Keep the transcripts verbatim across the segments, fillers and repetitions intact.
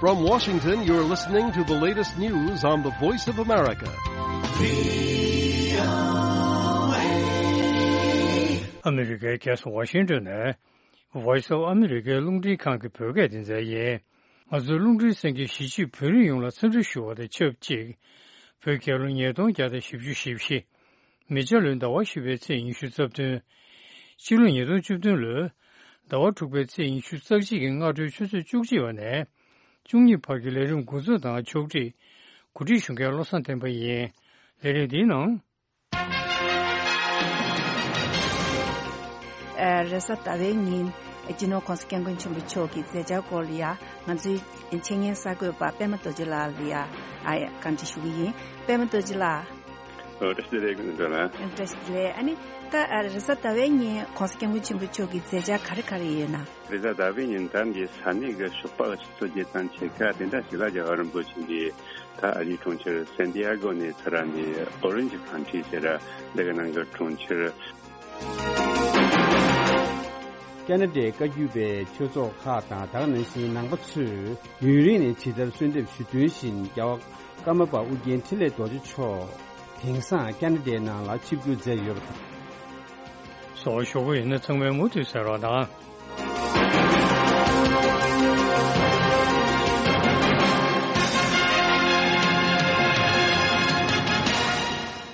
From Washington, you're listening to the latest news on the Voice of America. ཨ་མི་རི་ཀའི་རྒྱལ་ས་ཝ་ཤིང་ཏོན་ནས་Voice of America རླུང་འཕྲིན་ཁང་གི་བོད་སྐད་སྡེ་ཚན་ཡིན། ང་ཚོའི་རླུང་འཕྲིན་གསན་མཁན་གཞིས་བྱེས་བོད་རིགས་ཡོངས་ལ་འཚམས་འདྲི་ཞུ་བ་དང་ཆབས་ཅིག་བོད་རྒྱལ་ལོ་ཉིས་སྟོང་བརྒྱ་དང་བཞི་བཅུ་ཞེ་བཞི། མེ་བྱ་ལོའི་ཟླ་བ་བཞི་པའི་ཚེས་ཉི་ཤུ་རྩ་བདུན། སྤྱི་ལོ་ཉིས་སྟོང་བཅུ་བདུན་ལོའི་ཟླ་བ་དྲུག་པའི་ཚེས་ཉི་ཤུ་རྩ་གཅིག་གི་སྔ་དྲོའི་ཆུ་ཚོད་བཅུ་གཅིག་པ་ནས་བཅུ་གཉིས་བར་གྱི་ལས་རིམ་འགོ་འཛུགས་དང་ཕྱོགས་སྒྲིག་གོ་སྒྲིག་ཞུ་མཁན་བློ་བཟང་བསྟན་པ་ཡིན། ལས་རིམ་འདིའི་ནང་། ཨ། རེས་གཟའ་ཟླ་བའི་ཉིན་སྤྱི་ནོར་༸གོང་ས་༸སྐྱབས་མགོན་ཆེན་པོ་མཆོག་གི་མཛད་འཆར་སྐོར་ལ་ཡ་ང་ཚོའི་འཆད་ཉན་གསར་འགོད་པ་པད་མ་རྡོ་རྗེ་ལགས་ལ་ཡ་ཨ་བཀའ་འདྲི་ཞུ་གི་ཡིན། པད་མ་རྡོ་རྗེ་ལགས། ཨོ། བཀྲ་ཤིས་བདེ་ལེགས་ཀུན་སྒྲོལ་ལགས། བཀྲ་ཤིས་བདེ་ལེགས། ཨ་ནི་ད་ཨ་རེས་གཟའ་ཟླ་བའི་ཉིན་༸གོང་ས་༸སྐྱབས་མགོན་ཆེན་པོ་མཆོག་གི་མཛད་འཆར་ག་རེ་ག་རེ་ཡོད་ན། རེས་གཟའ་ཟླ་བའི་ཉིན་ད་འདི་ས་གནས་ཀྱི་ཞོགས་པ་གི་ཆུ་ཚོད་བརྒྱད་དང་ཕྱེད་ཀ་དེ་འདྲ་ཞིག་ལ་རྒྱལ་བ་རིན་པོ་ཆེ་འདི་ད་ཨ་རིའི་གྲོང་ཁྱེར་སན་ཏི་ཨ་གོ་ནས་ཚུར་ར་འདི་ཨོ་རེན་ཇི་ཁང་ཊི་ཟེར་ར་འདི་གི་ནང་གི་གྲོང་ཁྱེར། ཁ་ན་ཌའི་བཀའ་བརྒྱུད་པའི་ཆོས་ཚོགས་ཁག་དང་ད་ག་ནང་བཞིན་ནང་པ་ཚོས་ཡུན་རིང་ནས་ཇི་ལྟར་གསོལ་འདེབས་ཞུ་དོན་བཞིན་རྒྱལ་བ་ཀརྨ་པ་ཨུ་རྒྱན་འཕྲིན་ལས་རྡོ་རྗེ་མཆོག་དེང་སང་ཁ་ན་ཌའི་ནང་ལ་ཆིབས་བསྒྱུར་མཛད་ཡོད་པ་དང་། སོགས་ཞུ་གི་ཡིན་ན་ཚང་མས་མུ་མཐུད་གསན་རོགས་གནང་།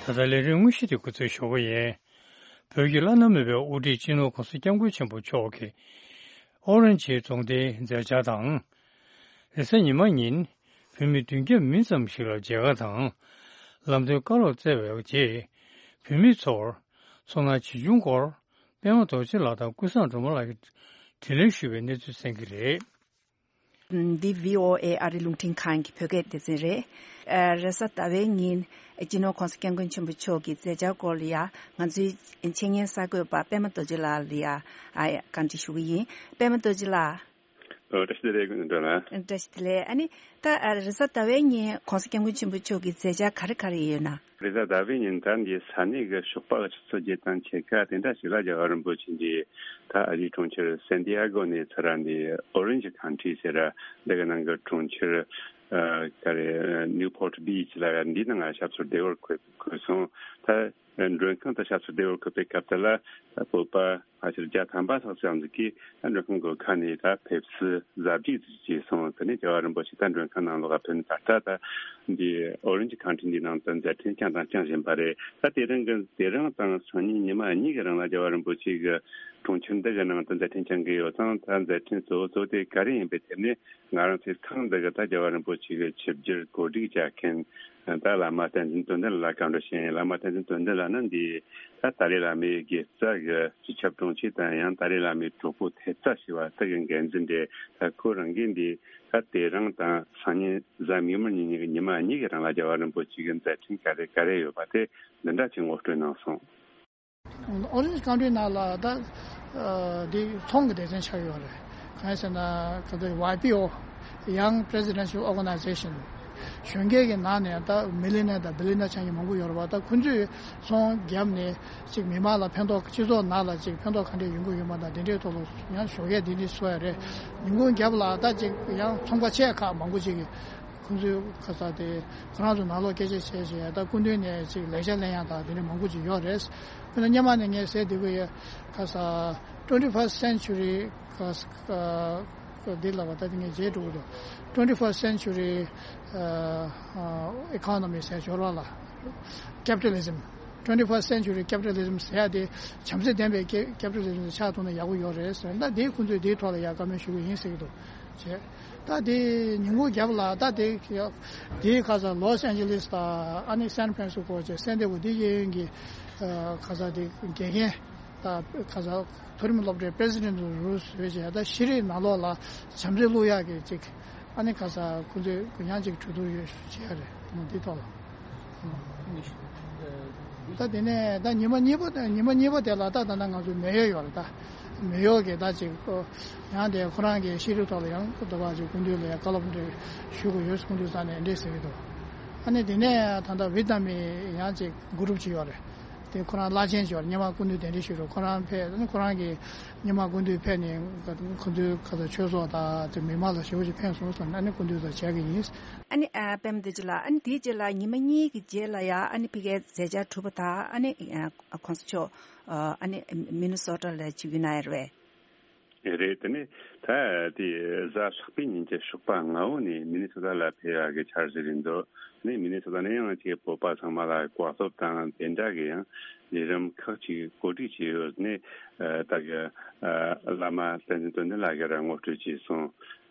ད་ལྟ་ལས་རིམ་དངོས་གཞི་དེ་འགོ་འཛུགས་ཞུ་གི་ཡིན། བོད་ཀྱི་བླ་ན་མེད་པའི་དབུ་ཁྲིད་སྤྱི་ནོར་༸གོང་ས་༸སྐྱབས་མགོན་ཆེན་པོ་མཆོག་གི་ཨོ་རེན་ཇི་རྫོང་སྡེའི་མཛད་འཆར་དང་། རེས་གཟའ་ཉི་མ་ཉིན་བོད་མི་བདུན་བརྒྱ་མིན་ཙམ་ཞིག་ལ་མཇལ་ཁ་དང་། ལམ་སྟོན་བཀའ་སློབ་སྩལ་བའི་རྗེས་བོད་མི་ཚོར་ཚོར་སྣང་ཇི་བྱུང་སྐོར་པད་མ་རྡོ་རྗེ་ལགས་དང་ཀུན་བཟང་སྒྲོལ་མ་ལགས་ཀྱིས་དྲིས་ལན་ཞུས་པའི་གནས་ཚུལ་གསན་གྱི་རེད། འདི་བྷི་ཨོ་ཨེ་ཨ་རི་རླུང་འཕྲིན་ཁང་གི་བོད་སྐད་སྡེ་ཚན་རེད། ཨ། རེས་གཟའ་ཟླ་བའི་ཉིན་སྤྱི་ནོར་༸གོང་ས་༸སྐྱབས་མགོན་ཆེན་པོ་མཆོག་གི་མཛད་འཆར་སྐོར་ལ་ཡ་ང་ཚོའི་འཆད་ཉན་གསར་འགོད་པ་པད་མ་རྡོ་རྗེ་ལགས་ལ་ཡ་ཨ་བཀའ་འདྲི་ཞུ་གི་ཡིན། པད་མ་རྡོ་རྗེ་ལགས། ཨོ། བཀྲ་ཤིས་བདེ་ལེགས་ཀུན་སྒྲོལ་ལགས། བཀྲ་ཤིས་བདེ་ལེགས། ཨ་ནི་ད་ཨ་རེས་གཟའ་ཟླ་བའི་ཉིན་༸གོང་ས་༸སྐྱབས་མགོན་ཆེན་པོ་མཆོག་གི་མཛད་འཆར་ག་རེ་ག་རེ་ཡོད་ན། རེས་གཟའ་ཟླ་བའི་ཉིན་ད་འདི་ས་གནས་ཀྱི་ཞོགས་པ་གི་ཆུ་ཚོད་བརྒྱད་དང་ཕྱེད་ཀ་དེ་འདྲ་ཞིག་ལ་རྒྱལ་བ་རིན་པོ་ཆེ་འདི་ད་ཨ་རིའི་གྲོང་ཁྱེར་སན་ཏི་ཨ་གོ་ནས་ཚུར་ར་འདི་ཨོ་རེན་ཇི་ཁང་ཊི་ཟེར་ར་འདི་གི་ནང་གི་གྲོང་ཁྱེར་ཨ་ག་རེ་ནིའུ་པོར་ཊི་བྷི་ཆི་ལ་འདི་ནང་ང་ཞབས་སོར་བདེ་བར་འཁོད་འཁོད་སོང་། ད་མགྲོན་ཁང་དུ་ཞབས་སོར་བདེ་བར་འཁོད་པའི་སྐབས་དེ་ལ་ད་བོད་པ་ཕལ་ཆེར་བརྒྱ་ཐམ་པ་ལྷག་ཙམ་ཞིག་གིས་ད་མགྲོན་ཁང་སྒོ་ཁ་ནས་ད་ཕེབས་བསུ་གཟབ་སྒྲིག་བྱས་སོང་། དེ་ནས་རྒྱལ་བ་རིན་པོ་ཆེ་ད་མགྲོན་ཁང་ནང་ལོགས་ལ་ཕེབས་ནས་ད་ལྟ་ད་འདི་ཨོ་རེན་ཇི་ཁང་ཊི་འདིའི་ནང་དུ་མཛད་འཕྲིན་བསྐྱངས་དང་བསྐྱང་བཞིན་པ་རེད། ད་དེ་རིང་གི་དེ་རིང་དང་སང་ཉིན་ཉི་མ་གཉིས་ཀྱི་རིང་ལ་རྒྱལ་བ་རིན་པོ་ཆེ་གི་གྲོང་ཁྱེར་འདི་གི་ནང་དུ་མཛད་འཕྲིན་བསྐྱང་གི་ཡོད་ཙང་། ད་མཛད་འཕྲིན་གཙོ་བོ་གཙོ་བོ་དེ་ག་རེ་ཡིན་པའི་ཐད་ནས་ང་རང་ཚོའི་ཁང་འདི་གི་ད་རྒྱལ་བ་རིན་པོ་ཆེ་གི་ཆིབས་བསྒྱུར་གོ་སྒྲིག་བྱ་མཁན་ད་བླ་མ་བསྟན་འཛིན་དོན་ལྡན་ལ་བཀའ་འདྲི་ཞུ་ཡིན། བླ་མ་བསྟན་འཛིན་དོན་ལྡན་ལགས་ནི་འདི་ད་ཏཱ་ལའི་བླ་མའི་དགེ་རྩ་གི་སྤྱི་ཁྱབ་དྲུང་ཆེ་དང་ཡང་ཏཱ་ལའི་བླ་མའི་གྲོགས་པོ་ཐེབས་རྩ་ཞེས་པ་དེ་གི་འགན་འཛིན་རེད། ད་ཁོ་རང་གིས་འདི་ད་དེ་རིང་དང་སང་ཉིན་གཟའ་མིག་དམར་གཉིས་ཀྱི་ཉི་མ་གཉིས་ཀྱི་རིང་ལ་རྒྱལ་བ་རིན་པོ་ཆེ་གི་མཛད་འཕྲིན་ག་རེ་ག་རེ་ཡོད་པ་དེ་འདི་འདྲ་ཅིག་ངོ་སྤྲོད་གནང་སོང་། ཨོ་རེན་ཇི་ཁང་ཊི་ནང་ལ་ད་ཨ་འདི་ཚོང་གི་སྡེ་ཚན་ཆགས་ཡོད་རེད། གང་ཡིན་ཟེར་ན་ག་ཚོད་ཝའི་པི་ཨོ། Young Presidential Organization། གཞོན་སྐྱེས་ཀྱི་ནང་ནས་ད་མི་ལི་ནེ་དང་བི་ལི་ནེ་ཆགས་མཁན་མང་པོ་ཡོད་རེད་པ། ད་ཁོང་ཚོས་ཚོང་བརྒྱབ་ནས་ཅིག་མི་མང་ལ་ཕན་ཐོགས། སྤྱི་ཚོགས་ནང་ལ་ཅིག་ཕན་ཐོགས་ག་འདྲས་ཡོང་གི་ཡོད་མ་དང་དེ་འདྲའི་ཐོག་ལ་ཡང་ཞོགས་ཀས་འདི་འདྲས་བཟོ་ཡ་རེད། ཉིན་གུང་རྒྱབ་ལ་ད་ཅིག་ཡང་ཚོང་པ་ཆེ་ཁག་མང་པོ་ཅིག་གིས་ཁོང་ཚོའི་ཁ་ས་དེ་ཁོ་རང་ཚོ་ནང་ལོགས་སྐད་ཆ་བཤད་བྱས་ད་སྐུ་མདུན་ནས་ཅིག་ལེགས་ཆ་ལེན་ཡ་དང་དེ་འདྲ་མང་པོ་ཅིག་ཡོད་རེད། དཔེར་ན་སྔོན་མ་ནས་ངས་ཟེར་བསྡད་ཀྱི་ཡོད། ཁ་ས་twenty first century ཁ་ས་འདི་ལབ་པ་ད་དེ་ངས་བརྗེད་འགྲོ་གི་འདུག twenty first century economy ཟེར་འབྱོར་བ་ལ་capitalism། twenty first century capitalism ཟེར་ཡ་དེ་བྱམས་བརྩེ་ལྡན་པའི་capitalism ཆགས་ཐུབ་ན་ཡག་པོ་ཡོད་རེད་ཟེར། ད་དེ་ཁོང་ཚོས་དེའི་ཐོག་ལ་ཡ་བཀའ་མོལ་ཞུ་གི་ཡིན་ཟེར་གྱི་འདུག་བྱས། ད་དེ་ཉིན་གུང་རྒྱབ་ལ་ད་དེ་དེའི་ཁ་ས་ལོས་ཨན་ཇེ་ལིས་དང་ཨ་ནི་སན་ཕ་རན་སི་སྐོ་བྱས་སན་ཏེ་གོ་དེ་གཡས་གཡོན་གྱི་ཁ་ས་དེ་དགེ་རྒན་དང་ཁ་ས་མཐོ་རིམ་སློབ་གྲྭའི་པི་རེ་སི་ཌེན་ཊི་རུ་བཟོས་བྱས། ད་ཤེས་རིག་ནང་ལོགས་ལ་བྱམས་བརྩེ་བླུག་ཡག་གི་ཅིག་ཨ་ནི་ཁ་ས་ཁོང་ཚོས་ཡང་ཅིག་གྲོས་བསྡུར་ཡོད་བྱས་རེད། འདི་ཐོག་ལ། ད་དེ་ནས་ད་ཉི་མ་གཉིས་པ་ཉི་མ་གཉིས་པ་དེ་ལ་ད་ད་ལྟ་ང་ཚོ་མེ་ཡོད་ཡོད་རེད། ད་མེ་ཡོད་གི་ད་ཅིག་ཡང་དེ་ཁོ་རང་གི་ཤེས་རིག་ཐོག་ལ་ཡང་དོ་བ་ཅིག་སྐུ་མདུན་ལ་ཡང་བཀའ་སློབ་འདྲ་ཞུ་དགོས་ཡོད་སྐུ་མདུན་རྩ་ནས་འདྲ་ཟེར་གི་འདུག་ཨ་ནི་དེ་ནས་ད་ལྟ་བི་ཏ་མི་ཡང་ཅིག་གུ་རུབ་ཅིག་ཡོད་རེད། དེ་ཁོ་རང་བླ་ཆེན་ཞིག་ཡོད་རེད། སྔོན་མ་སྐུ་མདུན་གདན་འདྲེན་ཞུས་རེད། ཁོ་རང་ཕེབས་ནས་ཁོ་རང་གིས་སྔོན་མ་སྐུ་མདུན་ཕེབས་ནས་ཁོ་ཚོའི་ཁ་ཚ་ཆོས་ཚོགས་དང་དེ་མི་མང་ལ་ཞེ་པོ་ཅིག་ཕན་སོང་ཟེར་ནས་ཨ་ནི་སྐུ་མདུན་ཚོ་བྱས་ཀྱི་ཡིན། ཨ་ནི་ཨ་པད་མ་རྡོ་རྗེ་ལགས། ཨ་ནི་དེའི་རྗེས་ལ་ཉི་མ་གཉིས་ཀྱི་རྗེས་ལ་ཡ་ཨ་ནི་ཕ་གིའི་མཛད་འཆར་གྲུབ་པ་དང་ཨ་ནི་ཨ་གོང་ས་མཆོག་ཨ་ནི་མི་ནི་སོ་ཊ་ལ་ཆིབས་བསྒྱུར་གནང་ཡ་རེད་པས། རེད། དེ་ནས་ད་དེ་གཟའ་ལྷག་པའི་ཉིན་གྱི་ཞོགས་པ་སྔ་བོ་ནས་མི་ནི་སོ་ཊ་ལ་ཕེབས་ཡག་གི་འཆར་གཞི་རེད་འདུག་ནས་མི་ནི་སོ་ཊ་ནས་ཡང་ཅིག་བོད་པ་ཚང་མ་ལ་བཀའ་སློབ་དང་དེ་འདྲ་གི་ཡང་ལས་རིམ་ཁག་ཅིག་གོ་སྒྲིག་བྱས་ཡོད་ནས། ད་གི་བླ་མ་བསྟན་འཛིན་དོན་ལྡན་ལགས་ཀྱིས་རང་ངོ་སྤྲོད་བྱས་སོང་།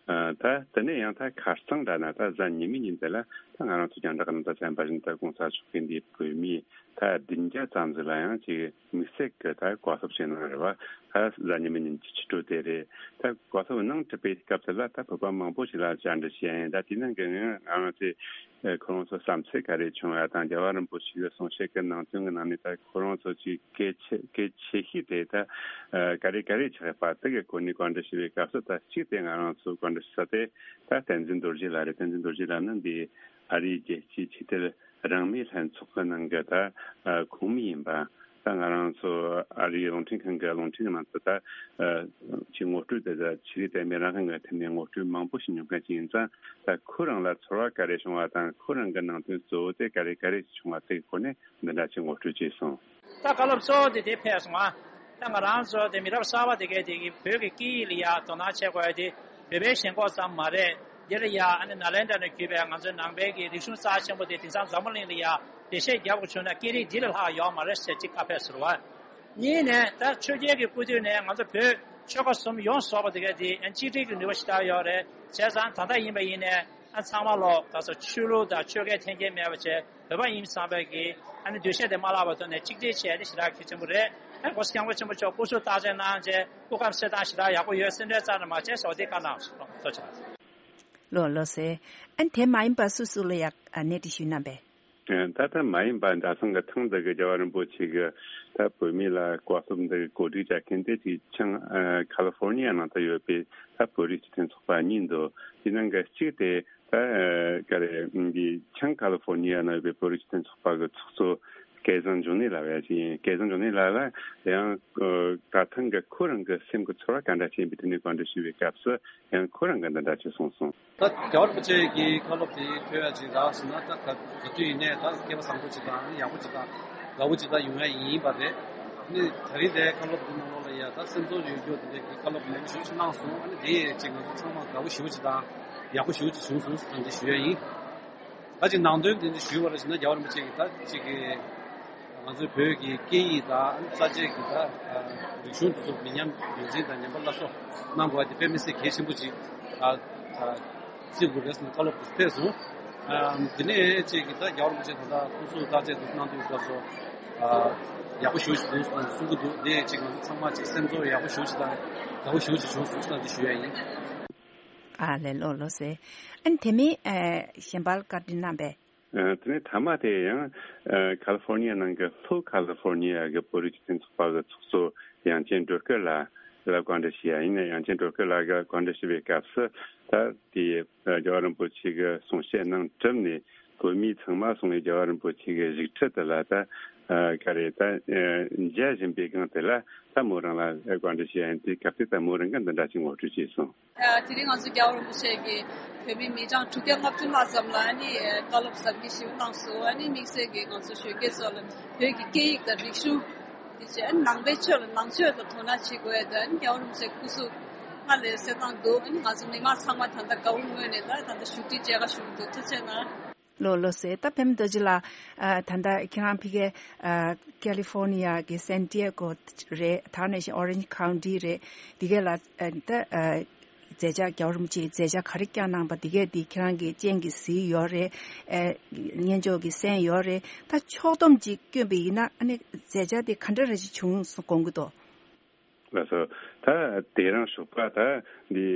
ད་དེ་ནས་ཡང་ད་ཁ་རྩང་འདྲ་ན་ད་གཟའ་ཉི་མའི་ཉིན་དེ་ལ་ད་ང་རང་ཚོ་རྒྱང་བསྒྲགས་ནང་ད་གསན་པ་བཞིན་ད་གོང་ས་མཆོག་གིས་འདི་བོད་མི་ད་བདུན་བརྒྱ་ཙམ་ཟིག་ལ་ཡང་ཅིག་དམིགས་བསལ་གྱི་ད་བཀའ་སློབ་བྱས་གནང་རེད་བ། ད་གཟའ་ཉི་མའི་ཉིན་གྱི་ཕྱི་དྲོ་དེ་རེད། ད་བཀའ་སློབ་གནང་གྲུབ་པའི་སྐབས་དེ་ལ་ད་བོད་པ་མང་པོ་ཞིག་ལ་བཅར་འདྲི་བྱས་ཡིན། ད་དེ་ནང་གི་ང་ང་རང་ཚོས་ཁོ་རང་ཚོ་བསམ་ཚུལ་ག་རེ་བྱུང་ཡ་དང་རྒྱལ་བ་རིན་པོ་ཆེ་གི་གསུང་བཤད་ཀྱི་ནང་དོན་གྱི་ནང་ནས་ད་ཁོ་རང་ཚོ་ཅིག་གལ་ཆེ་གལ་ཆེ་ཤོས་དེ་ད་ག་རེ་ག་རེ་ཆགས་པ་དེ་གི་སྐོར་ནས་བཀའ་འདྲི་ཞུ་བའི་སྐབས་སུ། ད་གཅིག་དེ་ང་རང་ཚོ་བཀའ་འདྲི་ཞུ་ས་དེ་ད་བསྟན་འཛིན་རྡོ་རྗེ་ལགས་རེད། བསྟན་འཛིན་རྡོ་རྗེ་ལགས་ནི་འདི་ཨ་རིའི་རྒྱལ་སྤྱིའི་ཆོས་དད་རང་མོས་ལྷན་ཚོགས་ཀྱི་ནང་གི་ད་ཁོངས་མི་ཡིན་པ། ད་ང་རང་ཚོ་ཨ་རིའི་རླུང་འཕྲིན་ཁང་གི་རླུང་འཕྲིན་གྱི་ནང་དུ་ད་ཅིག་ངོ་སྤྲོད་དེ་ད་ཆོས་རིག་དད་མོས་རང་དབང་གི་ཐད་ནས་ངོ་སྤྲོད་མང་པོ་ཞིག་མྱོང་མཁན་ཅིག་ཡིན་ཙང་། ད་ཁོ་རང་ལ་ཚོར་བ་ག་རེ་བྱུང་བ་དང་ཁོ་རང་གི་ནང་དོན་གཙོ་བོ་དེ་ག་རེ་ག་རེ་བྱུང་བ་དེ་གི་སྐོར་ནས་འདི་འདྲ་ཅིག་ངོ་སྤྲོད་བྱས་སོང་། ད་བཀའ་སློབ་གཙོ་བོ་དེ་དེ་ཕེབས་སོང་ཨ། ད་ང་རང་ཚོ་དེ་མི་རབས་གསར་པ་དེ་གས་དེ་གི་བོད་ཀྱི་སྐད་ཡིག་ལ་ཡ་དོ་སྣང་བྱེད་དགོས་ཡ་དེ་བོད་པའི་ཞེན་ཁོག་ཙམ་མ་རེད། འདི་ལ་ཡ་ཨ་ནི་ནཱ་ལེནྡྲ་ནས་བརྒྱུད་པའི་ང་ཚོའི་ནང་པའི་གི་རིག་གཞུང་རྩ་ཆེན་པོ་དེ་དེང་སང་འཛམ་བུ་གླིང་ལ་ཡ་འགྲེལ་བཤད་རྒྱག་དགོས་བྱུང་ན་སྐད་རིགས་འདི་ལས་ལྷག་ཡོད་མ་རེད་ཟེར་ཅིག་བཀའ་ཕེབས་ཟེར་བ། གཉིས་ནས་ད་ཆོས་རྒྱལ་གྱི་སྐུ་དུས་ནས་ང་ཚོ་བོད་ཆོལ་ཁ་གསུམ་ཡོངས་རྫོགས་པ་དེ་གས་དེ་ཨ་གཅིག་སྒྲིལ་གྱི་ནུས་པ་ཞེ་དྲག་ཡོད་རེད། བྱས་ཙང་ད་ལྟ་ཡིན་པ་ཡིན་ནས་ཨ་ཚང་མ་ལོག་ད་ཚོ་ཆོས་ལུགས་དང་ཆོལ་ཁའི་འཐེན་འཁྱེར་མེད་པ་བྱས། བོད་པ་ཡིན་ཙང་བས་ཀྱི་ཨ་ནི་འདུ་ཤེས་དེ་མ་བརླག་པ་ཐོག་ནས་གཅིག་སྒྲིལ་བྱས་ཏེ་ཞེ་དྲག་གལ་ཆེན་པོ་རེད། ཨ་ནི་གོང་ས་སྐྱབས་མགོན་ཆེན་པོ་མཆོག་སྐུ་གཟུགས་བརྟག་དཔྱད་གནང་བྱས་སྐུ་ཁམས་གསལ་ཐང་ཞེ་དྲག་ཡག་པོ་ཡོད། སེམས་ཁྲལ་རྩ་ནས་མ་བྱེད་ཟེར་བ་དེ་བཀའ་གནང་སོང་། ཐུགས་རྗེ་ཆེ། ལགས་ལགས་སེ། ཨ་ནི་དེ་མ་ཡིན་པ་སུ་སུ་ལ་ཡང་གནས་འདྲི་ཞུས་གནང་པས། ད་ལྟ་མ་ཡིན་པ་འདྲ་སང་གི་ཐེངས་འདི་གི་རྒྱལ་བ་རིན་པོ་ཆེ་གི་ད་བོད་མི་ལ་བཀའ་སློབ་འདི་གི་གོ་སྒྲིག་བྱ་མཁན་དེ་ཅིག་ཆང་ཁ་ལི་ཧྥོར་ནི་ཡ་ནང་དུ་ཡོད་པའི་ད་བོད་རིགས་སྤྱི་མཐུན་ཚོགས་པ་གཉིས་འདུག་དེ་ནང་གི་གཅིག་དེ་ད་ག་རེ་འདི་ཆང་ཁ་ལི་ཧྥོར་ནི་ཡ་ནང་ཡོད་པའི་བོད་རིགས་སྤྱི་མཐུན་ཚོགས་པ་གི་ཚོགས་གཙོ་སྐལ་བཟང་འབྱུང་གནས་ལགས་ཡ་ཅིག་ཡིན། སྐལ་བཟང་འབྱུང་གནས་ལགས་ལ་ཡང་ད་ཐེངས་གི་ཁོ་རང་གི་སེམས་ཀྱི་ཚོར་བ་ག་འདྲ་ཅིག་ཡིན་པའི་དེ་ནས་བཀའ་འདྲི་ཞུས་པའི་སྐབས་སུ། ཡང་ཁོ་རང་གིས་འདི་འདྲ་ཅིག་གསུངས་སོང་། ད་རྒྱལ་བ་རིན་པོ་ཆེ་གི་བཀའ་སློབ་དེ་ཐོས་ཡ་ཅིག་རག་སོང་ན་ད་ག་ག་དུས་ཡིན་ནའི་ད་སྐལ་བ་བཟང་པོ་ཅིག་དང་ཡག་པོ་ཅིག་དང་དགའ་པོ་ཅིག་ད་ཡོང་ཡ་ཡིན་པ་རེད། ནི་ད་རིང་དེ་བཀའ་སློབ་དེ་ནང་ལོགས་ལ་ཡ་ད་སེམས་ཚོར་ཡོད་རྒྱུ་དེ་འདྲ་གི་བཀའ་སློབ་མང་པོ་ཞེ་པོ་ཅིག་གནང་སོང་། ཨ་ནི་དེ་ཡས་ཅིག་ང་ཚོ་ཚང་མ་དགའ་པོ་ཞེ་པོ་ཅིག་དང་ཡག་པོ་ཞེ་པོ་ཅིག་བྱུང་སོང་ཟེར་ད་འདི་ཞུ་ཡ་ཡིན། ད་ཅིག་ནང་དོན་དེ་འདྲ་ཞུས་པ་རེད་ཟེར་ན་རྒྱལ་བ་རིན་པོ་ཆེ་གིས་ད་ཅིག་གི་ང་ཚོའི་བོད་ཀྱི་སྐད་ཡིག་དང་རྩ་ཆེ་གི་ད་རིག་གཞུང་དེ་ཚོ་མི་ཉམས་རྒྱུན་འཛིན་དང་ཉམས་པ་སླར་གསོ་གནང་དགོས་པ་དེ་དཔེ་མི་སྲིད་གལ་ཆེན་པོ་ཅིག་བརྩི་དགོས་རེད་ཟེར་ནས་བཀའ་སློབ་དེ་ཕེབས་སོང་། དེ་ནས་ཅིག་གི་ད་རྒྱལ་བ་རིན་པོ་ཆེ་ད་ལྟ་སྐུ་གཟུགས་བརྟག་དཔྱད་དེ་གནང་དུས་སྐབས་སུ་ཡག་པོ་ཞེ་པོ་ཅིག་འདུག་གསུང་གི་འདུག་དེ་ཅིག་ང་ཚོ་ཚང་མ་ཅིག་སེམས་ཚོར་ཡག་པོ་ཞེ་པོ་ཅིག་དང་དགའ་པོ་ཞེ་པོ་ཅིག་བྱུང་སོང་ཟེར་ན་དེ་ཞུ་ཡ་ཡིན། ཨ་ལས། ལགས་ལགས་སེ། ཨ་ནི་དེ་མིན་ཨ་གཞན་པ་ལ་བཀའ་འདྲི་གནང་པས། ཨ་དེ་ནས་མཐའ་མ་དེ་ཡང་ཨ་ཁ་ལི་ཧྥོར་ནི་ཡ་ནང་གི་ལྷོ་ཁ་ལི་ཧྥོར་ནི་ཡ་གི་བོད་རིགས་སྤྱི་མཐུན་ཚོགས་པ་གི་ཚོགས་གཙོ་དབྱངས་ཅན་སྒྲོལ་དཀར་ལགས་ལ་བཀའ་འདྲི་ཞུས་ཡ་ཡིན། དབྱངས་ཅན་སྒྲོལ་དཀར་ལགས་ཀྱིས་བཀའ་འདྲི་ཞུ་བའི་སྐབས་སུ། ད་དེ་ཨ་རྒྱལ་བ་རིན་པོ་ཆེ་གི་གསུང་བཤད་གནང་གྲུབ་ནས་བོད་མི་ཚང་མ་སོང་བའི་རྒྱལ་བ་རིན་པོ་ཆེ་གི་བཞུགས་ཁྲི་དེ་ལ་ད་ཨ་ག་རེ་ད་ཨ་མཇལ་བཞིན་པའི་སྒང་དེ་ལ་ད་མོ་རང་ལ་བཀའ་འདྲི་ཞུས་ཡ་ཡིན། དེའི་སྐབས་དེ་ད་མོ་རང་གིས་འདི་འདྲ་ཅིག་ངོ་སྤྲོད་བྱས་སོང་། ཨ་དེ་རིང་ང་ཚོ་རྒྱལ་བ་རིན་པོ་ཆེ་གིས་བོད་མི་མི་གྲངས་དྲུག་བརྒྱ་ལྔ་བཅུ་ལྷག་ཙམ་ལ་ཨ་ནི་བཀའ་སློབ་ཟབ་རྒྱས་ཞིག་གནང་སོང་། ཨ་ནི་དམིགས་བསལ་གྱིས་ང་ཚོ་གཞོན་སྐྱེས་ཚོ་ལ་བོད་ཀྱི་སྐད་ཡིག་དང་རིག་གཞུང་། དེ་བྱས་ཨ་ནི་ནང་པའི་ཆོས་ལ་ནང་ཆོས་ལ་དོ་སྣང་བྱེད་དགོས་ཡ་དེ་ཨ་ནི་རྒྱལ་བ་རིན་པོ་ཆེ་སྐུ་གཟུགས་སྔར་ལས་གསལ་ཐང་འདུག་ཨ་ནི་ང་ཚོ་མི་མང་ཚང་མ་ད་ལྟ་དགའ་བོ་ངོས་ནས་ད་ད་ལྟ་བཞུགས་ཁྲི་མཇལ་ཁ་ཞུ་གི་འདུག་ཐུགས་རྗེ་གནང་། ལགས་ལགས་སེ། ད་པད་མ་རྡོ་རྗེ་ལགས། ཨ་ད་ལྟ་ཁྱེད་རང་ཕ་གིའི་ཨ་ཁ་ལི་ཧྥོར་ནི་ཡ་གི་སན་ཏི་ཡ་གོ་རེད། དེ་ནས་ཨོ་རེན་ཇི་ཁའུན་ཊི་རེད། དེ་ག་ལ་ཨ་ད་ཨ་མཛད་འཆར་རྒྱལ་བ་རིན་པོ་ཆེའི་མཛད་འཆར་ག་རེ་བསྐྱངས་གནང་པ་དེ་གས་དེ་ཁྱེད་རང་གི་སྤྱན་གྱིས་གཟིགས་ཡོད་རེད། ཨ་སྙན་ཅོག་གིས་གསན་ཡོད་རེད། ད་ཕྱོགས་བསྡོམས་ཅིག་བསྐྱོན་པ་ཡིན་ན་ཨ་ནི་མཛད་འཆར་དེ་ག་འདྲ་རེ་ཞིག་བྱུང་སོང་དགོངས་ཀྱི་འདུག་ལགས་སོ། ད་དེ་རིང་ཞོགས་པ་ད་འདི་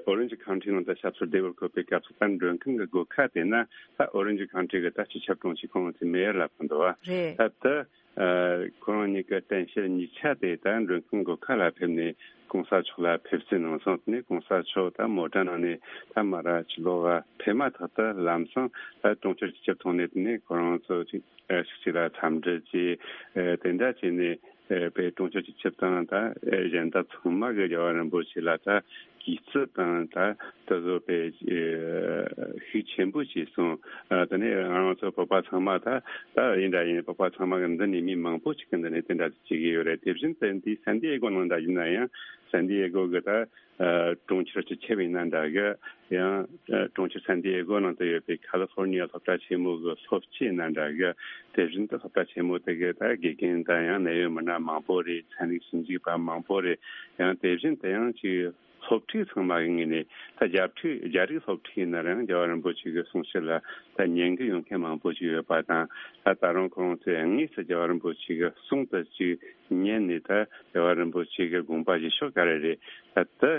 ཨོ་རེན་ཇི་ཁའུན་ཊི་ནང་ད་ཞབས་སོར་བདེ་བར་འཁོད་པའི་སྐབས་སུ་ད་མགྲོན་ཁང་གི་སྒོ་ཁ་དེ་ན་ད་ཨོ་རེན་ཇི་ཁའུན་ཊི་གི་ད་སྤྱི་ཁྱབ་དྲུང་ཆེ་ཁོང་ཚོའི་མེ་ཡར་ལབ་ཀྱི་འདུག་བ། རེད། ད་ད་ ཁོ་རང་གཉིས་ཀྱི་གཏན་བཤེར་གཉིས་ཆ་དེ་ད་མགྲོན་ཁང་སྒོ་ཁ་ལ་ཕེབས་ནས་གོང་ས་མཆོག་ལ་ཕེབས་བསུ་གནང་སོང་། དེ་ནས་གོང་ས་མཆོག་ད་མོ་ཊ་ནང་ནས་ད་མར་ཕྱི་ལོགས་ཕེབས་མ་ཐག་ཏུ་ལམ་སང་ད་གྲོང་ཁྱེར་སྤྱི་ཁྱབ་ཐོན་ནས། དེ་ནས་ཁོ་རང་ཚོ་ཅིག་ཨ་ཞིག་ཅིག་ལ་འཚམས་འདྲི་བྱས། ཨ་དེ་འདྲ་བྱས་ནས་ཨ་དཔེ་གྲོང་ཁྱེར་སྤྱི་ཁྱབ་དང་ད་ཨ་གཞན་དག་ཚང་མ་གིས་རྒྱལ་བ་རིན་པོ་ཆེ་ལ་ད་གུས་བརྩི་དང་ད་དེ་ཚོ་དཔེ་ཨ་ཤུགས་ཆེན་པོ་བྱས་སོང་། ཨ་དེ་ནས་ང་རང་ཚོ་བོད་པ་ཚང་མ་ད་ད་ཡིན་འདྲ་ཡིན། བོད་པ་ཚང་མ་གིས་འདི་ནས་མི་མང་པོ་ཅིག་གིས་འདི་ནས་དེ་འདྲ་བྱེད་ཀྱི་ཡོད་རེད། དེ་བཞིན་དུ་འདི་སན་ཏི་ཨེ་གོ་ནང་འདྲ་ཡིན་ན་ཡང་། སན་ཏི་ཨེ་གོ་གི་ད་ཨ་གྲོང་ཁྱེར་སྤྱི་ཁྱབ་ཡིན་ན་འདྲ་གི། ཡང་ཨ་གྲོང་ཁྱེར་སན་ཏི་ཨེ་གོ་ནང་དུ་ཡོད་པའི་ཁ་ལི་ཧྥོར་ནི་ཡ་སློབ་གྲྭ་ཆེན་མོ་གི་སློབ་སྤྱི་ཡིན་ན་འདྲ་གི། དེ་བཞིན་དུ་སློབ་གྲྭ་ཆེན་མོ་དེ་གའི་ད་དགེ་རྒན་དང་ཡང་གནད་ཡོད་མི་སྣ་མང་པོ་རེད། ཚན་རིག་ཞིབ་འཇུག་པ་མང་པོ་རེད། ཡང་དེ་བཞིན་དུ་ཡང་ཅིག་སློབ་ཕྲུག་ཚང་མ་གི་ངོས་ནས། ད་རྒྱ་ཕྲུག་རྒྱ་རིགས་སློབ་ཕྲུག་ཡིན་ན་རང་རྒྱལ་བ་རིན་པོ་ཆེ་གི་གསུང་བཤད་ལ་ད་ཉན་གི་ཡོང་མཁན་མང་པོ་ཞིག་ཡོད་པ་དང་། ད་ད་རུང་ཁོ་རང་ཚོས་དངོས་སུ་རྒྱལ་བ་རིན་པོ་ཆེ་གི་གསུང་དེ་ཅིག་ཉན་ནས། ད་རྒྱལ་བ་རིན་པོ་ཆེ་གི་དགོངས་པ་བཞེས་ཕྱོགས་ག་རེ་རེད། ད་དེ་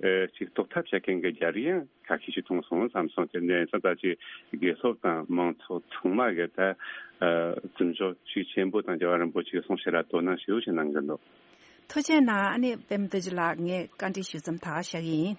ཨེ་ཅིག་རྟོགས་ཐབས་བྱེད་མཁན་གྱི་རྒྱ་རིགས་ཡང་ཁ་ཤས་ཤིག་མཐོང་སོང་བསམ་སོང་། དེ་འདྲ་ཙང་ད་ཅིག་དགེ་སློབ་དང་མང་ཚོགས་ཚང་མ་གིས་ད་ཨ་བརྩི་འཇོག་ཤུགས་ཆེན་པོ་དང་རྒྱལ་བ་རིན་པོ་ཆེའི་གསུང་བཤད་ལ་དོ་སྣང་ཤུགས་ཆེ་གནང་གི་འདུག། ཐུགས་རྗེ་གནང་། ཨ་ནི་པད་མ་རྡོ་རྗེ་ལགས། ངས་བཀའ་འདྲི་ཞུ་མཚམས་ད་ག་བཞག་གི་ཡིན།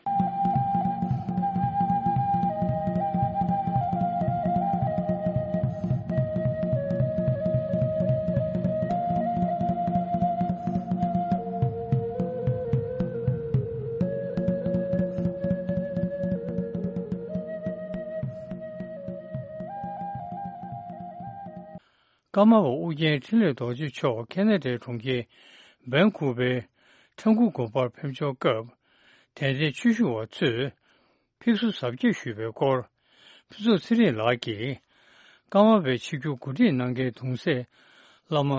ཀརྨ་པ་ཨོ་རྒྱན་འཕྲིན་ལས་རྡོ་རྗེ་མཆོག་ཁ་ན་ཌའི་གྲོང་ཁྱེར་ཝན་ཀུ་ཝར་ཁྲ་འགུ་དགོན་པར་ཕེབས་འབྱོར་སྐབས། དད་ལྡན་ཆོས་ཞུ་བ་ཚོས་ཕེབས་བསུ་གཟབ་རྒྱས་ཞུས་པའི་སྐོར། ཕུན་ཚོགས་ཚེ་རིང་ལགས་ཀྱིས་ཀརྨ་པའི་ཆིབས་བསྒྱུར་གོ་སྒྲིག་གནང་མཁན་གདུང་སྲས་བླ་མ་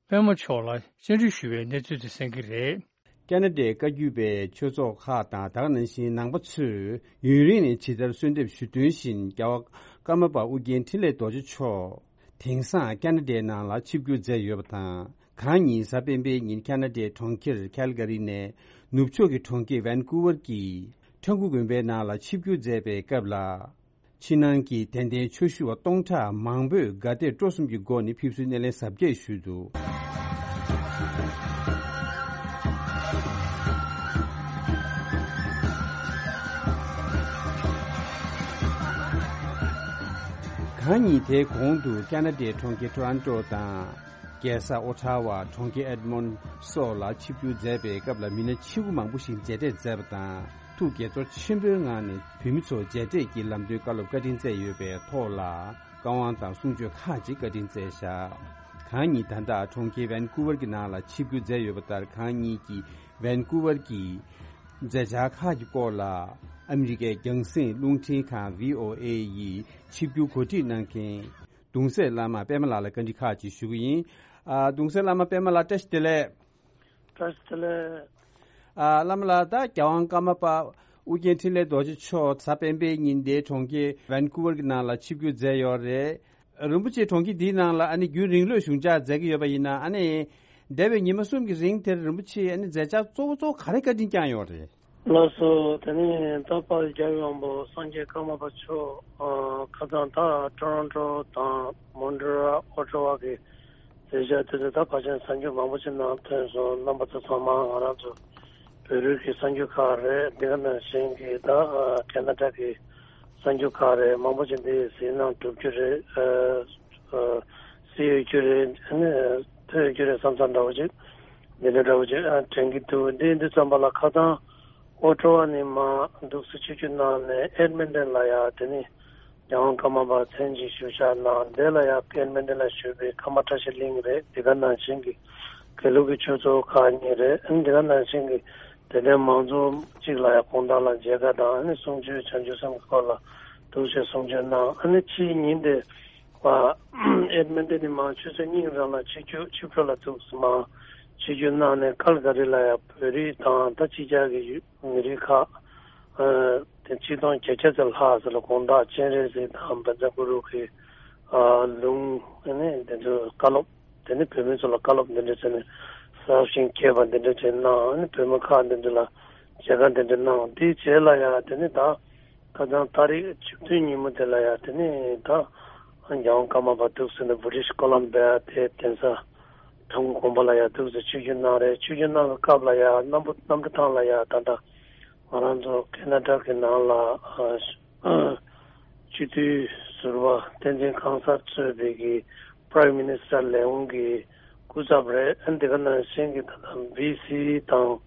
པད་མ་མཆོག་ལ་བཅར་འདྲི་ཞུས་པའི་གནས་ཚུལ་དེ་གསན་གྱི་རེད། ཁ་ན་ཌའི་བཀའ་བརྒྱུད་པའི་ཆོས་ཚོགས་ཁག་དང་། ད་ག་ནང་བཞིན་ནང་པ་ཚོས་ཡུན་རིང་ནས་ཇི་ལྟར་གསོལ་འདེབས་ཞུ་དོན་བཞིན། རྒྱལ་བ་ཀརྨ་པ་ཨོ་རྒྱན་འཕྲིན་ལས་རྡོ་རྗེ་མཆོག་དེང་སང་ཁ་ན་ཌའི་ནང་ལ་ཆིབས་བསྒྱུར་མཛད་ཡོད་པ་དང་། གང་ཉིན་གཟའ་སྤེན་པའི་ཉིན་ཁ་ན་ཌའི་གྲོང་ཁྱེར་ཁལ་ག་རི་ནས་ནུབ་ཕྱོགས་ཀྱི་གྲོང་ཁྱེར་ཝན་ཀུ་ཝར་གྱི་ཁྲ་འགུ་དགོན་པའི་ནང་ལ་ཆིབས་བསྒྱུར་མཛད་པའི་སྐབས་ལ། ཕྱི་ནང་གི་དད་ལྡན་ཆོས་ཞུ་བ་སྟོང་ཕྲག་མང་པོས་དགའ་དད་སྤྲོ་གསུམ་གྱི་སྒོ་ནས་ཕེབས་བསུའི་སྣེ་ལེན་གཟབ་རྒྱས་ཞུས་འདུག། གང་ཉིད་དེའི་གོང་དུ་ཁ་ན་ཌའི་གྲོང་ཁྱེར་ཊོ་རོན་ཊོ་དང་། རྒྱལ་ས་ཨོ་ཊ་ཝ། གྲོང་ཁྱེར་ཨེཌ་མོན་སོགས་ལ་ཆིབས་བསྒྱུར་མཛད་པའི་སྐབས་ལ། མི་སྣ་ཆེ་བོ་མང་པོ་ཞིག་མཇལ་འཕྲད་མཛད་པ་དང་། ཐུགས་དགྱེས་ཚོར་ཆེན་པོའི་ངང་ནས་བོད་མི་ཚོ་མཇལ་འཕྲད་ཀྱིས་ལམ་སྟོན་བཀའ་སློབ་བཀའ་དྲིན་སྩལ་ཡོད་པའི་ཐོག་ལ། བཀའ་དབང་དང་གསུང་ཆོས་ཁག་ཅིག་བཀའ་དྲིན་སྩལ་བཞག། གང་ཉིད་ད་ལྟ་གྲོང་ཁྱེར་ཝན་ཀུ་ཝར་གྱི་ནང་ལ་ཆིབས་བསྒྱུར་མཛད་ཡོད་པ་ལྟར། གང་ཉིད་ཀྱིས་ཝན་ཀུ་ཝར་གྱི་མཛད་འཆར་ཁག་གི་སྐོར་ལ་ཨ་མི་རི་ཀའི་རྒྱང་སྲིང་རླུང་འཕྲིན་ཁང་བྷི་ཨོ་ཨེ་ཡི་ཆིབས་བསྒྱུར་གོ་སྒྲིག་གནང་མཁན་གདུང་སྲས་བླ་མ་པད་མ་ལགས་ལ་བཀའ་འདྲི་ཁག་ཅིག་ཞུ་གི་ཡིན། ཨ། གདུང་སྲས་བླ་མ་པད་མ་ལགས། བཀྲ་ཤིས་བདེ་ལེགས། བཀྲ་ཤིས་བདེ་ལེགས། ཨ། བླ་མ་ལགས། ད་རྒྱལ་དབང་ཀརྨ་པ་ཨོ་རྒྱན་འཕྲིན་ལས་རྡོ་རྗེ་མཆོག་གཟའ་སྤེན་པའི་ཉིན་དེའི་གྲོང་ཁྱེར་ཝན་ཀུ་ཝར་གྱི་ནང་ལ་ཆིབས་བསྒྱུར་མཛད་ཡོད་རེད། རིན་པོ་ཆེ་གྲོང་ཁྱེར་འདིའི་ནང་ལ་ཨ་ནི་རྒྱུན་རིང་ལོས་བཞུགས་འཇགས་མཛད་ཀྱི་ཡོད་པ་ཡིན་ན། ཨ་ནི་འདས་པའི་ཉི་མ་གསུམ་གྱི་རིང་དེར་རིན་པོ་ཆེས་ཨ་ནི་མཛད་འཆར་གཙོ་བོ་གཙོ་བོ་ག་རེ་བཀའ་དྲིན་བསྐྱངས་ཡོད་རེད། ལགས་སོ། དེ་ནས་ད་དཔལ་རྒྱལ་བའི་དབང་པོ་སངས་རྒྱས་ཀརྨ་པ་མཆོག་ཨ། ཁ་སང་ད་ཊོ་རོན་ཊོ་དང་མོན་ཊི་རི་ཨོལ། ཨོ་ཊ་ཝ་གི་མཛད་འཆར་དེ་ཚོ་ད་ཕལ་ཆེར་གསར་འགྱུར་མང་པོ་ཞིག་ནང་ཐོན་སོང་། རྣམ་པ་ཚོ་ཚང་མ་ང་རང་ཚོ་བོད་རིགས་ཀྱི་གསར་འགྱུར་ཁག་རེད། འདི་ག་ནང་བཞིན་གྱི་ད་ཨ། ཁ་ན་ཌ་གི་གསར་འགྱུར་ཁག་རེད། མང་པོ་ཞིག་འདི་གཟིགས་གནང་གྲུབ་རྒྱུ་རེད། ཨ། ཨ། གཟིགས་ཡོད་རྒྱུ་རེད། ཨ་ནི་ཐོས་ཡོད་རྒྱུ་རེད་བསམ་བསམ་འདྲ་བོ་ཅིག་འདི་འདྲ་འདྲ་བོ་ཅིག་ཨ། དྲན་གྱི་འདུག། འདི་འདི་ཙམ་པ་ལ་ཁ་སང་ཨོ་ཊ་ཝ་ནས་མར་འདུག་སེ་ཆིབས་བསྒྱུར་གནང་ནས་ཨེཌ་མིན་ཊོན་ལ་ཡ། དེ་ནས་རྒྱལ་དབང་ཀརྨ་པ་མཚན་ཅིག་ཞུ་བཞག་གནང་། དེ་ལ་ཡ་ཨེཌ་མིན་ཊོན་ལ་བཞུགས་པའི་ཀརྨ་བཀྲ་ཤིས་གླིང་རེད། འདི་ག་ནང་བཞིན་གྱི་དགེ་ལུགས་ཀྱི་ཆོས་ཚོགས་ཁག་གཉིས་རེད། ཨ་ནི་འདི་ག་ནང་བཞིན་གྱི་དད་ལྡན་མང་ཚོགས་གཅིག་ལ་ཡ་དགོང་དག་ལ་མཇལ་ཁ་དང་། ཨ་ནི་གསུང་ཆོས་བྱང་ཆུབ་སེམས་ཀྱི་སྐོར་ལ་འདུག་སེ་གསུང་ཆོས་གནང་། ཨ་ནི་ཕྱིའི་ཉིན་དེ། པ། ཨེཌ་མིན་ཊོན་ནས་མར་ཆུ་ཚོད་གཉིས་རང་ལ་ཆིབས་བསྒྱུར་ཆིབས་འགྲོ་ལ་འདུག་སེ་མར་ཆིབས་བསྒྱུར་གནང་ནས་ཀལ་ག་རི་ལ་ཡ་བོད་རིགས་དང་ད་ཕྱི་རྒྱལ་གྱི་ཡུ་མི་རིགས་ཁག་ཨ། དེ་ཆིག་སྟོང་བརྒྱད་བརྒྱ་ཙམ་ལྷག་ཙམ་ལ་དགོང་དག་སྤྱན་རས་གཟིགས་དང་བཛྲ་གུ་རུ་གི་ཨ། ལུང་ཨ་ནི་དེ་ཚོ་བཀའ་སློབ། དེ་ནི་བོད་མི་ཚོ་ལ་བཀའ་སློབ་འདི་འདྲ་བྱས་ནས་གསར་བཞེངས་རྒྱས་པ་འདི་འདྲ་བྱས་གནང་། ཨ་ནི་བོད་མི་ཁག་འདི་འདྲ་ལ་མཇལ་ཁ་འདི་འདྲ་གནང་། དེའི་རྗེས་ལ་ཡ་དེ་ནི་ད། ཁ་སང་ཏ་རིག་བཅུ་བདུན་ཉིན་མོ་དེ་ལ་ཡ་དེ་ནས་ད་རྒྱལ་དབང་ཀརྨ་པ་འདུག་སེ་ནས་བྷི་རི་ཊིཤ་ཀོ་ལམ་བྷི་ཡ་དེ་གདན་ས་ ཐང་གི་དགོན་པ་ལ་ཡང་འདུག་སེ་ཆིབས་བསྒྱུར་གནང་རེད། ཆིབས་བསྒྱུར་གནང་བའི་སྐབས་ལ་ཡང་གནམ་བུ་གནམ་གྲུ་ཐང་ལ་ཡང་ད་ལྟ་ང་རང་ཚོ་ཁེ་ན་ཌ་གི་ནང་ལ་ཨ་སྤྱི་འཐུས་ཟུར་པ་བསྟན་འཛིན་ཁང་གསར་གཙོས་པའི་གི་Prime Minister ལས་ཁུངས་ཀྱི་སྐུ་ཚབ་རེད། ཨ་འདི་ག་ནང་བཞིན་གྱི་ད་ལྟ་བྷི་སི་དང་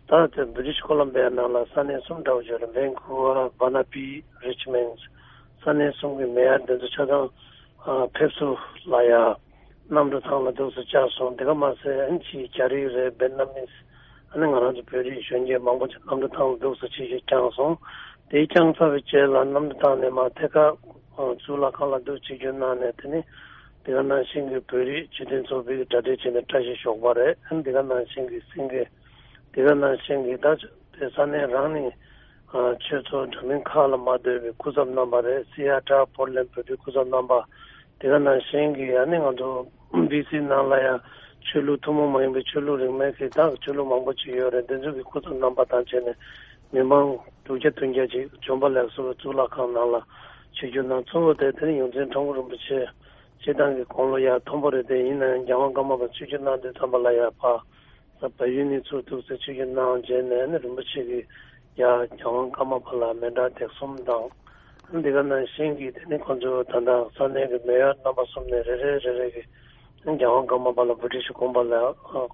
ད་ལྟ་British Columbia ནང་ལ་ས་གནས་གསུམ་འདྲ་བོ་ཅིག་རེད། Vancouver, Burnaby, Richmond ས་གནས་གསུམ་གྱི་མེ་ཡར་འདི་ཚོ་ཆ་ཚང་ཨ་ཕེབས་བསུ་ལ་ཡ་གནམ་གྲུ་ཐང་ལ་འདུག་སེ་བཅར་སོང་། དེ་ག་མ་ཟད་ཨ་ནི་ཕྱིའི་རྒྱ་རིགས་རེད། Vietnamese ཨ་ནི་ང་རང་ཚོ་བོད་རིགས་གཞོན་སྐྱེས་མང་པོ་ཅིག་གནམ་གྲུ་ཐང་ལ་འདུག་སེ་ཆིབས་ཞབས་བསྐྱངས་སོང་། དེ་བསྐྱངས་ཚར་བའི་རྗེས་ལ་གནམ་གྲུ་ཐང་ནས་མར་ཐད་ཀར་གཙུག་ལག་ཁང་ལ་འདུག་ཆིབས་བསྒྱུར་གནང་ནས། དེ་ནི་དེ་ག་ནང་བཞིན་གྱི་བོད་རིགས་སྤྱི་མཐུན་ཚོགས་པའི་གྲ་སྒྲིག་བྱས་ནས་བཀྲ་ཤིས་ཞོགས་པ་རེད། ཨ་ནི་དེ་ག་ནང་བཞིན་གྱི་སེང་གེ་དེ་ག་ནང་བཞིན་གྱི་ད་དེ་ས་གནས་རང་ནས་ཨ་ཆོས་ཚོགས་འདྲ་མིན་ཁག་ལ་མ་ལྟོས་པའི་སྐུ་ཚབ་རྣམ་པ་རེད། Seattle, Portland བོད་པའི་སྐུ་ཚབ་རྣམ་པ། དེ་ག་ནང་བཞིན་གྱི་ཨ་ནི་ང་ཚོ་བྷི་སི་ནང་ལ་ཡང་ཆོས་ལུགས་ཐུན་མོང་མ་ཡིན་པའི་ཆོས་ལུགས་རིས་མེད་ཀྱི་ད་ཆོས་ལུགས་མང་པོ་ཅིག་ཡོད་རེད། དེ་ཚོ་གི་སྐུ་ཚབ་རྣམ་པ་དང་བཅས་ནས་མི་མང་དྲུག་བརྒྱ་བདུན་བརྒྱ་ཅིག་བྱོན་པ་ལེགས་སོ་གཙུག་ལག་ཁང་ནང་ལ་ཆིབས་བསྒྱུར་གནང་། གཙོ་བོ་དེ་དེ་ནི་ཡོངས་འཛིན་ཁྲ་འགུ་རིན་པོ་ཆེ་སྤྱིར་བཏང་གི་དགུང་ལོ་ཡར་མཐོན་པོ་རེད། དེ་ཡིན་ན་ཡང་རྒྱལ་དབང་ཀརྨ་པ་ཆིབས་བསྒྱུར་གནང་དུས་ཙམ་པ་ལ་ཡར་ཕར་ས་བལ་ཡུལ་ནས་ཚུར་འདུག་སེ་ཆིབས་བསྒྱུར་གནང་རྗེས་ནས་ནི་རིན་པོ་ཆེ་གིས་ཡར་རྒྱལ་དབང་ཀརྨ་པ་ལ་མཎྜལ་འདེགས་གསུམ་དང་། འདི་ག་ནང་བཞིན་གྱི་དེ་ནི་ཁོང་ཚོ་ད་ལྟ་ས་གནས་ཀྱི་མེ་ཡར་རྣམ་པ་གསུམ་ནས་རེ་རེ་རེ་རེ་གིས་རྒྱལ་དབང་ཀརྨ་པ་ལ་བྷི་ཊི་ཤི་དགོན་པ་ལ་ཨ་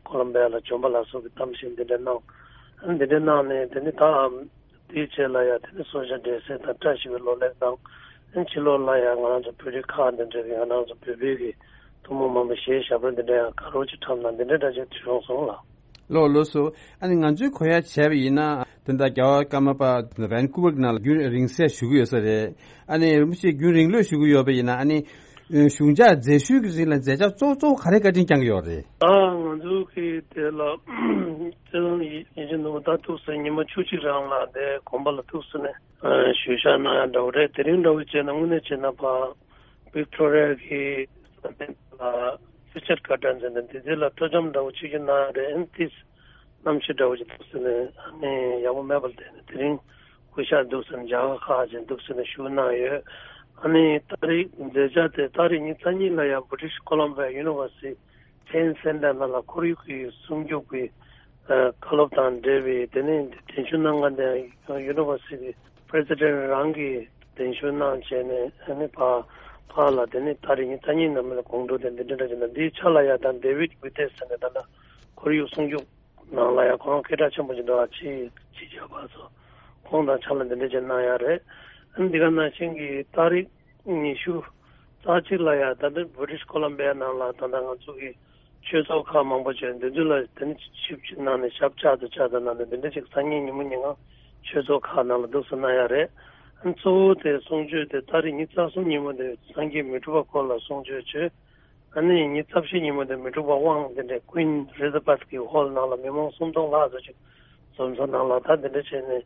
ཀོ་ལམ་བི་ཡ་ལ་བྱོན་པ་ལ་སོགས་ཀྱི་གཏམ་བཤད་འདི་འདྲ་གནང་། འདི་འདྲ་གནང་ནས་དེ་ནི་ད་དེའི་རྗེས་ལ་ཡང་དེ་ནི་གསོལ་ཇ་འབྲས་སིལ་དང་བཀྲ་ཤིས་པའི་ལོ་ལེགས་དང་། ཕྱི་ལོགས་ལ་ཡང་ང་རང་ཚོ་བོད་རིགས་ཁག་འདི་འདྲ་གི་ང་རང་ཚོ་བོད་པའི་གི་ཐུན་མོང་མ་ཡིན་པའི་གཞས་ཞབས་བྲོ་འདི་འདྲ་ཡང་དགའ་རབ་ཅིག་འཁྲབ་གནང་། འདི་འདྲ་འདྲ་ཅིག་བྱུང་སོང་ལགས། ལགས་ལགས་སོ། ཨ་ནི་ང་ཚོའི་གོ་ཡ་བྱས་པ་ཡིན་ན་ད་ལྟ་རྒྱལ་བ་ཀརྨ་པ་ཝན་ཀུ་ཝར་གྱི་ནང་ལ་རྒྱུན་རིང་བསྲེལ་བཞུགས་ཀྱི་ཡོད་ས་རེད། ཨ་ནི་རིན་པོ་ཆེ་རྒྱུན་རིང་ལོས་བཞུགས་ཀྱི་ཡོད་པ་ཡིན་ན། ཨ་ནི་གཞུང་འཇགས་མཛད་ཤུལ་གྱི་རིང་ལ་མཛད་འཆར་གཙོ་གཙོ་བོ་ག་རེ་བཀའ་དྲིན་བསྐྱང་གི་ཡོད་རེད། ཨ་ང་ཚོ་གི་དེ་ལ་རྩེ་གླང་ཡིད་བཞིན་ནོར་བུ་ད་ཐུགས་སུ་ཉི་མ་བཅུ་གཅིག་རང་ལ་དེ་དགོན་པ་ལ་ཐུགས་སུ་ནས་ཞུ་བཞག་གནང་ཡ་འདྲ་བོ་རེད། དེ་རིང་འདྲ་བོ་བྱས་ན་དངོས་གནས་བྱས་ན་ཕ་ཝིག་ཊོ་རི་ཡ་གི་ས་གནས་ལ་རི་ཅར་གྷར་ཌེན་ཟེར་ནས་དེ་ཚོ་ལ་སྤྲོ་འཆམ་འདྲ་བོ་བྱེད་རྒྱུ་གནང་ཡ་རེད། ཨ་ནི་ཏིས་གནམ་གཤིས་འདྲ་བོ་ཅིག་འདུག་ཟེར་ནས་ཨ་ནི་ཡག་པོ་མེད་པ་ལ་བརྟེན་ནས་དེ་རིང་སྐུ་ཞབས་འདུག་ཟེར་ནས་མཇལ་ཁ་ཁག་ཅིག་འདུག་ཟེར་ནས་ཞུ་གནང་ཡོད། ཨ་ནི་ཏ་རིག་མཛད་འཆར་དེ་ཏ་རིག་ཉི་ཤུ་རྩ་གཉིས་ལ་ཡང་British Columbia University Science Center ནང་ལ་ཁོར་ཡུག་གི་སྲུང་སྐྱོབ་ཀྱི་ཨ་བཀའ་སློབ་དང་འབྲེལ་བའི་དེ་ནས་གདན་ཞུ་གནང་མཁན་དེ་University གི་President རང་གིས་གདན་ཞུ་གནང་བྱས་ནས་ཨ་ནི་ཕ་ཕ་ལ་དེ་ནས་ཏ་རིག་ཉི་ཤུ་རྩ་གཉིས་ནང་ལ་དགོང་དྲོ་དེ་འདི་འདྲ་འདྲ་བྱས་ན། འདིའི་ཆ་ལ་ཡང་ད་David Wittes ཟེར་ནས་ད་ལྟ་ཁོར་ཡུག་སྲུང་སྐྱོབ་ནང་ལ་ཡང་ཁོ་རང་སྐད་གྲགས་ཆེན་པོ་ཅིག་འདུག་ཨ་ཕྱི་ཕྱི་རྒྱལ་བ་ཚོ་ཁོང་དང་ཕྱག་ལས་འདི་འདྲ་ཅིག་གནང་ཡ་རེད། ཨ་ནི་འདི་ག་ནང་བཞིན་གྱི་ཏ་རིག་ཉི་ཤུ་རྩ་གཅིག་ལ་ཡང་ད་ལྟ་British Columbia ནང་ལ་ད་ལྟ་ང་ཚོ་གི་ཆོས་ཚོགས་ཁག་མང་པོ་བྱས་འདི་ཚོ་ལ་དེ་ནི་ཆིབས་བསྒྱུར་གནང་ནས་ཞབས་བཅགས་དང་བཅགས་དང་གནང་ནས་འདི་འདྲ་ཅིག་སང་ཉིན་ཉིན་མོ་ཉིན་གང་ཆོས་ཚོགས་ཁག་ནང་ལ་འདུག་སེ་གནང་ཡ་རེད། ཨ་ནི་གཙོ་བོ་དེ་གསུང་ཆོས་དེ་ཏ་རིག་ཉི་ཤུ་རྩ་གསུམ་ཉིན་མོ་དེ་སངས་རྒྱས་མི་འཁྲུགས་པ་སྐོར་ལ་གསུང་ཆོས་བྱོས། ཨ་ནི་ཉི་ཤུ་རྩ་བཞི་ཉིན་མོ་དེ་མི་འཁྲུགས་པ་དབང་དེ་འདྲའི་Queen Elizabeth གི་ཧོལ་ནང་ལ་མི་མང་སུམ་སྟོང་ལྷག་ཙམ་ཅིག་འཛོམས་ས་ནང་ལ་ད་དེ་འདྲ་བྱས་ནས་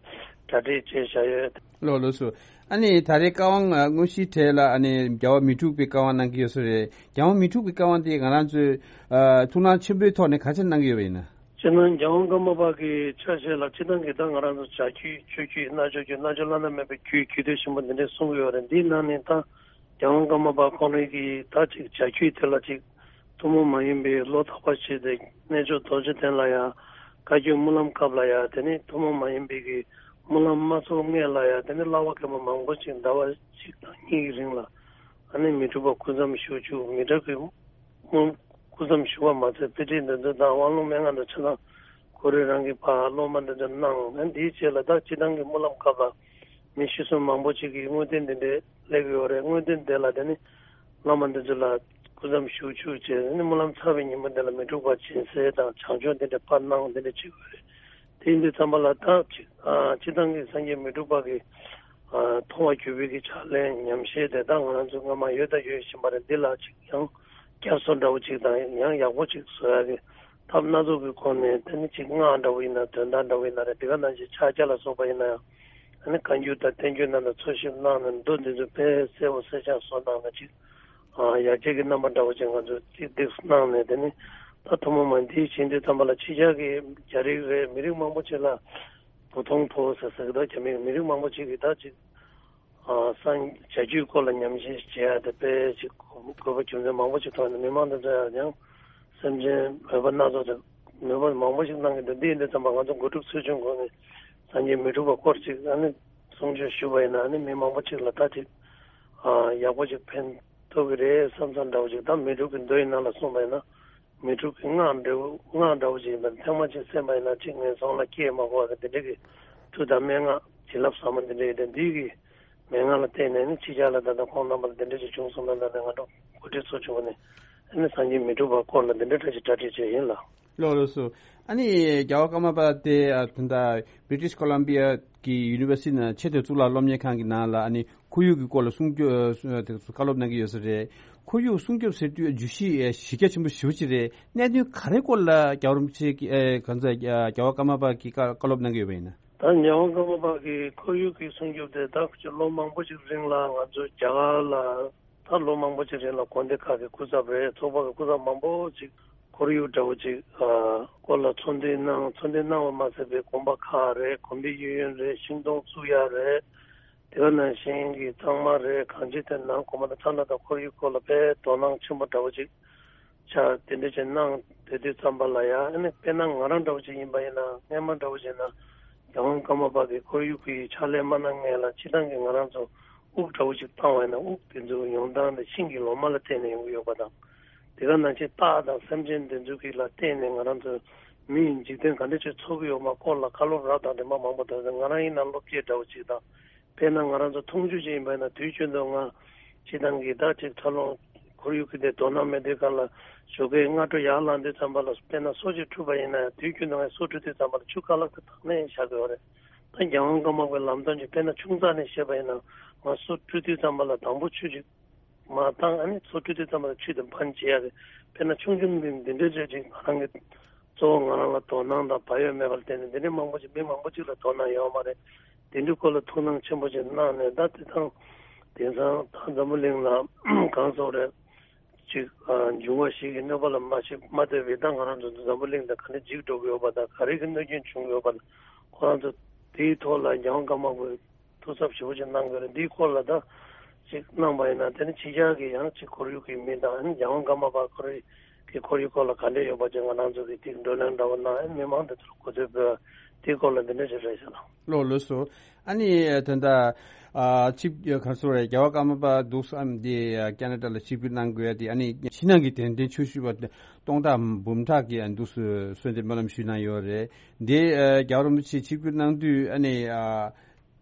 གྲ་སྒྲིག་བྱས་བཞག་ཡོད། ལགས་ལགས་སོ། ཨ་ནི་ད་རེས་བཀའ་དབང་ཨ་དངོས་གཞིའི་གྲས་ལ་ཨ་ནི་རྒྱལ་བ་མི་འཁྲུགས་པའི་བཀའ་དབང་གནང་གི་ཡོད་ས་རེད། རྒྱལ་བ་མི་འཁྲུགས་པའི་བཀའ་དབང་དེ་ང་རང་ཚོས་ཨ་ཐུགས་སྣང་ཆེན་པོའི་ཐོག་ནས་ག་ཚོད་གནང་གི་ཡོད་པ་ཡིན་ན། སྤྱིར་ན་རྒྱལ་དབང་ཀརྨ་པ་གི་ཆ་ཤས་ལ་སྤྱིར་བཏང་གི་ད་ང་རང་ཚོ་བྱ་རྒྱུད་ཆོས་རྒྱུད་རྣལ་འབྱོར་རྒྱུད་རྣལ་འབྱོར་བླ་ན་མེད་པའི་རྒྱུད་རྒྱུད་སྡེ་ཆེན་པོ་འདི་འདྲས་གསུང་གི་ཡོད་རེད། འདིའི་ནང་ནས་ད་རྒྱལ་དབང་ཀརྨ་པ་ཁོང་རང་གིས་ད་ཅིག་བྱ་རྒྱུད་དེ་ལ་ཅིག་ཐུན་མོང་མ་ཡིན་པའི་བློ་ཐག་པ་བྱས་ཏེ་རྣལ་འབྱོར་རྡོ་རྗེ་གདན་ལ་ཡང་བཀའ་བརྒྱུད་སྨོན་ལམ་སྐབས་ལ་ཡང་དེ་ནི་ཐུན་མོང་མ་ཡིན་པའི་གི་སྨོན་ལམ་མ་ཚོགས་སྔས་ལ་ཡང་དེ་ནི་བསླབ་པ་མཁན་པོ་མང་པོ་ཅིག་ཟླ་བ་གཅིག་དང་གཉིས་ཀྱི་རིང་ལ་ཨ་ནི་མི་འཁྲུགས་པ་སྐུ་མཚམས་བཞུགས་བཅུག་མི་འཁྲུགས་པའི་སྐུ་མཚམས་བཞུགས་པ་མ་ཚད་དཔེ་ཁྲིད་འདི་ཚོ་དང་དབང་ལུང་མན་ངག་འདི་ཚོ་དང་ཁོ་རང་རང་གི་ཕར་སློབ་མ་འདི་ཚོ་གནང་། ཨ་ནི་འདིའི་རྗེས་ལ་ད་སྤྱིར་བཏང་གི་སྨོན་ལམ་སྐབས་ལ་མི་ཤི་གསོན་མང་པོ་ཅིག་གིས་དངོས་བསྟན་འདི་འདྲའི་སླེབས་ཡོད་རེད། དངོས་བསྟན་དེ་ལ་དེ་ནི་བླ་མ་འདི་ཚོ་ལ་སྐུ་མཚམས་བཞུགས་བཅུག་བྱས་ནས་སྨོན་ལམ་ཚར་བའི་ཉིན་མོ་འདི་ལ་མི་འཁྲུགས་པ་སྦྱིན་སྲེག་དང་བྱང་ཆུབ་འདི་འདྲ་ཕར་གནང་འདི་འདྲ་བྱེད་དགོས་རེད། དེ་ཡིན་དུས་ཙམ་པ་ལ་ད་ཅིག་ཨ་སྤྱིར་བཏང་གི་སངས་རྒྱས་མི་འཁྲུགས་པ་གི་ཨ་མཐོང་བ་བརྒྱུད་པའི་གི་ཕྱག་ལེན་ཉམས་བཞེས་དེ་ད་ང་རང་ཚོ་སྔ་མ་ཡོད་དང་ཡོད་བཞིན་པ་རེད། འདི་ལ་ཅིག་ཡང་བསྐྱར་གསོ་འདྲ་བོ་ཅིག་དང་ཡང་ཡག་པོ་ཅིག་བཟོ་ཡག་གི་ཐབས་སྣ་ཚོགས་ཀྱི་སྒོ་ནས་དེ་ནི་ཅིག་སྔགས་འདྲ་བོ་ཡིན་ན་དོན་དག་འདྲ་བོ་ཡིན་ན་རེད། འདི་ག་ནང་བཞིན་ཕྱག་རྒྱ་ལ་སོགས་པ་ཡིན་ན་ཡང་ཨ་ནི་བཀའ་འགྱུར་དང་བསྟན་འགྱུར་རྣམས་ལ་འཚོལ་ཞིབ་གནང་ནས་མདོ་འདི་ཚོ་དཔེ་གསལ་པོ་གསལ་རྐྱང་བཟོ་གནང་ན་ཅིག་ཨ་ཡར་རྒྱས་ཀྱི་རྣམ་པ་འདྲ་བོ་ཅིག་ང་ཚོས་ཅིག་འདེགས་གནང་ནས་དེ་ནི་ད་ཐུན་མོང་མ་འདིའི་བྱེད་འདི་ཙམ་པ་ལ་ཕྱི་རྒྱལ་གྱི་རྒྱ་རིགས་རེད་མི་རིགས་མང་པོ་ཅིག་ལ་བོ་ཐོང་ཕོ་ཟེར་ཟེར་གི་འདུག་རྒྱ་མི་མི་རིགས་མང་པོ་ཅིག་གིས་ད་ཅིག་ཨ་སངས་བྱ་རྒྱུད་སྐོར་ལ་ཉམས་ཞིབ་བྱེད་ཡ་དེ་དཔེ་ཅིག་དགོས་པ་རྒྱུ་མཚན་མང་པོ་ཅིག་ཐོག་ནས་མི་མང་དེ་ཚོ་ཡང་ཡང་ སེམས་ཅན་མོས་པ་སྣ་ཚོགས་དང་མོས་པ་མང་པོ་ཞིག་གནང་གི་འདུག་འདི་ཡིན་དུས་ཙམ་པ་ང་ཚོ་དགུ་ཕྲུག་ཚོས་ཆུང་གོ་ནས་སངས་རྒྱས་མི་འཁྲུགས་པ་སྐོར་ཅིག་ཨ་ནི་གསུང་ཆོས་ཞུས་པ་ཡིན་ན་ཨ་ནི་མི་མང་པོ་ཅིག་ལ་ད་ཅིག་ཨ་ཡག་པོ་ཅིག་ཕན་ཐོགས་ཀྱི་རེད་བསམ་བསམ་འདྲ་བོ་ཅིག་ད་མི་འཁྲུགས་ཀྱི་མདོ་ཡི་ནང་ལ་གསུངས་པ་ཡིན་ན། མི་འཁྲུགས་ཀྱི་སྔགས་འདྲ་བོ་སྔགས་འདྲ་བོ་ཅིག་ཡིན་པ་ཐེངས་མ་གཅིག་གསན་པ་ཡིན་ན་གཅིག་ངན་སོང་ལ་སྐྱེ་མ་དགོས་པ་གི་འདི་འདྲ་གི་མཐུ་དང་མན་ངག་བྱིན་རླབས་ཟབ་མོ་འདི་འདྲ་ཡོད་དེ་འདི་གི་མན་ངག་ལ་བརྟེན་ནས་ནི་ཕྱི་རྒྱལ་ལ་ད་ལྟ་ཁོང་རྣམ་པ་ལ་འདི་འདྲ་ཅིག་བྱུང་སོང་ན་ད་ནི་ང་ཚོ་འགོ་ཁྲིད་ཚོ་བྱུང་བ་ནི་ཨ་ནི་སངས་རྒྱས་མི་འཁྲུགས་པ་སྐོར་ལ་འདི་འདྲ་འདྲ་ཅིག་གྲ་སྒྲིག་བྱས་ཡིན་ལ། ལགས་ལགས་སོ། ཨ་ནི་རྒྱལ་བ་ཀརྨ་པ་དེ་ཨ་ད་ལྟ་British Columbia གི་University ནང་ཆེས་མཐོའི་གཙུག་ལག་སློབ་གཉེར་ཁང་གི་ནང་ལ་ཨ་ནི་ཁོར་ཡུག་གི་སྐོར་ལ་གསུང་སྐྱོ་ཨ་དེ་ཚོ་བཀའ་སློབ་གནང་གི་ཡོད་ས་རེད། ཁོར་ཡུག་སྲུང་སྐྱོབ་ཟེར་དུས་བརྗོད་གཞི་ཨེ་གཞི་རྒྱ་ཆེན་པོ་ཞེ་པོ་ཅིག་རེད། གནད་དོན་ག་རེ་སྐོར་ལ་རྒྱལ་བ་རིན་པོ་ཆེ་གིས་ཨེ་གང་ཟག་རྒྱལ་བ་ཀརྨ་པ་གིས་བཀའ་བཀའ་སློབ་གནང་གི་ཡོད་པ་ཡིན་ན། ད་རྒྱལ་བ་ཀརྨ་པ་གིས་ཁོར་ཡུག་གི་སྲུང་སྐྱོབ་དེ་ད་ལོ་མང་པོ་ཞིག་རིང་ལ་ང་ཚོ་རྒྱ་གར་ལ་ད་ལོ་མང་པོ་ཞིག་རིང་ལ་དགོན་སྡེ་ཁག་གི་སྐུ་ཚབ་རེད། ཚོགས་པ་གི་སྐུ་ཚབ་མང་པོ་ཞིག་ཁོར་ཡུག་འདྲ་བོ་ཅིག་ཨ་སྐོར་ལ་ཚོགས་འདུ་གནང་། ཚོགས་འདུ་གནང་བ་མ་ཟད་པའི་དགོན་པ་ཁག་རེད། དགོན་པའི་གཡས་གཡོན་རེད། ཤིང་སྡོང་བཙུགས་ཡ་རེད། དེ་ག་ནང་བཞིན་གྱི་གཙང་མ་རེད། གང་ཅི་དེ་ནང་གོ་མ་དང་ཚ་ན་དང་ཁོར་ཡུག་སྐོར་ལ་དཔེ་དོ་སྣང་ཆེན་པོ་འདྲ་བོ་ཅིག་ཆགས་དེ་འདྲ་ཅིག་གནང་དེ་དུས་ཙམ་པ་ལ་ཡང་ཨ་ནི་དཔེར་ན་ང་རང་འདྲ་བོ་ཅིག་ཡིན་པ་ཡིན་ན་སྔན་མ་འདྲ་བོ་ཅིག་ན་རྒྱལ་དབང་ཀརྨ་པ་གི་ཁོར་ཡུག་གི་ཕྱག་ལས་མ་གནང་སྔན་ལ་སྤྱིར་བཏང་གི་ང་རང་ཚོ་དབུགས་འདྲ་བོ་ཅིག་བཏང་བ་ཡིན་ན་དབུགས་དེ་ཚོ་ཡོང་སྟངས་དེ་ཤིང་གི་ལོ་མ་ལ་བརྟེན་ནས་ཡོང་གི་ཡོད་པ་དང་། དེ་ག་ནང་བཞིན་སྟག་དང་སེམས་ཅན་དེ་ཚོ་གི་ལ་བརྟེན་ནས་ང་རང་ཚོ་མི་ཡི་འཇིག་རྟེན་ག་འདྲ་ཅིག་འཚོ་གི་ཡོད་མ་སྐོར་ལ་བཀའ་སློབ་རབ་དང་རིམ་པ་མང་པོ་དང་ང་རང་ཡིན་ན་སློབ་དཔྱོད་འདྲ་བོ་ཅིག་དང་། དཔེར་ན་ང་རང་ཚོ་འཐུང་ཆུ་ཅིག་ཡིན་པ་ཡིན་ན་དུས་རྒྱུན་དུ་ང་སྤྱིར་བཏང་གི་ད་ཅིག་འཚར་ལོངས་ཁོར་ཡུག་གི་དེ་དོ་སྣང་མེད་དུས་སྒང་ལ་ཞོགས་ཀས་སྔ་དྲོ་ཡར་ལངས་དུས་ཙམ་པ་ལ་དཔེར་ན་སོ་ཅིག་འཁྲུད་པ་ཡིན་ན་ཡང་དུས་རྒྱུན་དུ་ང་སོ་འཁྲུད་དུས་ཙམ་པ་ལ་ཆུ་རྐང་ལག་དེ་དང་ནས་བཞག་དགོས་པ་རེད། ད་རྒྱལ་དབང་ཀརྨ་པའི་ལམ་སྟོན་གྱི་དཔེར་ན་ཆུང་ཙག་ནས་བཤད་པ་ཡིན་ན་ང་སོ་འཁྲུད་དུས་ཙམ་པ་ལ་དང་པོ་ཆུ་ཅིག་མར་བཏང་ཨ་ནི་སོ་འཁྲུད་དུས་ཙམ་པ་ལ་ཆུ་དེ་འབག་བྱེད་ཡ་གི་དཔེར་ན་ཆུང་ཆུང་འདི་འདི་འདྲའི་རེད་ཅིག་ང་རང་གི་གཙོ་བོ་ང་རང་ལ་དོ་སྣང་དང་བག་ཡོད་མེད་པར་བརྟེན་ནས་འདི་འདྲའི་མང་པོ་ཅིག་མི་མང་པོ་ཅིག་ལ་དོ་སྣང་ཡོད་མ་རེད། དེ་འདྲའི་སྐོར་ལ་ཐུགས་སྣང་ཆེན་པོ་ཅིག་གནང་ནས་ད་དེ་དང་དེང་སང་ད་འཛམ་བུ་གླིང་ལ་གང་སོགས་རེད་ཅིག་འབྱུང་བ་ཞིག་གི་གནོད་པ་ལ་མ་ཤི་མ་ལྟོས་པའི་ད་ང་རང་ཚོ་འཛམ་བུ་གླིང་དང་ག་འདྲ་འཇིག་འགྲོ་གི་ཡོད་པ་དང་ག་རེ་གི་གནོད་སྐྱོན་བྱུང་གི་ཡོད་པ་དང་ཁོ་རང་ཚོ་དེའི་ཐོག་ལ་རྒྱལ་དབང་ཀརྨ་པའི་ཐུགས་འཚབ་ཞེ་པོ་ཅིག་གནང་དགོས་རེད། འདིའི་སྐོར་ལ་ད་ཅིག་གནང་པ་ཡིན་ན་དེ་ནི་ཕྱི་རྒྱལ་གྱི་ཡང་ཅིག་ཁོར་ཡུག་གི་མི་དང་ཨ་ནི་རྒྱལ་དབང་ཀརྨ་པ་ཁོ་རའི་གི་ཁོར་ཡུག་སྐོར་ལ་ག་འདྲས་ཡོད་པ་ཅིག་ང་རང་ཚོ་གི་ཅིག་བགྲོ་གླེང་འདྲ་བོ་གནང་ཨ་ནི་མི་མང་དེ་ཚོར་གོ་ཚོད་ཕུལ་དེའི་སྐོར་ལ་འདི་འདྲ་ཅིག་རེད་ཤག་ལགས། ལགས་ལགས་སོ། ཨ་ནི་ད་ལྟ་ཨ་ཆིབས་ག་རེ་ཟེར་རེད། རྒྱལ་བ་ཀརྨ་པ་འདུག་སེ་ཨ་ནི་འདི་ཀ་ན་ཌ་ལ་ཆིབས་བསྒྱུར་གནང་དགོས་ཡ་དེ་ཨ་ནི་ཕྱི་ནང་གི་དད་ལྡན་ཆོས་ཞུ་བ་སྟོང་ཕྲག་འབུམ་ཕྲག་གིས་ཨ་འདུག་སེ་གསོལ་འདེབས་སྨོན་ལམ་ཞུས་གནང་ཡོད་རེད། འདི་ཨ་རྒྱལ་བ་རིན་པོ་ཆེ་ཆིབས་བསྒྱུར་གནང་དུས་ཨ་ནི་ཨ།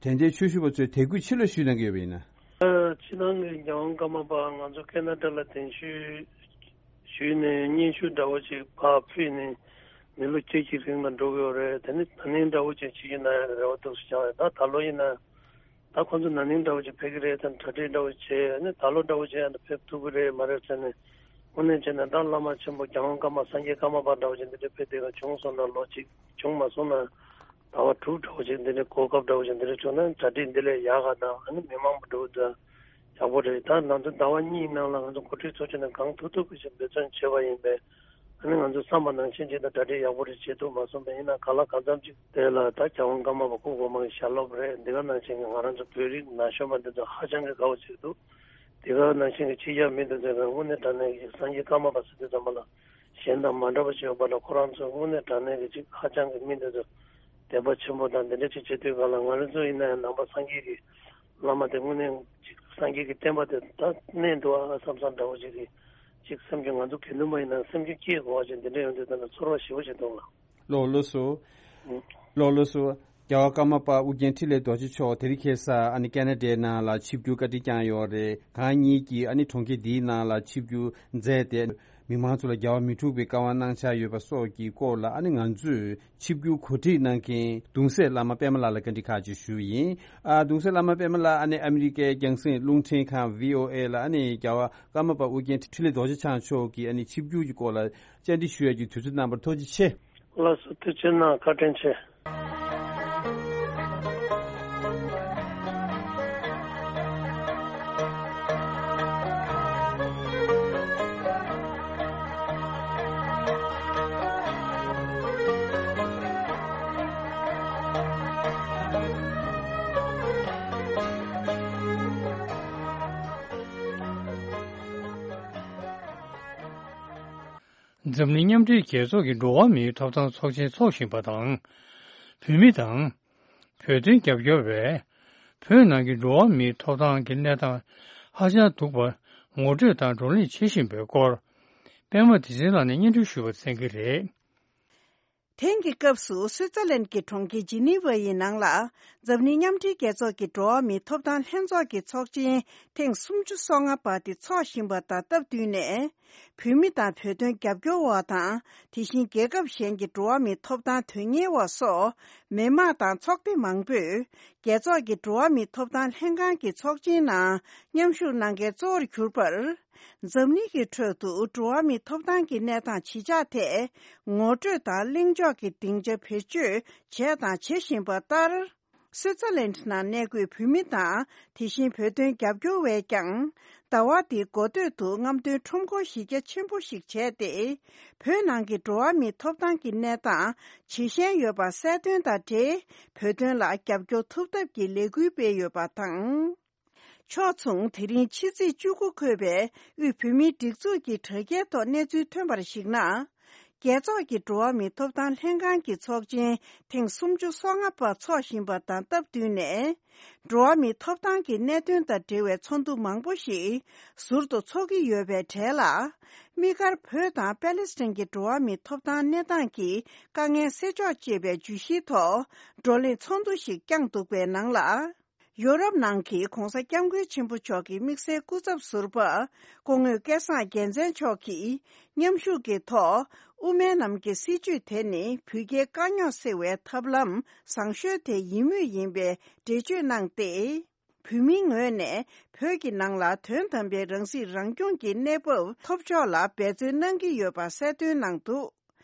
དེ་འདྲའི་ཆོས་ཞུ་བ་ཚོས་དད་གུས་ཆེ་ལོས་ཞུས་གནང་གི་ཡོད་པ་ཡིན་ན། ཕྱི་ནང་གི་རྒྱལ་དབང་ཀརྨ་པ་ང་ཚོ་ཁེ་ན་ཌ་ལ་གདན་ཞུ་ཞུས་ནས་སྙན་ཞུ་འདྲ་བོ་ཅིག་ཕར་ཕུལ་ནས་མི་ལོ་བཅུ་གཅིག་རིང་ལ་འགྲོ་གི་ཡོད་རེད། དེ་ནི་ན་ནིང་འདྲ་བོ་ཅིག་ཆིབས་བསྒྱུར་གནང་ཡག་གི་རེ་བ་འདུག་སེ་བཞག་ཡོད། ད་ད་ལོ་ཡིན་ན་ད་ཁོང་ཚོ་ན་ནིང་འདྲ་བོ་ཅིག་ཕེབས་ཀྱི་རེད་དམ་གྲ་སྒྲིག་འདྲ་བོ་བྱས་ནས་ད་ལོ་འདྲ་བོ་ཅིག་ཡང་ཕེབས་ཐུབ་ཀྱི་རེད་མ་རེད་ཟེར་ནས་དངོས་གནས་བྱས་ན་ད་བླ་མ་ཆེན་པོ་རྒྱལ་དབང་ཀརྨ་སངས་རྒྱས་ཀརྨ་པ་འདྲ་བོ་ཅིག་འདི་འདྲ་ཕེབས་བསྡད་པ་བྱུང་སོང་ན་ལོ་གཅིག་བྱུང་མ་སོང་ན། ཟླ་བ་དྲུག་འདྲ་བོ་ཅིག་འདི་འདྲའི་གོ་སྐབས་འདྲ་བོ་ཅིག་འདི་འདྲ་བྱུང་ན་གྲ་སྒྲིག་འདི་ལས་ཡག་ག་དང་ཨ་ནི་མི་མང་པོ་འགྲོ་དུས་ཡག་པོ་རེད། ད་ང་ཚོ་ཟླ་བ་གཉིས་ནང་ལ་ང་ཚོ་འགོ་ཁྲིད་ཚོ་ཆུང་ནས་གང་ཐུབ་ཐུབ་ཀྱི་ཞིག་འབད་བརྩོན་བྱས་པ་ཡིན་པས་ཨ་ནི་ང་ཚོ་བསམ་པ་ནང་བཞིན་ཅིག་ད་གྲ་སྒྲིག་ཡག་པོ་རེ་བྱེད་ཐུབ་མ་སོང་པས། ཡིན་ན་གང་ལ་གང་འཚམ་ཅིག་དེ་ལ་ད་རྒྱལ་དབང་ཀརྨ་པ་སྐུ་གོང་མ་གི་ཞལ་སློབ་རེད། འདི་ག་ནང་བཞིན་གྱི་ང་རང་ཚོ་བོད་རིགས་ན་གཞོན་པ་འདི་ཚོ་ཧ་ཅང་གི་དགའ་བོ་བྱེད་འདུག་དེ་ག་ནང་བཞིན་གྱི་ཕྱི་རྒྱལ་མི་འདི་ཚོས་ཀྱང་དངོས་གནས་དྲང་གནས་ཀྱི་སངས་རྒྱས་ཀརྨ་པ་ཟེར་དུས་ཙམ་པ་ལ། གཞན་དང་མ་འདྲ་བ་ཞིག་ཡོད་པ་ལ་ཁོ་རང་ཚོ་དངོས་གནས་དྲང་གནས་ཀྱི་ཅིག་ཧ་ཅང་གི་མི་འདི་ཚོ་དད་པ་ཆེན་པོ་དང་འདི་འདྲ་ཅིག་བྱེད་དུས་གང་ལ་ང་རང་ཚོ་ཡིན་ན་ཡང་ནང་པ་སངས་རྒྱས་ཀྱི་བླ་མ་དེ་དངོས་གནས་ཅིག་སངས་རྒྱས་ཀྱི་བསྟན་པ་དེ་ད་གནས་འདུག་ཨ་བསམ་བསམ་འདྲ་བོ་ཅིག་གི་ཅིག་སེམས་ཀྱི་ང་ཚོ་དགེ་འདུན་པ་ཡིན་ན་སེམས་ཀྱི་སྐྱེ་དགོས་པ་ཅིག་འདི་འདྲ་ཡོང་དུས་ད་ནི་ཚོར་བ་ཞེ་པོ་ཅིག་འདུག་ལ། ལགས་ལགས་སོ། ལགས་ལགས་སོ། རྒྱལ་བ་ཀརྨ་པ་ཨོ་རྒྱན་འཕྲིན་ལས་རྡོ་རྗེ་མཆོག་དེ་རིང་ཁ་སང་ཨ་ནི་ཀ་ན་ཌའི་ནང་ལ་ཆིབས་བསྒྱུར་བཀའ་དྲིན་བསྐྱངས་ཡོད་རེད། གང་ཉིད་ཀྱིས་ཨ་ནི་གྲོང་ཁྱེར་འདིའི་ནང་ལ་ཆིབས་བསྒྱུར་མཛད་དེ། མི་མང་ཚོ་ལ་རྒྱལ་བ་མི་འཁྲུགས་པའི་བཀའ་དབང་གནང་འཆར་ཡོད་པ་སོགས་ཀྱི་སྐོར་ལ་ཨ་ནི་ང་ཚོས་ཆིབས་བསྒྱུར་གོ་སྒྲིག་གནང་མཁན་གདུང་སྲས་བླ་མ་པདྨ་ལགས་ལ་བཀའ་འདྲི་ཁག་ཅིག་ཞུ་ཡིན། ཨ་གདུང་སྲས་བླ་མ་པདྨ་ལགས་ཨ་ནི་ཨ་མི་རི་ཀའི་རྒྱང་སྲིང་རླུང་འཕྲིན་ཁང་བྷི་ཨོ་ཨེ་ལ་ཨ་ནི་རྒྱལ་བ་ཀརྨ་པ་ཨོ་རྒྱན་འཕྲིན་ལས་རྡོ་རྗེ་འཆང་མཆོག་གིས་ཨ་ནི་ཆིབས་བསྒྱུར་གྱི་སྐོར་ལ་བཅར་འདྲི་ཞུ་ཡག་གི་དུས་ཚོད་གནང་བར་ཐུགས་རྗེ་ཆེ། ལགས་སོ། ཐུགས་རྗེ་གནང་། བཀའ་དྲིན་ཆེ། འཛམ་གླིང་མཉམ་འབྲེལ་རྒྱལ་ཚོགས་ཀྱི་འགྲོ་བ་མིའི་ཐོབ་ཐང་ཚོགས་ཆེན་འཚོགས་བཞིན་པ་དང་། བོད་མི་དང་། བོད་དོན་རྒྱབ་སྐྱོར་བས། བོད་ནང་གི་འགྲོ་བ་མིའི་ཐོབ་ཐང་གི་གནས་སྟངས་ཧ་ཅང་སྡུག་པ་ངོ་སྤྲོད་དང་བགྲོ་གླེང་བྱེད་བཞིན་པའི་སྐོར། པད་མ་བདེ་ཆེན་ལགས་ནས་སྙན་སྒྲོན་ཞུ་བར་གསན་གྱི་རེད། དེང་གི་སྐབས་སུ་སུའི་ཙེར་ལན་གྱི་གྲོང་ཁྱེར་ཇི་ནི་ཝ་ཡི་ནང་ལ། འཛམ་གླིང་མཉམ་འབྲེལ་རྒྱལ་ཚོགས་ཀྱི་འགྲོ་བ་མིའི་ཐོབ་ཐང་ལྷན་ཚོགས་ཀྱི་ཚོགས་ཆེན་ཐེངས་སུམ་ཅུ་སོ་ལྔ་པ་དེ་འཚོགས་བཞིན་པ་དང་སྟབས་བསྟུན་ནས། བོད་མི་དང་བོད་དོན་རྒྱབ་སྐྱོར་བ་དང་། དེ་བཞིན་རྒྱལ་ཁབ་གཞན་གྱི་འགྲོ་བ་མིའི་ཐོབ་ཐང་དོན་གཉེར་བ་སོགས། མི་མང་དང་ཚོགས་སྡེ་མང་པོས། རྒྱལ་ཚོགས་ཀྱི་འགྲོ་བ་མིའི་ཐོབ་ཐང་ལྷན་ཁང་གི་ཚོགས་ཆེན་ནང་མཉམ་ཞུགས་གནང་མཁན་གཙོ་བོར་གྱུར་པར། འཛམ་གླིང་གི་ཁྲོད་དུ་འགྲོ་བ་མིའི་ཐོབ་ཐང་གི་གནས་སྟངས་ཇི་ཆགས་ཐད་ངོ་སྤྲོད་དང་གླེང་ཕྱོགས་ཀྱི་སྡིངས་ཆ་བེད་སྤྱོད་བྱས་དང་བྱེད་བཞིན་པ་ལྟར། སུའི་ཙེར་ལན་ནང་གནས་འཁོད་བོད་མི་དང་དེ་བཞིན་བོད་དོན་རྒྱབ་སྐྱོར་བས་ཀྱང་། ཟླ་བ་འདིའི་འགོ་སྟོད་དུ་རྔམ་སྟོན་ཁྲོམ་སྐོར་གཞི་རྒྱ་ཆེན་པོ་ཞིག་བྱས་ཏེ། བོད་ནང་གི་འགྲོ་བ་མིའི་ཐོབ་ཐང་གི་གནས་སྟངས་ཇེ་ཞན་ཡོད་པ་གསལ་སྟོན་དང་འབྲེལ། བོད་དོན་ལ་རྒྱབ་སྐྱོར་ཐུབ་ཐབས་ཀྱི་ལས་འགུལ་སྤེལ་ཡོད་པ་དང་། ཕྱོགས་མཚུངས། དེ་རིང་ཕྱི་ཚེས་བཅུ་དགུ་འཁོད་པའི་དབུས་བོད་མིའི་སྒྲིག་འཛུགས་ཀྱི་དྲ་རྒྱའི་ཐོག་གནས་ཚུལ་ཐོན་པར་གཞིགས་ན། རྒྱལ་ཚོགས་ཀྱི་འགྲོ་བ་མིའི་ཐོབ་ཐང་ལྷན་ཁང་གི་ཚོགས་ཆེན་ཐེངས་སུམ་ཅུ་སོ་ལྔ་པ་འཚོགས་བཞིན་པ་དང་སྟབས་བསྟུན་ནས། འགྲོ་བ་མིའི་ཐོབ་ཐང་གི་གནད་དོན་དང་འབྲེལ་བའི་ཚོགས་འདུ་མང་པོ་ཞིག་ཟུར་དུ་འཚོགས་ཀྱི་ཡོད་པའི་གྲས་ལ། དམིགས་བཀར་བོད་དང་པེ་ལེ་སི་ཐན་གྱི་འགྲོ་བ་མིའི་ཐོབ་ཐང་གནས་སྟངས་ཀྱི་དཀའ་ངལ་སེལ་ཕྱོགས་ཅེས་པའི་བརྗོད་གཞིའི་ཐོག་བགྲོ་གླེང་ཚོགས་འདུ་ཞིག་བསྐྱངས་འདུག་པའི་ནང་ལ། ཡོ་རོབ་ནང་གི་༧གོང་ས་༧སྐྱབས་མགོན་ཆེན་པོ་མཆོག་གི་དམིགས་བསལ་སྐུ་ཚབ་ཟུར་པ། སྐུ་ངོ་སྐལ་བཟང་རྒྱལ་མཚན་མཆོག་གིས་མཉམ་ཞུགས་ཀྱི་ཐོག་དབུ་མའི་ལམ་གྱི་སྲིད་བྱུས་དེ་ནི་བོད་རྒྱའི་དཀའ་རྙོག་སེལ་བའི་ཐབས་ལམ་བཟང་ཤོས་དེ་ཡིན་མུས་ཡིན་པའི་འགྲེལ་བརྗོད་གནང་སྟེ། བོད་མིའི་ངོས་ནས་བོད་ཀྱི་ནང་ལ་དོན་དམ་པའི་རང་སྲིད་རང་སྐྱོང་གི་གནས་བབ་ཐོབ་ཕྱོགས་ལ་འབད་བརྩོན་གནང་གི་ཡོད་པ་གསལ་སྟོན་གནང་འདུག་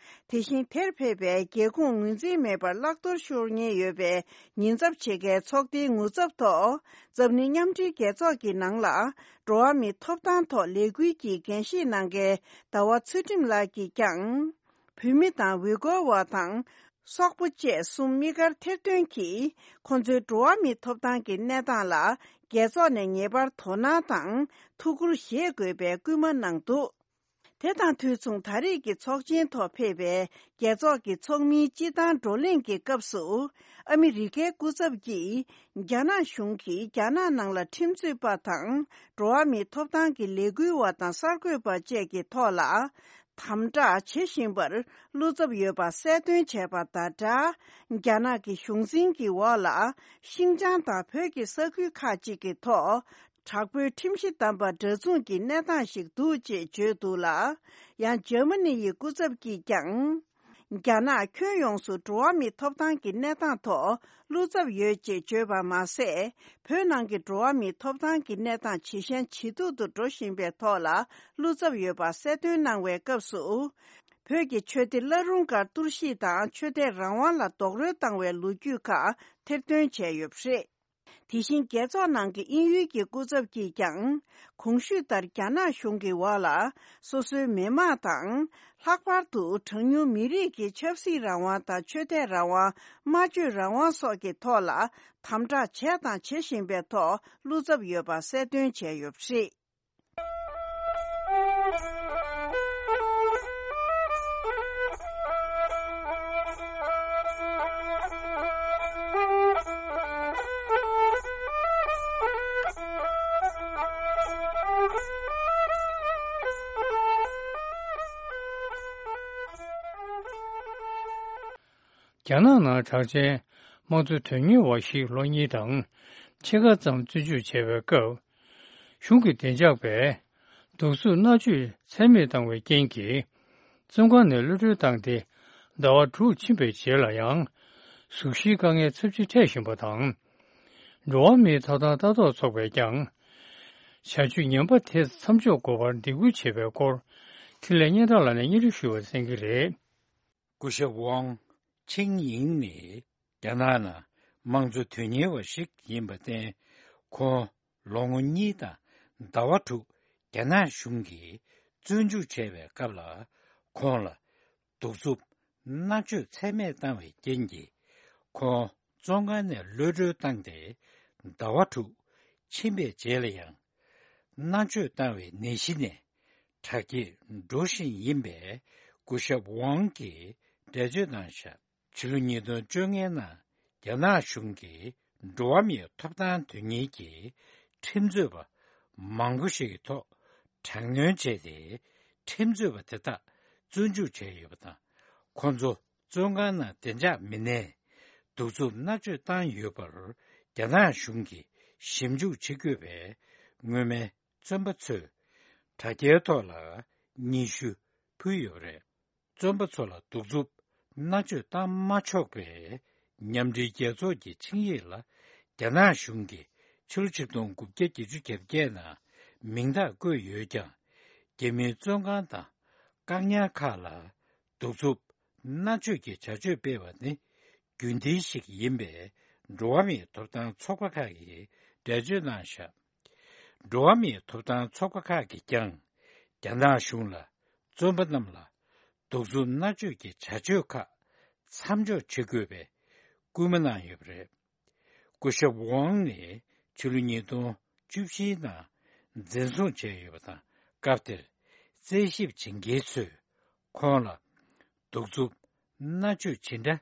དེ་བཞིན་དེར་ཕེབས་པའི་རྒྱལ་ཁོངས་ངོས་འཛིན་མེད་པར་བརླག་གཏོར་ཤོར་ཉེན་ཡོད་པའི་ཉེན་ཚབས་ཆེ་ཁའི་ཚོགས་སྡེའི་ངོ་ཚབ་ཐོག་འཛམ་གླིང་མཉམ་འབྲེལ་རྒྱལ་ཚོགས་ཀྱི་ནང་ལ་འགྲོ་བ་མིའི་ཐོབ་ཐང་ཐོག་ལས་འགུལ་གྱི་འགན་བཞེས་གནང་མཁན་ཟླ་བ་ཚུལ་ཁྲིམས་ལགས་ཀྱིས་ཀྱང་། བོད་མི་དང་ཝི་གོ་བ་དང་སོག་པོ་བཅས་གསུམ་དམིགས་བཀར་ཐེར་འདོན་གྱིས། ཁོང་ཚོའི་འགྲོ་བ་མིའི་ཐོབ་ཐང་གི་གནས་སྟངས་ལ་རྒྱལ་ཚོགས་ནས་ངེས་པར་དོ་སྣང་དང་ཐུགས་ཁུར་བཞེས་དགོས་པའི་སྐུལ་མ་གནང་འདུག་དེ་དང་དུས་མཚུངས། ད་རེས་ཀྱི་ཚོགས་ཆེན་ཐོག་ཕེབས་པའི་རྒྱལ་ཚོགས་ཀྱི་ཚོགས་མིའི་སྤྱི་བཏང་བགྲོ་གླེང་གི་སྐབས་སུ། ཨ་མི་རི་ཀའི་སྐུ་ཚབ་ཀྱིས། རྒྱ་ནག་གཞུང་གིས་རྒྱ་ནག་ནང་ལ་ཁྲིམས་རྩོད་པ་དང་། འགྲོ་བ་མིའི་ཐོབ་ཐང་གི་ལས་འགུལ་བ་དང་གསར་འགོད་པ་བཅས་ཀྱི་ཐོག་ལ། དམ་དྲག་བྱེད་བཞིན་པར་བློ་འཚབ་ཡོད་པ་གསལ་སྟོན་བྱས་པ་དང་སྦྲགས། རྒྱ་ནག་གི་གཞུང་འཛིན་གྱི་འོག་ལ། ཤིན་ཅང་དང་བོད་ཀྱི་ས་ཁུལ་ཁག་ཅིག་གི་ཐོག་དྲག་པོའི་ཁྲིམས་གཞི་བསྡམས་པ་འདྲ་མཚུངས་ཀྱི་གནས་སྟངས་ཤིག་འདུག་ཅེས་བརྗོད་འདུག་ལ། ཡང་འཇར་མ་ནི་ཡི་སྐུ་ཚབ་ཀྱིས་ཀྱང་། རྒྱ་ནག་ཁྱོན་ཡོངས་སུ་འགྲོ་བ་མིའི་ཐོབ་ཐང་གི་གནས་སྟངས་ཐོག་བློ་འཚབ་ཡོད་ཅེས་བརྗོད་པ་མ་ཟད། བོད་ནང་གི་འགྲོ་བ་མིའི་ཐོབ་ཐང་གི་གནས་སྟངས་ཇེ་ཞན་ཇེ་སྡུག་ཏུ་འགྲོ་བཞིན་པའི་ཐོག་ལ་བློ་འཚབ་ཡོད་པ་གསལ་སྟོན་གནང་བའི་སྐབས་སུ། བོད་ཀྱི་ཆོས་སྡེ་བླ་རུང་སྒར་གཏོར་བཤིག་དང་ཆོས་དད་རང་དབང་ལ་རྡོག་རོལ་བཏང་བའི་ལོ་རྒྱུས་ཁག་ཐེར་འདོན་བྱས་ཡོད་པ་རེད། དེ་བཞིན་རྒྱལ་ཚོགས་ནང་གི་དབྱིན་ཡུལ་གྱི་སྐུ་ཚབ་ཀྱིས་ཀྱང་། གོང་ཞུས་ལྟར་རྒྱ་ནག་གཞུང་གི་འོག་ལ་སོ་སོའི་མི་དམངས་དང་། ལྷག་པར་དུ་གྲངས་ཉུང་མི་རིགས་ཀྱི་ཆབ་སྲིད་རང་དབང་དང་ཆོས་དད་རང་དབང་། སྨྲ་བརྗོད་རང་དབང་སོགས་ཀྱི་ཐོག་ལ་དམ་དྲག་བྱས་དང་བྱེད་བཞིན་པའི་ཐོག་བློ་འཚབ་ཡོད་པ་གསལ་སྟོན་བྱས་ཡོད་པ་རེད། རྒྱ་ནག་ནང་གྲགས་ཅན་དམངས་གཙོ་དོན་གཉེར་བ་ཞིག་ལོ་གཉིས་དང་ཕྱེད་ཀ་ཙམ་བཙོན་འཇུག་བྱས་པའི་སྐབས། གཞུང་གི་བདེ་འཇགས་པས་གདུག་རྩུབ་མནར་གཅོད་ཚད་མེད་བཏང་བའི་རྐྱེན་གྱིས། བཙོན་ཁང་ནས་གློད་གྲོལ་བཏང་སྟེ་ཟླ་བ་དྲུག་ཕྱིན་པའི་རྗེས་ལ་ཡང་། གཟུགས་གཞིའི་དཀའ་ངལ་ཚབས་ཆེ་འཕྲད་བཞིན་པ་དང་། འགྲོ་བ་མིའི་ཐོབ་ཐང་ལྟ་རྟོག་ཚོགས་པས་ཀྱང་། བྱ་སྤྱོད་ངན་པ་དེ་མཚམས་འཇོག་དགོས་པར་འདེད་སྐུལ་བྱས་པའི་སྐོར། འཕྲིན་ལས་སྙན་གྲགས་ལགས་ནས་སྙན་སྒྲོན་ཞུ་བར་གསན་གྱི་རེད། སྐུ་ཞབས་ཝང་ཆིང་ཡིང་ནི་རྒྱ་ནག་ནང་དམངས་གཙོ་དོན་གཉེར་བ་ཞིག་ཡིན་པར་བརྟེན། ཁོང་ལོ་ངོ་གཉིས་དང་ཟླ་བ་དྲུག་རྒྱ་ནག་གཞུང་གིས་བཙོན་འཇུག་བྱས་པའི་སྐབས་ལ། ཁོང་ལ་གདུག་རྩུབ་མནར་གཅོད་ཚད་མེད་བཏང་བའི་རྐྱེན་གྱིས། ཁོང་བཙོན་ཁང་ནས་གློད་གྲོལ་བཏང་སྟེ་ཟླ་བ་དྲུག་ཕྱིན་པའི་རྗེས་ལ་ཡང་། མནར་གཅོད་བཏང་བའི་ནད་གཞི་ནས་དྲག་སྐྱེད་འགྲོ་བཞིན་ཡིན་པས། སྐུ་ཞབས་ཝང་གིས་འགྲེལ་བརྗོད་གནང་བཞག་ཕྱི་ལོ་ཉིས་སྟོང་བཅོ་ལྔའི་ནང་རྒྱ་ནག་གཞུང་གིས་འགྲོ་བ་མིའི་ཐོབ་ཐང་དོན་གཉེར་གྱི་ཁྲིམས་རྩོད་པ་མང་པོ་ཞིག་གི་ཐོག་དྲག་གནོན་བྱས་ཏེ། ཁྲིམས་རྩོད་པ་དེ་དག་བཙོན་འཇུག་བྱས་ཡོད་པ་དང་། ཁོང་ཚོ་བཙོན་ཁང་ནང་བདེ་འཇགས་མི་སྣས་གདུག་རྩུབ་མནར་གཅོད་བཏང་ཡོད་པར་རྒྱ་ནག་གཞུང་གིས་ཞིབ་འཇུག་བྱེད་དགོས་པའི་སྔོན་མའི་བཙོན་པ་ཚོས་དྲ་རྒྱའི་ཐོག་ལ་སྙན་ཞུ་ཕུལ་ཡོད་པ་རེད། བཙོན་པ་ཚོ་ལ་གདུག་རྩུབ་མནར་གཅོད་བཏང་མ་ཆོག་པའི་མཉམ་འབྲེལ་རྒྱལ་ཚོགས་ཀྱི་ཆིངས་ཡིག་ལ་རྒྱ་ནག་གཞུང་གིས་ཕྱི་ལོ་ཆིག་སྟོང་དགུ་བརྒྱ་བརྒྱད་ཅུ་གྱ་བརྒྱད་ནང་མིང་རྟགས་བཀོད་ཡོད་ཀྱང་། རྒྱ་མིའི་བཙོན་ཁང་དང་བཀག་ཉར་ཁག་ལ་གདུག་རྩུབ་མནར་གཅོད་ཀྱི་བྱ་སྤྱོད་སྤེལ་བ་ནི་རྒྱུན་ལྡན་ཞིག་ཡིན་པས། འགྲོ་བ་མིའི་ཐོབ་ཐང་ཚོགས་པ་ཁག་གིས་འགྲེལ་བརྗོད་གནང་བཞག་འགྲོ་བ་མིའི་ཐོབ་ཐང་ཚོགས་པ་ཁག་གིས་ཀྱང་རྒྱ་ནག་གཞུང་ལ་བཙོན་པ་རྣམས་ལ་གདུག་རྩུབ་མནར་གཅོད་ཀྱི་བྱ་སྤྱོད་ཁག་མཚམས་འཇོག་བྱེད་དགོས་པའི་སྐུལ་མ་གནང་ཡོད་པ་རེད། སྐུ་ཞབས་ཝང་ནི་ཕྱི་ལོ་ཉིས་སྟོང་བཅུ་བཞིའི་ནང་འཛིན་བཟུང་བྱས་ཡོད་པ་དང་། སྐབས་དེར་རྩད་ཞིབ་བྱེད་མཁན་ཚོས་ཁོང་ལ་གདུག་རྩུབ་མནར་གཅོད་ཇི་འདྲ་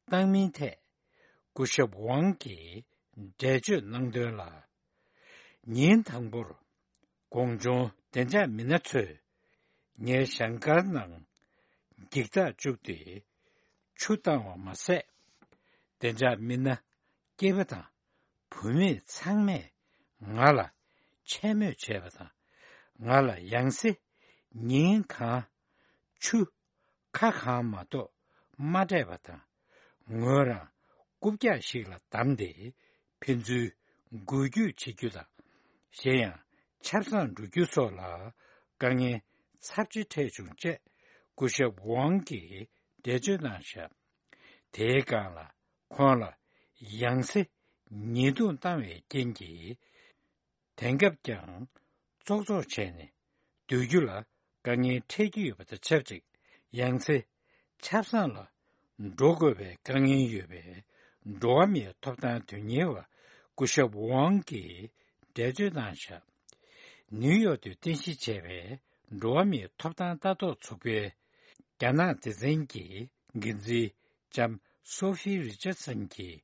བཏང་མིན་ཐད་སྐུ་ཞབས་ཝང་གིས་འགྲེལ་བརྗོད་གནང་དོན་ལ། ཉིན་དང་པོར་གོང་བྱུང་བདེ་འཇགས་མི་སྣ་ཚོས་ངའི་ཞལ་དཀར་ནང་འགྱིག་ཐག་བཅུག་སྟེ་ཆུ་བཏང་བ་མ་ཟད། བདེ་འཇགས་མི་སྣ་སྐྱེས་པ་དང་བུད་མེད་ཚང་མས་ང་ལ་མཆན་སྨོད་བྱས་པ་དང་། ང་ལ་ཡང་སེ་ཉིན་གང་ཆུ་ཁ་གང་མ་གཏོགས་མ་སྤྲད་པ་དང་། ངོས་རང་རྐུབ་བཀྱག་ཞིག་ལ་བསྡམས་ཏེ་ཕན་ཚུན་འགུལ་སྐྱོད་བྱེད་རྒྱུ་དང་། གཞན་ཡང་ཆབ་གསང་འགྲོ་རྒྱུ་སོགས་ལ་དཀའ་ངལ་ཚབས་ཆེ་འཕྲད་བྱུང་ཅེས་སྐུ་ཞབས་ཝང་གིས་འགྲེལ་བརྗོད་གནང་བཞག་དེའི་སྒང་ལ་ཁོང་ལ་ཡང་སེ་ཉེས་རྡུང་བཏང་བའི་རྐྱེན་གྱིས། དེང་སྐབས་ཀྱང་ཙོག་ཙོག་བྱས་ནས་སྡོད་རྒྱུ་ལ་དཀའ་ངལ་འཕྲད་ཀྱི་ཡོད་པ་དང་ཆབས་ཅིག་ཡང་སེ་ཆབ་གསང་ལ་འགྲོ་དགོས་པའི་དཀའ་ངལ་ཡོད་པས། འགྲོ་བ་མིའི་ཐོབ་ཐང་དོན་གཉེར་བ་སྐུ་ཞབས་ཝང་གིས་འགྲེལ་བརྗོད་གནང་བཞག་ནིའུ་ཡོག་ཏུ་རྟེན་གཞི་བྱས་པའི་འགྲོ་བ་མིའི་ཐོབ་ཐང་ལྟ་རྟོག་ཚོགས་པའི་རྒྱ་ནག་སྡེ་ཚན་གྱི་འགན་འཛིན་ལྕམ་སོ་ཧྥི་རི་ཅར་སན་གྱིས་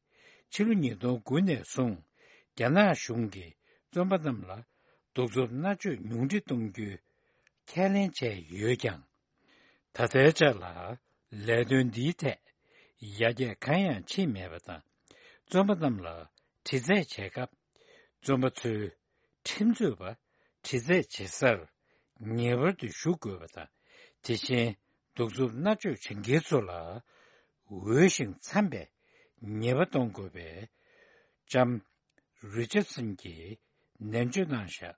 ཕྱི་ལོ་ཉིས་སྟོང་དགུ་ནས་བཟུང་རྒྱ་ནག་གཞུང་གིས་བཙོན་པ་རྣམས་ལ་གདུག་རྩུབ་མནར་གཅོད་ཉུང་འཕྲི་གཏོང་རྒྱུའི་ཁས་ལེན་བྱས་ཡོད་ཀྱང་། ད་ལྟའི་ཆ་ལ་ལས་དོན་འདིའི་ཐད་ཡར་རྒྱས་གང་ཡང་ཕྱིན་མེད་པ་དང་། བཙོན་པ་རྣམས་ལ་དྲི་རྩད་བྱེད་སྐབས། བཙོན་པ་ཚོས་ཁྲིམས་རྩོད་པ་དྲི་རྩད་བྱེད་སར་ངེས་པར་དུ་ཞུགས་དགོས་པ་དང་། དེ་བཞིན་གདུག་རྩུབ་མནར་གཅོད་བྱེད་མཁན་ཚོ་ལ་འོས་ཤིང་འཚམ་པའི་ཉེས་པ་གཏོང་དགོས་པའི་ལྕམ་རི་ཅར་སན་གྱིས་ནན་བརྗོད་གནང་བཞག་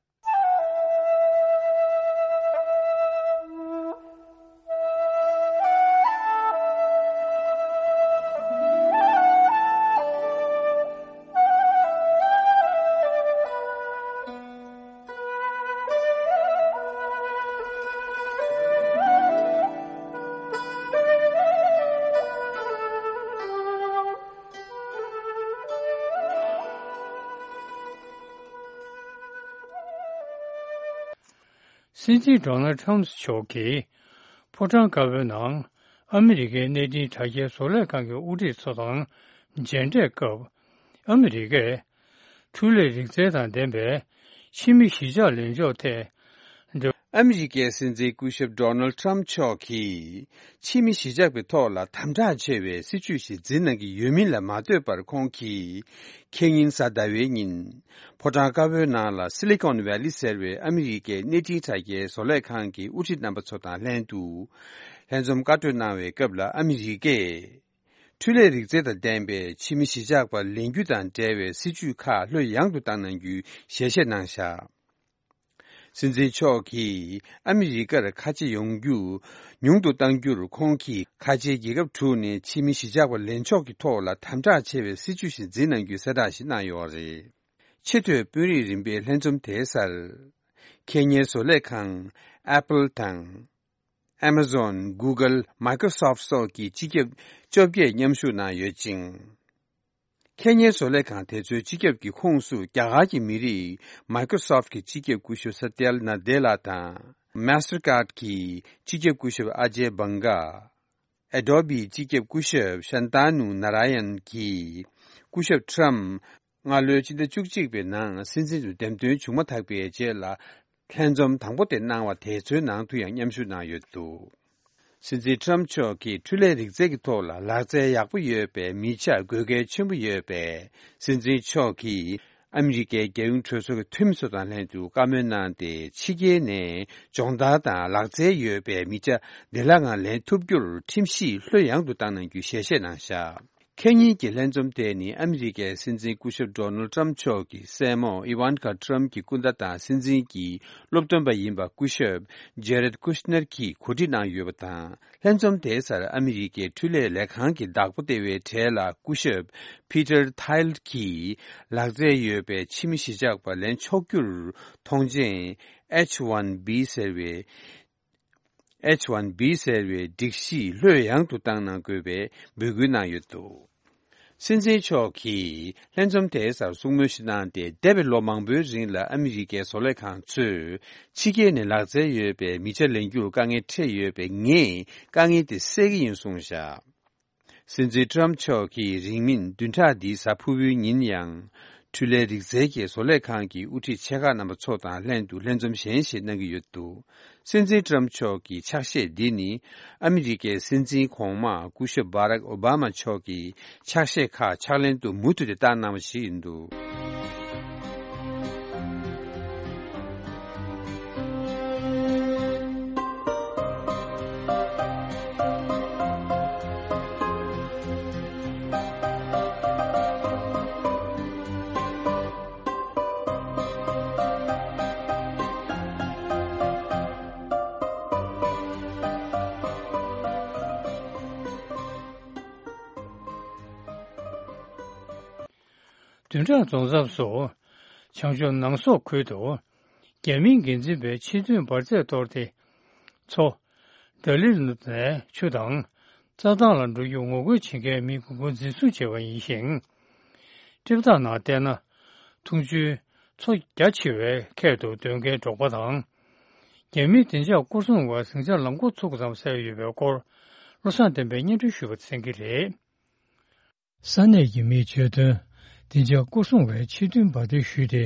སྲིད་འཛིན་ཌོ་ནལ་ཁྲམ་མཆོག་གིས་ཕོ་བྲང་དཀར་པོའི་ནང་ཨ་མི་རི་ཀའི་གནས་འཕྲིན་དྲ་རྒྱའི་བཟོ་ལས་ཁང་གི་དབུ་ཁྲིད་ཚོ་དང་མཇལ་འཕྲད་སྐབས། ཨ་མི་རི་ཀས་འཕྲུལ་ལས་རིག་རྩལ་དང་ལྡན་པའི་ཕྱི་མི་གཞིས་ཆགས་ལེན་ཕྱོགས་ཐད། ཨ་མི་རི་ཀའི་སྲིད་འཛིན་སྐུ་ཞབས་ཌོ་ནལ་ཁྲམ་མཆོག་གིས་ཕྱི་མི་གཞིས་ཆགས་ཀྱི་ཐོག་ལ་དམ་དྲག་ཆེ་བའི་སྲིད་ཇུས་ཤིག་འཛིན་གནང་གི་ཡོད་མིན་ལ་མ་ལྟོས་པར། ཁོང་གིས་ཁེ་ཉིན་གཟའ་ཟླ་བའི་ཉིན་ཕོ་བྲང་དཀར་པོའི་ནང་ལ་སི་ལི་ཀོན་ཝེ་ལི་ཟེར་བའི་ཨ་མི་རི་ཀའི་གནས་འཕྲིན་དྲ་རྒྱའི་བཟོ་ལས་ཁང་གི་དབུ་ཁྲིད་རྣམ་པ་ཚོ་དང་ལྷན་དུ་ལྷན་འཛོམས་བཀའ་གྲོས་གནང་བའི་སྐབས་ལ། ཨ་མི་རི་ཀས་འཕྲུལ་ལས་རིག་རྩལ་དང་ལྡན་པའི་ཕྱི་མི་གཞིས་ཆགས་པ་ལེན་རྒྱུ་དང་འབྲེལ་བའི་སྲིད་ཇུས་ཁག་ལྷོད་ཡངས་དུ་བཏང་གནང་རྒྱུའི་ཞལ་བཞེས་གནང་བཞག་སྲིད་འཛིན་མཆོག་གིས་ཨ་མི་རི་ཀར་ཁ་ཆེ་ཡོང་རྒྱུ་ཉུང་དུ་གཏང་རྒྱུར། ཁོང་གིས་ཁ་ཆེའི་རྒྱལ་ཁབ་དྲུག་ནས་ཕྱི་མི་གཞིས་ཆགས་པ་ལེན་ཕྱོགས་ཀྱི་ཐོག་ལ་དམ་དྲག་ཆེ་བའི་སྲིད་ཇུས་ཤིག་འཛིན་གནང་རྒྱུའི་གསལ་བསྒྲགས་ཤིག་གནང་ཡོད་རེད། ཆེས་མཐོའི་དཔོན་རིགས་རིམ་པའི་ལྷན་འཛོམས་དེའི་སར། ཁེ་ཉེ་བཟོ་ལས་ཁང་Apple དང་། Amazon, Google, Microsoft སོགས་ཀྱི་སྤྱི་ཁྱབ་བཅོ་བརྒྱད་མཉམ་ཞུགས་གནང་ཡོད་ཅིང་། ཁེ་ཉེ་བཟོ་ལས་ཁང་དེ་ཚོའི་སྤྱི་ཁྱབ་ཀྱི་ཁོངས་སུ་རྒྱ་གར་གྱི་མི་རིགས་Microsoft་གྱི་སྤྱི་ཁྱབ་སྐུ་ཞབས་Satya Nadella་དང་Mastercard་གྱི་སྤྱི་ཁྱབ་སྐུ་ཞབས་Ajay Banga། Adobe་སྤྱི་ཁྱབ་སྐུ་ཞབས་Shantanu Narayan་གྱིས་སྐུ་ཞབས་Trump་སྔ་ལོའི་སྤྱི་ཟླ་བཅུ་གཅིག་པའི་ནང་སྲིད་འཛིན་དུ་འདེམས་ཐོན་བྱུང་མ་ཐག་པའི་རྗེས་ལ་ལྷན་འཛོམས་དང་པོ་དེ་གནང་བ་དེ་ཚོའི་ནང་དུ་ཡང་མཉམ་ཞུགས་གནང་ཡོད་འདུག། སྲིད་འཛིན་Trump་མཆོག་གིས་འཕྲུལ་ལས་རིག་རྩལ་གྱི་ཐོག་ལ་ལག་རྩལ་ཡག་པོ་ཡོད་པའི་མི་ཆ་དགོས་གལ་ཆེན་པོ་ཡོད་པས། སྲིད་འཛིན་མཆོག་གིས་ཨ་མི་རི་ཀའི་རྒྱལ་ཡོངས་གྲོས་ཚོགས་ཀྱི་འཐུས་མི་ཚོ་དང་ལྷན་དུ་བཀའ་མོལ་གནང་སྟེ། ཕྱི་རྒྱལ་ནས་སྦྱོང་བརྡར་དང་ལག་རྩལ་ཡོད་པའི་མི་ཆ་བདེ་བླག་ངང་ལེན་ཐུབ་རྒྱུར་ཁྲིམས་གཞི་ལྷོད་ཡངས་དུ་བཏང་གནང་རྒྱུའི་ཞལ་བཞེས་གནང་བཞག། ཁེ་ཉིན་གྱི་ལྷན་འཛོམས་དེ་ནི་ཨ་མི་རི་ཀའི་སྲིད་འཛིན་སྐུ་ཞབས་Donald Trump་མཆོག་གི་སྲས་མོ་Ivanka Trump་གྱི་སྐུ་ཟླ་དང་སྲིད་འཛིན་གྱི་སློབ་སྟོན་པ་ཡིན་པ་སྐུ་ཞབས་Jared Kushner་གྱིས་གོ་སྒྲིག་གནང་ཡོད་པ་དང་། ལྷན་འཛོམས་དེའི་སར་ཨ་མི་རི་ཀའི་འཕྲུལ་ལས་ལས་ཁང་གི་བདག་པོ་ལྟེ་བའི་གྲས་ལ་སྐུ་ཞབས་Peter Thiel་གྱིས་ལག་རྩལ་ཡོད་པའི་ཕྱི་མི་གཞིས་ཆགས་པ་ལེན་ཆོག་རྒྱུར་མཐོང་མཆན་H one B་ཟེར་བའི་H one B་ཟེར་བའི་སྒྲིག་གཞི་ལྷོད་ཡངས་དུ་བཏང་གནང་དགོས་པའི་འབོད་སྐུལ་གནང་ཡོད་འདུག། སྲིད་འཛིན་མཆོག་གིས་ལྷན་འཛོམས་དེའི་སར་གསུང་མོལ་ཞིག་གནང་སྟེ། འདས་པའི་ལོ་མང་པོའི་རིང་ལ་ཨ་མི་རི་ཀའི་བཟོ་ལས་ཁང་ཚོས་ཕྱི་རྒྱལ་ནས་ལག་རྩལ་ཡོད་པའི་མི་ཆ་ལེན་རྒྱུར་དཀའ་ངལ་འཕྲད་ཡོད་པས། ངས་དཀའ་ངལ་དེ་སེལ་གྱི་ཡིན་གསུངས་བཞག། སྲིད་འཛིན་Trump་མཆོག་གིས་རིང་མིན་བདུན་ཕྲག་འདིའི་གཟའ་ཕུར་བུའི་ཉིན་ཡང་། འཕྲུལ་ལས་རིག་རྩལ་གྱི་བཟོ་ལས་ཁང་གི་དབུ་ཁྲིད་ཆེ་ཁག་རྣམ་པ་ཚོ་དང་ལྷན་དུ་ལྷན་འཛོམས་གཞན་ཞིག་གནང་གི་ཡོད་འདུག། སྲིད་འཛིན་Trump་མཆོག་གི་ཕྱག་བཞེས་འདི་ནི་ཨ་མི་རི་ཀའི་སྲིད་འཛིན་གོང་མ་སྐུ་ཞབས་Barack Obama་མཆོག་གི་ཕྱག་བཞེས་ཁག་ཕྱག་ལེན་དུ་མུ་མཐུད་དེ་བཏང་གནང་བ་ཞིག་ཡིན་འདུག། བདུན་ཕྲག་རྫོགས་མཚམས་སུ། བྱང་ཕྱོགས་ནང་སོག་ཁུལ་དུ། རྒྱ་མིའི་འགན་འཛིན་པས་ཆེས་མཐོའི་འབར་རྫས་གཏོར་ཏེ། མཚོ། འདྲ་ལི་ནས་ཆུ་དང་། རྩྭ་ཐང་ལ་འགྲོ་རྒྱུར་ངོ་རྒོལ་བྱེད་མཁན་མི་དགུ་སྐོར་འཛིན་བཟུང་བྱས་པ་ཡིན་ཞིང་། འགྲེལ་བརྡ་ནང་བལྟས་ན། འཐུང་ཆུའི་མཚོ་རྒྱ་ཆེ་བའི་ཁྱད་དུ་འདོད་མཁན་འབྲོག་པ་དང་། རྒྱ་མིའི་བདེ་འཇགས་སྐོར་སྲུང་བས་ཟིང་ཆ་ལམ་འགོ་ཚུགས་ཙམ་བསལ་ཡོད་པའི་སྐོར། བློ་བཟང་བསྟན་པས་སྙན་སྒྲོན་ཞུས་པ་གསན་གྱི་རེད། ས་གནས་ཀྱི་མིས་བརྗོད་དོན། བདེ་འཇགས་སྐོར་སྲུང་བས་ཆེས་མཐོའི་འབར་མདེལ་གཞུས་ཏེ།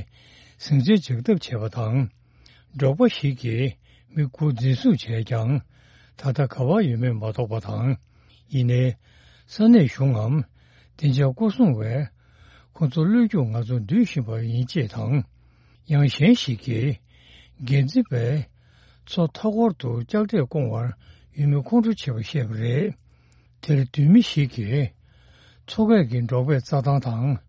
ཟིང་ཆ་འཇགས་ཐབས་བྱས་པ་དང་། འབྲོག་པ་ཞིག་གིས་མི་དགུ་འཛིན་བཟུང་བྱས་ཀྱང་། ད་ལྟ་ག་པར་ཡོད་མེད་མ་རྟོགས་པ་དང་། ཡིན་ནའི། ས་གནས་གཞུང་ངམ། བདེ་འཇགས་སྐོར་སྲུང་བས། ཁོ་ཚོ་བློས་རྒྱུགས་ང་ཚོ་འདུལ་བཞིན་པ་ཡིན་ཅེས་དང་། ཡང་གཞན་ཞིག་གིས། འགན་འཛིན་པས། མཚོ་མཐའ་འཁོར་དུ་ལྕགས་དྲས་བསྐོང་བར་ཡོད་མེད་ཁོང་ཁྲོ་བྱེད་པ་བཤད་པ་རེད། དེར་མདུན་མི་ཞིག་གིས། མཚོ་ཁ་གི་འབྲོག་པས་རྩྭ་ཐང་དང་།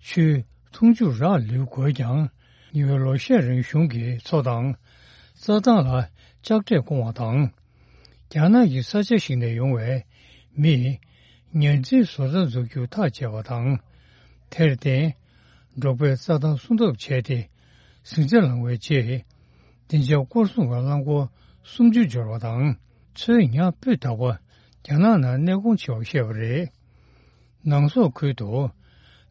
ཆུའི་འཐུང་ཆུ་རག་ལུས་དགོས་ཀྱང་། ཉེ་བའི་ལོ་ཤས་རིང་གཞུང་གིས་མཚོ་དང་། རྩྭ་ཐང་ལ་ལྕགས་དྲས་བསྐོང་བ་དང་། རྒྱ་ནག་གི་ས་ཆ་ཞིག་ནས་ཡོང་བའི་མིས། ཉ་འཛིན་བཟོ་གྲྭ་འཛུགས་རྒྱུ་ཐག་བཅད་པ་དང་། དེར་བརྟེན། འབྲོག་པས་རྩྭ་ཐང་སྲུང་ཐབས་བྱས་ཏེ། ཟིང་ཆ་ལངས་བའི་རྗེས། བདེ་འཇགས་སྐོར་སྲུང་གི་རླངས་འཁོར་སུམ་ཅུ་འབྱོར་བ་དང་། མཚོའི་ཉ་སྤུས་དག་པ་རྒྱ་ནག་ནང་གནས་སྐོང་བྱས་པ་བཤད་པ་རེད། ནང་སོག་ཁུལ་དུ།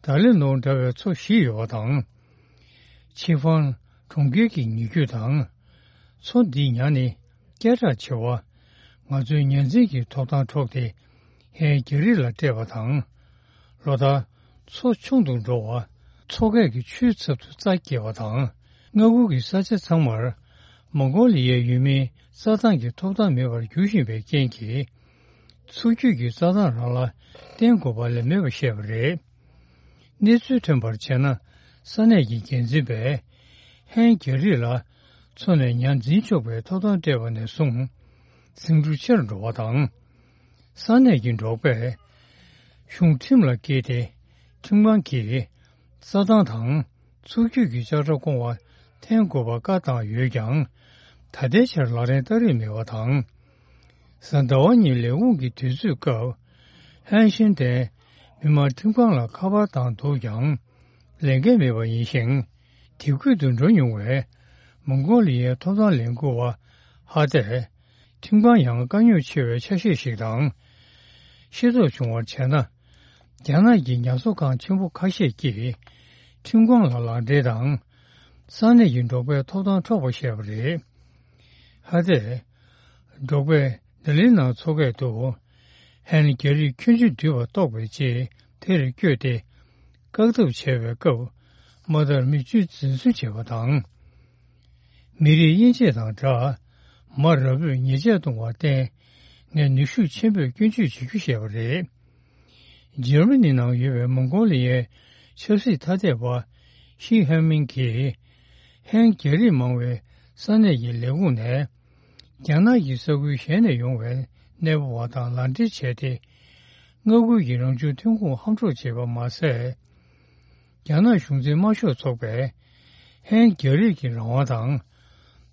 ད་ལི་ནོར་འདྲ་བའི་མཚོ་བཞི་ཡོད་པ་དང་། ཆི་ཧྥང་གྲོང་ཁྱེར་གྱི་ཉེ་རྒྱུད་དང་། མཚོ་འདིའི་ཉ་ནི་སྐད་གྲགས་ཆེ་བ། ང་ཚོའི་ཉ་འཛིན་གྱི་ཐོབ་ཐང་འཕྲོག་སྟེ། ཧན་རྒྱ་རིགས་ལ་སྤྲད་པ་དང་། ལོ་ལྟར་མཚོ་ཆུང་དུ་འགྲོ་བ། མཚོ་སྐད་ཀྱི་ཆུའི་ཚབ་ཏུ་རྩྭ་སྐྱེ་བ་དང་། མངའ་ཁུལ་གྱི་ས་ཆ་ཚང་མར། མོང་གོ་ལི་ཡའི་ཡུལ་མིའི་རྩྭ་ཐང་གི་ཐོབ་ཐང་མེད་པར་འགྱུར་བཞིན་པའི་རྐྱེན་གྱིས། མཚོ་རྒྱུད་ཀྱི་རྩྭ་ཐང་རང་ལ་བརྟེན་དགོས་པ་ལས་མེད་པར་བཤད་པ་རེད། གནས་ཚུལ་ཐོན་པར་བྱས་ན། ས་གནས་ཀྱི་འགན་འཛིན་པས། ཧན་རྒྱ་རིགས་ལ། མཚོ་ནས་ཉ་འཛིན་ཆོག་པའི་ཐོབ་ཐང་སྤྲད་པ་ནས་བཟུང་། ཟིང་འཁྲུག་ཆེར་འགྲོ་བ་དང་། ས་གནས་ཀྱི་འབྲོག་པས། གཞུང་ཁྲིམས་ལ་བཀལ་ཏེ། ཁྲིམས་ཁང་གིས། རྩྭ་ཐང་དང་། མཚོ་རྒྱུད་ཀྱི་ལྕགས་དྲ་བསྐོང་བ་འཐེན་དགོས་པ་བཀའ་བཏང་ཡོད་ཀྱང་། ད་ལྟའི་ཆར་ལག་ལེན་བསྟར་རིན་མེད་པ་དང་། གཟའ་ཟླ་བ་ཉིན་ལས་ཁུངས་ཀྱི་དུས་ཚོད་སྐབས། ཧན་ཤིན་ཏན་མི་དམངས་ཁྲིམས་ཁང་ལ་ཁ་པར་བཏང་འདུག་ཀྱང་། ལས་འགན་མེད་པ་ཡིན་ཞིང་། དེ་ཁུལ་དུ་འགྲོ་མྱོང་བའི་མོང་གོ་ལི་ཡའི་ཐོབ་ཐང་ལས་འགུལ་བ་ཧ་ཏེ། ཁྲིམས་ཁང་ཡང་དཀའ་རྙོག་ཆེ་བའི་ཆ་ཤས་ཤིག་དང་། ཤེས་རྟོགས་བྱུང་བར་བྱས་ན། རྒྱ་ནག་གི་ཉ་གསོ་ཁང་ཆེན་པོ་ཁ་ཤས་ཀྱིས་ཁྲིམས་ཁང་ལ་ལག་འབྲེལ་དང་། ས་གནས་ཀྱི་འབྲོག་པའི་ཐོབ་ཐང་འཕྲོག་པ་བྱས་པ་རེད། ཧ་ཏེ། འབྲོག་པས་ལྡི་ལིའི་ནང་འཚོ་སྐད་དུ། ཧན་རྒྱ་རིགས་ཁྱོན་ཆེ་འདུས་པ་རྟོགས་པའི་རྗེས་དེར་བསྐྱོད་དེ། བཀག་ཐབས་བྱས་པའི་སྐབས། མ་མཐར་མི་གཅོད་འཛིན་བཟུང་བྱས་པ་དང་། མི་རིགས་དབྱེ་འབྱེད་དང་སྦྲགས། མ་ར་བོས་ཉེས་ཆད་གཏོང་བར་བརྟེན། ངས་ནུས་ཤུགས་ཆེན་པོས་སྐྱོན་བརྗོད་བྱེད་རྒྱུ་བཤད་པ་རེད། འཇར་མ་ནི་ནང་ཡོད་པའི་མོང་གོ་ལི་ཡའི་ཆབ་སྲིད་ཐ་དད་པ་ཤི་ཧན་མིང་གིས། ཧན་རྒྱ་རིགས་མང་བའི་ས་གནས་ཀྱི་ལས་ཁུངས་ནས། རྒྱ་ནག་གི་ས་ཁུལ་གཞན་ནས་ཡོང་བའི་གནས་སྤོ་བ་དང་ལག་འབྲེལ་བྱས་ཏེ། མངའ་ཁུལ་གྱི་རང་བྱུང་ཐོན་ཁུངས་ཧམ་འཕྲོག་བྱས་པ་མ་ཟད། རྒྱ་ནག་གཞུང་འཛིན་དམར་ཤོག་ཚོགས་པས་ཧན་རྒྱ་རིགས་ཀྱི་རང་དབང་དང་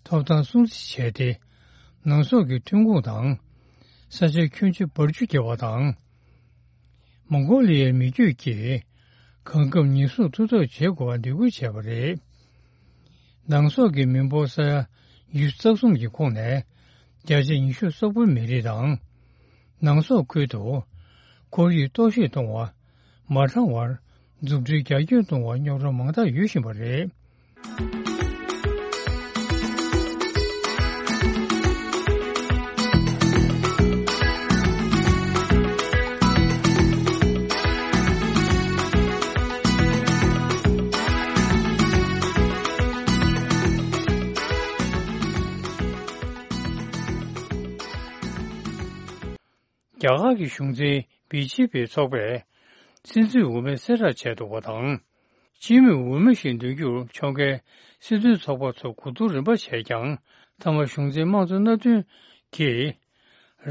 ཐོབ་ཐང་སྲུང་བརྩི་བྱས་ཏེ། ནང་སོག་གི་ཐོན་ཁུངས་དང་ས་ཆ་ཁྱོན་ཆེ་འབར་འཇུ་བརྒྱབ་པ་དང་། མོང་གོ་ལི་ཡའི་མི་རྒྱུད་ཀྱིས་གང་འགབ་ཉེན་སྲུང་ཐུབ་ཐབས་བྱེད་དགོས་པ་འདེད་སྐུལ་བྱས་པ་རེད། ནང་སོག་གི་མི་འབོར་ས་ཡ་ཉི་ཤུ་རྩ་གསུམ་གྱི་ཁོངས་ནས་བརྒྱ་ཆ་ཉི་ཤུ་སོག་པོའི་མི་རིགས་དང་། ནང་སོག་ཁུལ་དུ་ཁོར་ཡུག་གཏོར་བཤིག་གཏོང་བ་མ་འཕྲང་བར་མཛུབ་ཁྲིད་རྒྱ་སྐྱེད་གཏོང་བར་རྙོག་དྲ་མང་དག་ཡོད་བཞིན་པ་རེད། རྒྱ་གར་གྱི་གཞུང་འཛིན་བི་ཇེ་པི་ཚོགས་པས་སྲིད་འཛིན་འོས་མི་གསལ་བསྒྲགས་བྱས་འདུག་པ་དང་། སྤྱི་མོས་འོས་མི་ཞིག་འདོན་རྒྱུར་ཕྱོགས་འགལ་སྲིད་དོན་ཚོགས་པ་ཚོ་གོ་བསྡུར་རིམ་པ་བྱས་ཀྱང་། མཐའ་མ་གཞུང་འཛིན་དམངས་གཙོ་མནའ་མཐུན་གྱིས་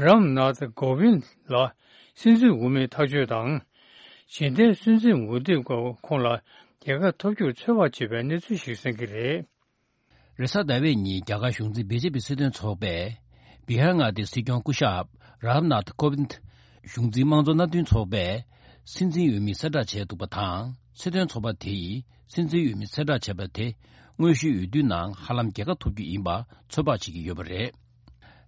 རམ་ནཱཐ་ཀོ་བིན་ལ་སྲིད་འཛིན་འོས་མི་ཐག་གཅོད་དང་། རྗེས་འདེད་སྲིད་འཛིན་འོས་བསྡུའི་སྐབས་ཁོང་ལ་རྒྱལ་ཁ་ཐོབ་རྒྱུར་ཚོད་དཔག་བྱེད་པའི་གནས་ཚུལ་ཞིག་གསན་གྱི་རེད། རེས་གཟའ་ཟླ་བའི་ཉིན་རྒྱ་གར་གཞུང་འཛིན་བི་ཇེ་པི་སྲིད་དོན་ཚོགས་པས་བི་ཧར་མངའ་སྡེའི་སྲིད་སྐྱོང་སྐུ་ཞབས་རམ་ནཱཐ་ཀོ་བིན། གཞུང་འཛིན་དམངས་གཙོ་མནའ་མཐུན་ཚོགས་པས་སྲིད་འཛིན་འོས་མི་གསལ་བསྒྲགས་བྱས་འདུག་པ་དང་། སྲིད་དོན་ཚོགས་པ་དེ་ཡིས་སྲིད་འཛིན་འོས་མི་གསལ་བསྒྲགས་བྱས་པ་དེ་དངོས་གཞིའི་འོས་བསྡུའི་ནང་ཧ་ལམ་རྒྱལ་ཁ་ཐོབ་རྒྱུ་ཡིན་པ་ཚོད་དཔག་བྱེད་ཀྱི་ཡོད་པ་རེད།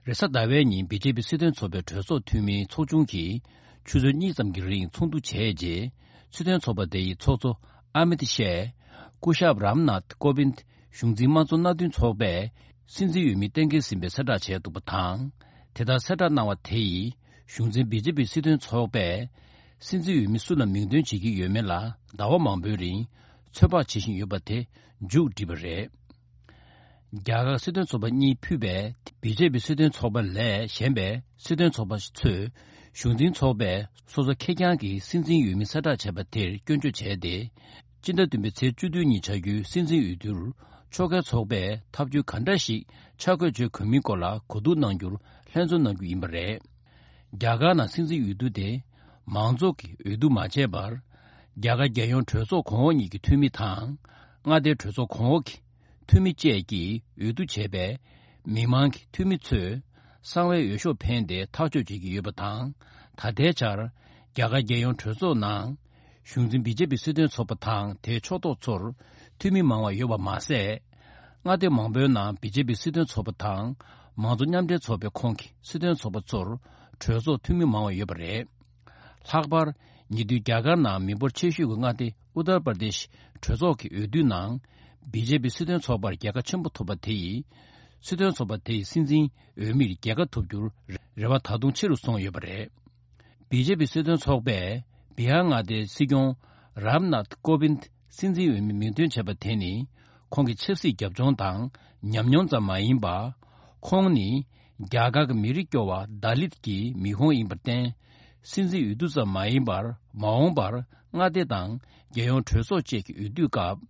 རེས་གཟའ་ཟླ་བའི་ཉིན་བི་ཇེ་པི་སྲིད་དོན་ཚོགས་པའི་གྲོས་ཚོགས་འཐུས་མིའི་ཚོགས་ཆུང་གིས་ཆུ་ཚོད་གཉིས་ཙམ་གྱི་རིང་ཚོགས་འདུ་བྱས་རྗེས། སྲིད་དོན་ཚོགས་པ་དེ་ཡི་ཚོགས་གཙོ་ཨ་མིད་ཤཱས་སྐུ་ཞབས་རམ་ནཱཐ་ཀོ་བིན་གཞུང་འཛིན་དམངས་གཙོ་མནའ་མཐུན་ཚོགས་པས་སྲིད་འཛིན་འོས་མི་གཏན་འཁེལ་ཟིན་པའི་གསལ་བསྒྲགས་བྱས་འདུག་པ་དང་། དེ་ལྟར་གསལ་བསྒྲགས་གནང་བ་དེ་ཡིས་གཞུང་འཛིན་བི་ཇེ་པི་སྲིད་དོན་ཚོགས་པས་སྲིད་འཛིན་འོས་མི་སུ་ལ་མིང་འདོན་བྱེད་ཀྱི་ཡོད་མེད་ལ་ཟླ་བ་མང་པོའི་རིང་ཚོད་དཔག་བྱེད་བཞིན་ཡོད་པ་དེ་མཇུག་བསྒྲིལ་བ་རེད། རྒྱ་གར་སྲིད་དོན་ཚོགས་པ་གཉིས་ཕུད་པའི་བི་ཇེ་པི་སྲིད་དོན་ཚོགས་པ་ལས་གཞན་པའི་སྲིད་དོན་ཚོགས་པ་ཚོས་གཞུང་འཛིན་ཚོགས་པས་སོ་སོ་ཁེར་རྐྱང་གི་སྲིད་འཛིན་འོས་མི་གསལ་བསྒྲགས་བྱས་པ་དེར་སྐྱོན་བརྗོད་བྱས་ཏེ། སྤྱི་ཟླ་བདུན་པའི་ཚེས་བཅུ་བདུན་ཉིན་བྱ་རྒྱུའི་སྲིད་འཛིན་འོས་བསྡུར་ཕྱོགས་འགལ་ཚོགས་པས་ཐབས་ཇུས་ག་འདྲ་ཞིག་ཆ་བགོས་བྱེད་དགོས་མིན་སྐོར་ལ་གོ་བསྡུར་གནང་རྒྱུར་ལྷན་འཛོམས་གནང་རྒྱུ་ཡིན་པ་རེད། རྒྱ་གར་ནང་སྲིད་འཛིན་འོས་བསྡུ་དེ་མང་ཚོགས་ཀྱིས་འོས་བསྡུ་མ་བྱས་པར། རྒྱ་གར་རྒྱལ་ཡོངས་གྲོས་ཚོགས་གོང་འོག་གཉིས་ཀྱི་འཐུས་མི་དང་། མངའ་སྡེའི་གྲོས་ཚོགས་གོང་འོག་གི་འཐུས་མི་བཅས་ཀྱིས་འོས་བསྡུ་བྱས་པས། མི་མང་གི་འཐུས་མི་ཚོས་གསང་བའི་འོས་ཤོག་འཕེན་ཏེ་ཐག་གཅོད་བྱེད་ཀྱི་ཡོད་པ་དང་། ད་ལྟའི་ཆར་རྒྱ་གར་རྒྱལ་ཡོངས་གྲོས་ཚོགས་ནང་གཞུང་འཛིན་བི་ཇེ་པི་སྲིད་དོན་ཚོགས་པ་དང་དེའི་ཕྱོགས་གཏོགས་ཚོར་འཐུས་མི་མང་བ་ཡོད་པ་མ་ཟད། མངའ་སྡེ་མང་པོའི་ནང་བི་ཇེ་པི་སྲིད་དོན་ཚོགས་པ་དང་མང་གཙོ་མཉམ་འབྲེལ་ཚོགས་པའི་ཁོངས་ཀྱི་སྲིད་དོན་ཚོགས་པ་ཚོར་གྲོས་ཚོགས་འཐུས་མི་མང་བ་ཡོད་པ་རེད། ལྷག་པར་ཉེ་དུས་རྒྱ་གར་ནང་མི་འབོར་ཆེ་ཤོས་ཀྱི་མངའ་སྡེ་ཨུ་ཏར་པར་དེཤ་གྲོས་ཚོགས་ཀྱི་འོས་བསྡུའི་ནང་བི་ཇེ་པི་སྲིད་དོན་ཚོགས་པར་རྒྱལ་ཁ་ཆེན་པོ་ཐོབ་པ་དེ་ཡིས་སྲིད་དོན་ཚོགས་པ་དེ་ཡི་སྲིད་འཛིན་འོས་མིར་རྒྱལ་ཁ་ཐོབ་རྒྱུར་རེ་བ་ད་དུང་ཆེ་རུ་སོང་ཡོད་པ་རེད། བི་ཇེ་པི་སྲིད་དོན་ཚོགས་པས་བི་ཧར་མངའ་སྡེའི་སྲིད་སྐྱོང་རམ་ནཱཐ་ཀོ་བིན་སྲིད་འཛིན་འོས་མི་མིང་འདོན་བྱས་པ་དེ་ནི་ཁོང་གི་ཆབ་སྲིད་རྒྱབ་ལྗོངས་དང་ཉམས་མྱོང་ཙམ་མ་ཡིན་པར། ཁོང་ནི་རྒྱ་གར་གྱི་མི་རིགས་སྐྱོ་བ་ད་ལིད་ཀྱི་མི་ཁོངས་ཡིན་པར་བརྟེན། སྲིད་འཛིན་འོས་བསྡུ་ཙམ་མ་ཡིན་པར་མ་འོངས་པར་མངའ་སྡེ་དང་རྒྱལ་ཡོངས་གྲོས་ཚོགས་བཅས་ཀྱི་འོས་བསྡུའི་སྐབས་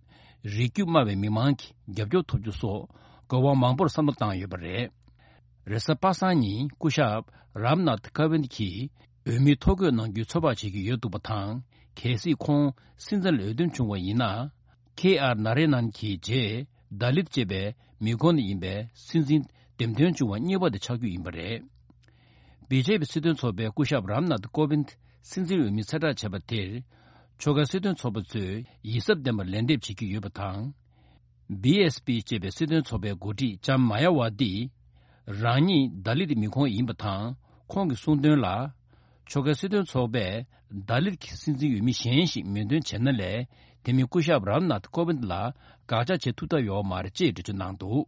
རིགས་རྒྱུད་དམའ་བའི་མི་མང་གི་རྒྱབ་སྐྱོར་ཐོབ་རྒྱུ་སོགས་དགོས་དབང་མང་པོར་བསམ་བློ་བཏང་ཡོད་པ་རེད། རེས་གཟའ་པ་སངས་ཉིན་སྐུ་ཞབས་རམ་ནཱཐ་ཀ་ཝིན་གྱིས་འོས་མི་ཐོ་འགོད་གནང་རྒྱུའི་ཚོད་དཔག་བྱེད་ཀྱི་ཡོད་འདུག་པ་དང་། གལ་སྲིད་ཁོང་སྲིད་འཛིན་ལ་འོས་འདེམས་བྱུང་བ་ཡིན་ན། ཁེ་ཨར་ན་རེ་ནན་གྱི་རྗེས་ད་ལིད་ཅེས་པའི་མི་ཁོངས་ནས་ཡིན་པའི་སྲིད་འཛིན་འདེམས་ཐོན་བྱུང་བ་གཉིས་པ་དེ་ཆགས་རྒྱུ་ཡིན་པ་རེད། བི་ཇེ་པི་སྲིད་དོན་ཚོགས་པའི་སྐུ་ཞབས་རམ་ནཱཐ་ཀོ་བིན་སྲིད་འཛིན་འོས་མི་གསལ་བསྒྲགས་བྱས་པ་དེར། ཕྱོགས་འགལ་སྲིད་དོན་ཚོགས་པ་ཚོས་ཡིད་གཟབ་ལྡན་པར་ལན་འདེབས་བྱེད་ཀྱི་ཡོད་པ་དང་། བི་ཨེས་པི་ཅེས་པའི་སྲིད་དོན་ཚོགས་པའི་འགོ་ཁྲིད་ལྕམ་མ་ཡ་ཝ་ཏི། རང་ཉིད་ད་ལིད་མི་ཁོངས་ཡིན་པ་དང་ཁོང་གིས་གསུངས་དོན་ལ། ཕྱོགས་འགལ་སྲིད་དོན་ཚོགས་པས་ལྡ་ལིར་གྱི་སྲིད་འཛིན་འོས་མི་གཞན་ཞིག་མོས་འདུན་བྱས་ན་ལས་དེ་མིན་སྐུ་ཞབས་རམ་ནཱཐ་ཀོ་བིནྡ་ལ་དགག་བྱ་བྱེད་ཐུབ་ཐབས་ཡོད་མ་རེད་ཅེས་འགྲེལ་བརྗོད་གནང་འདུག་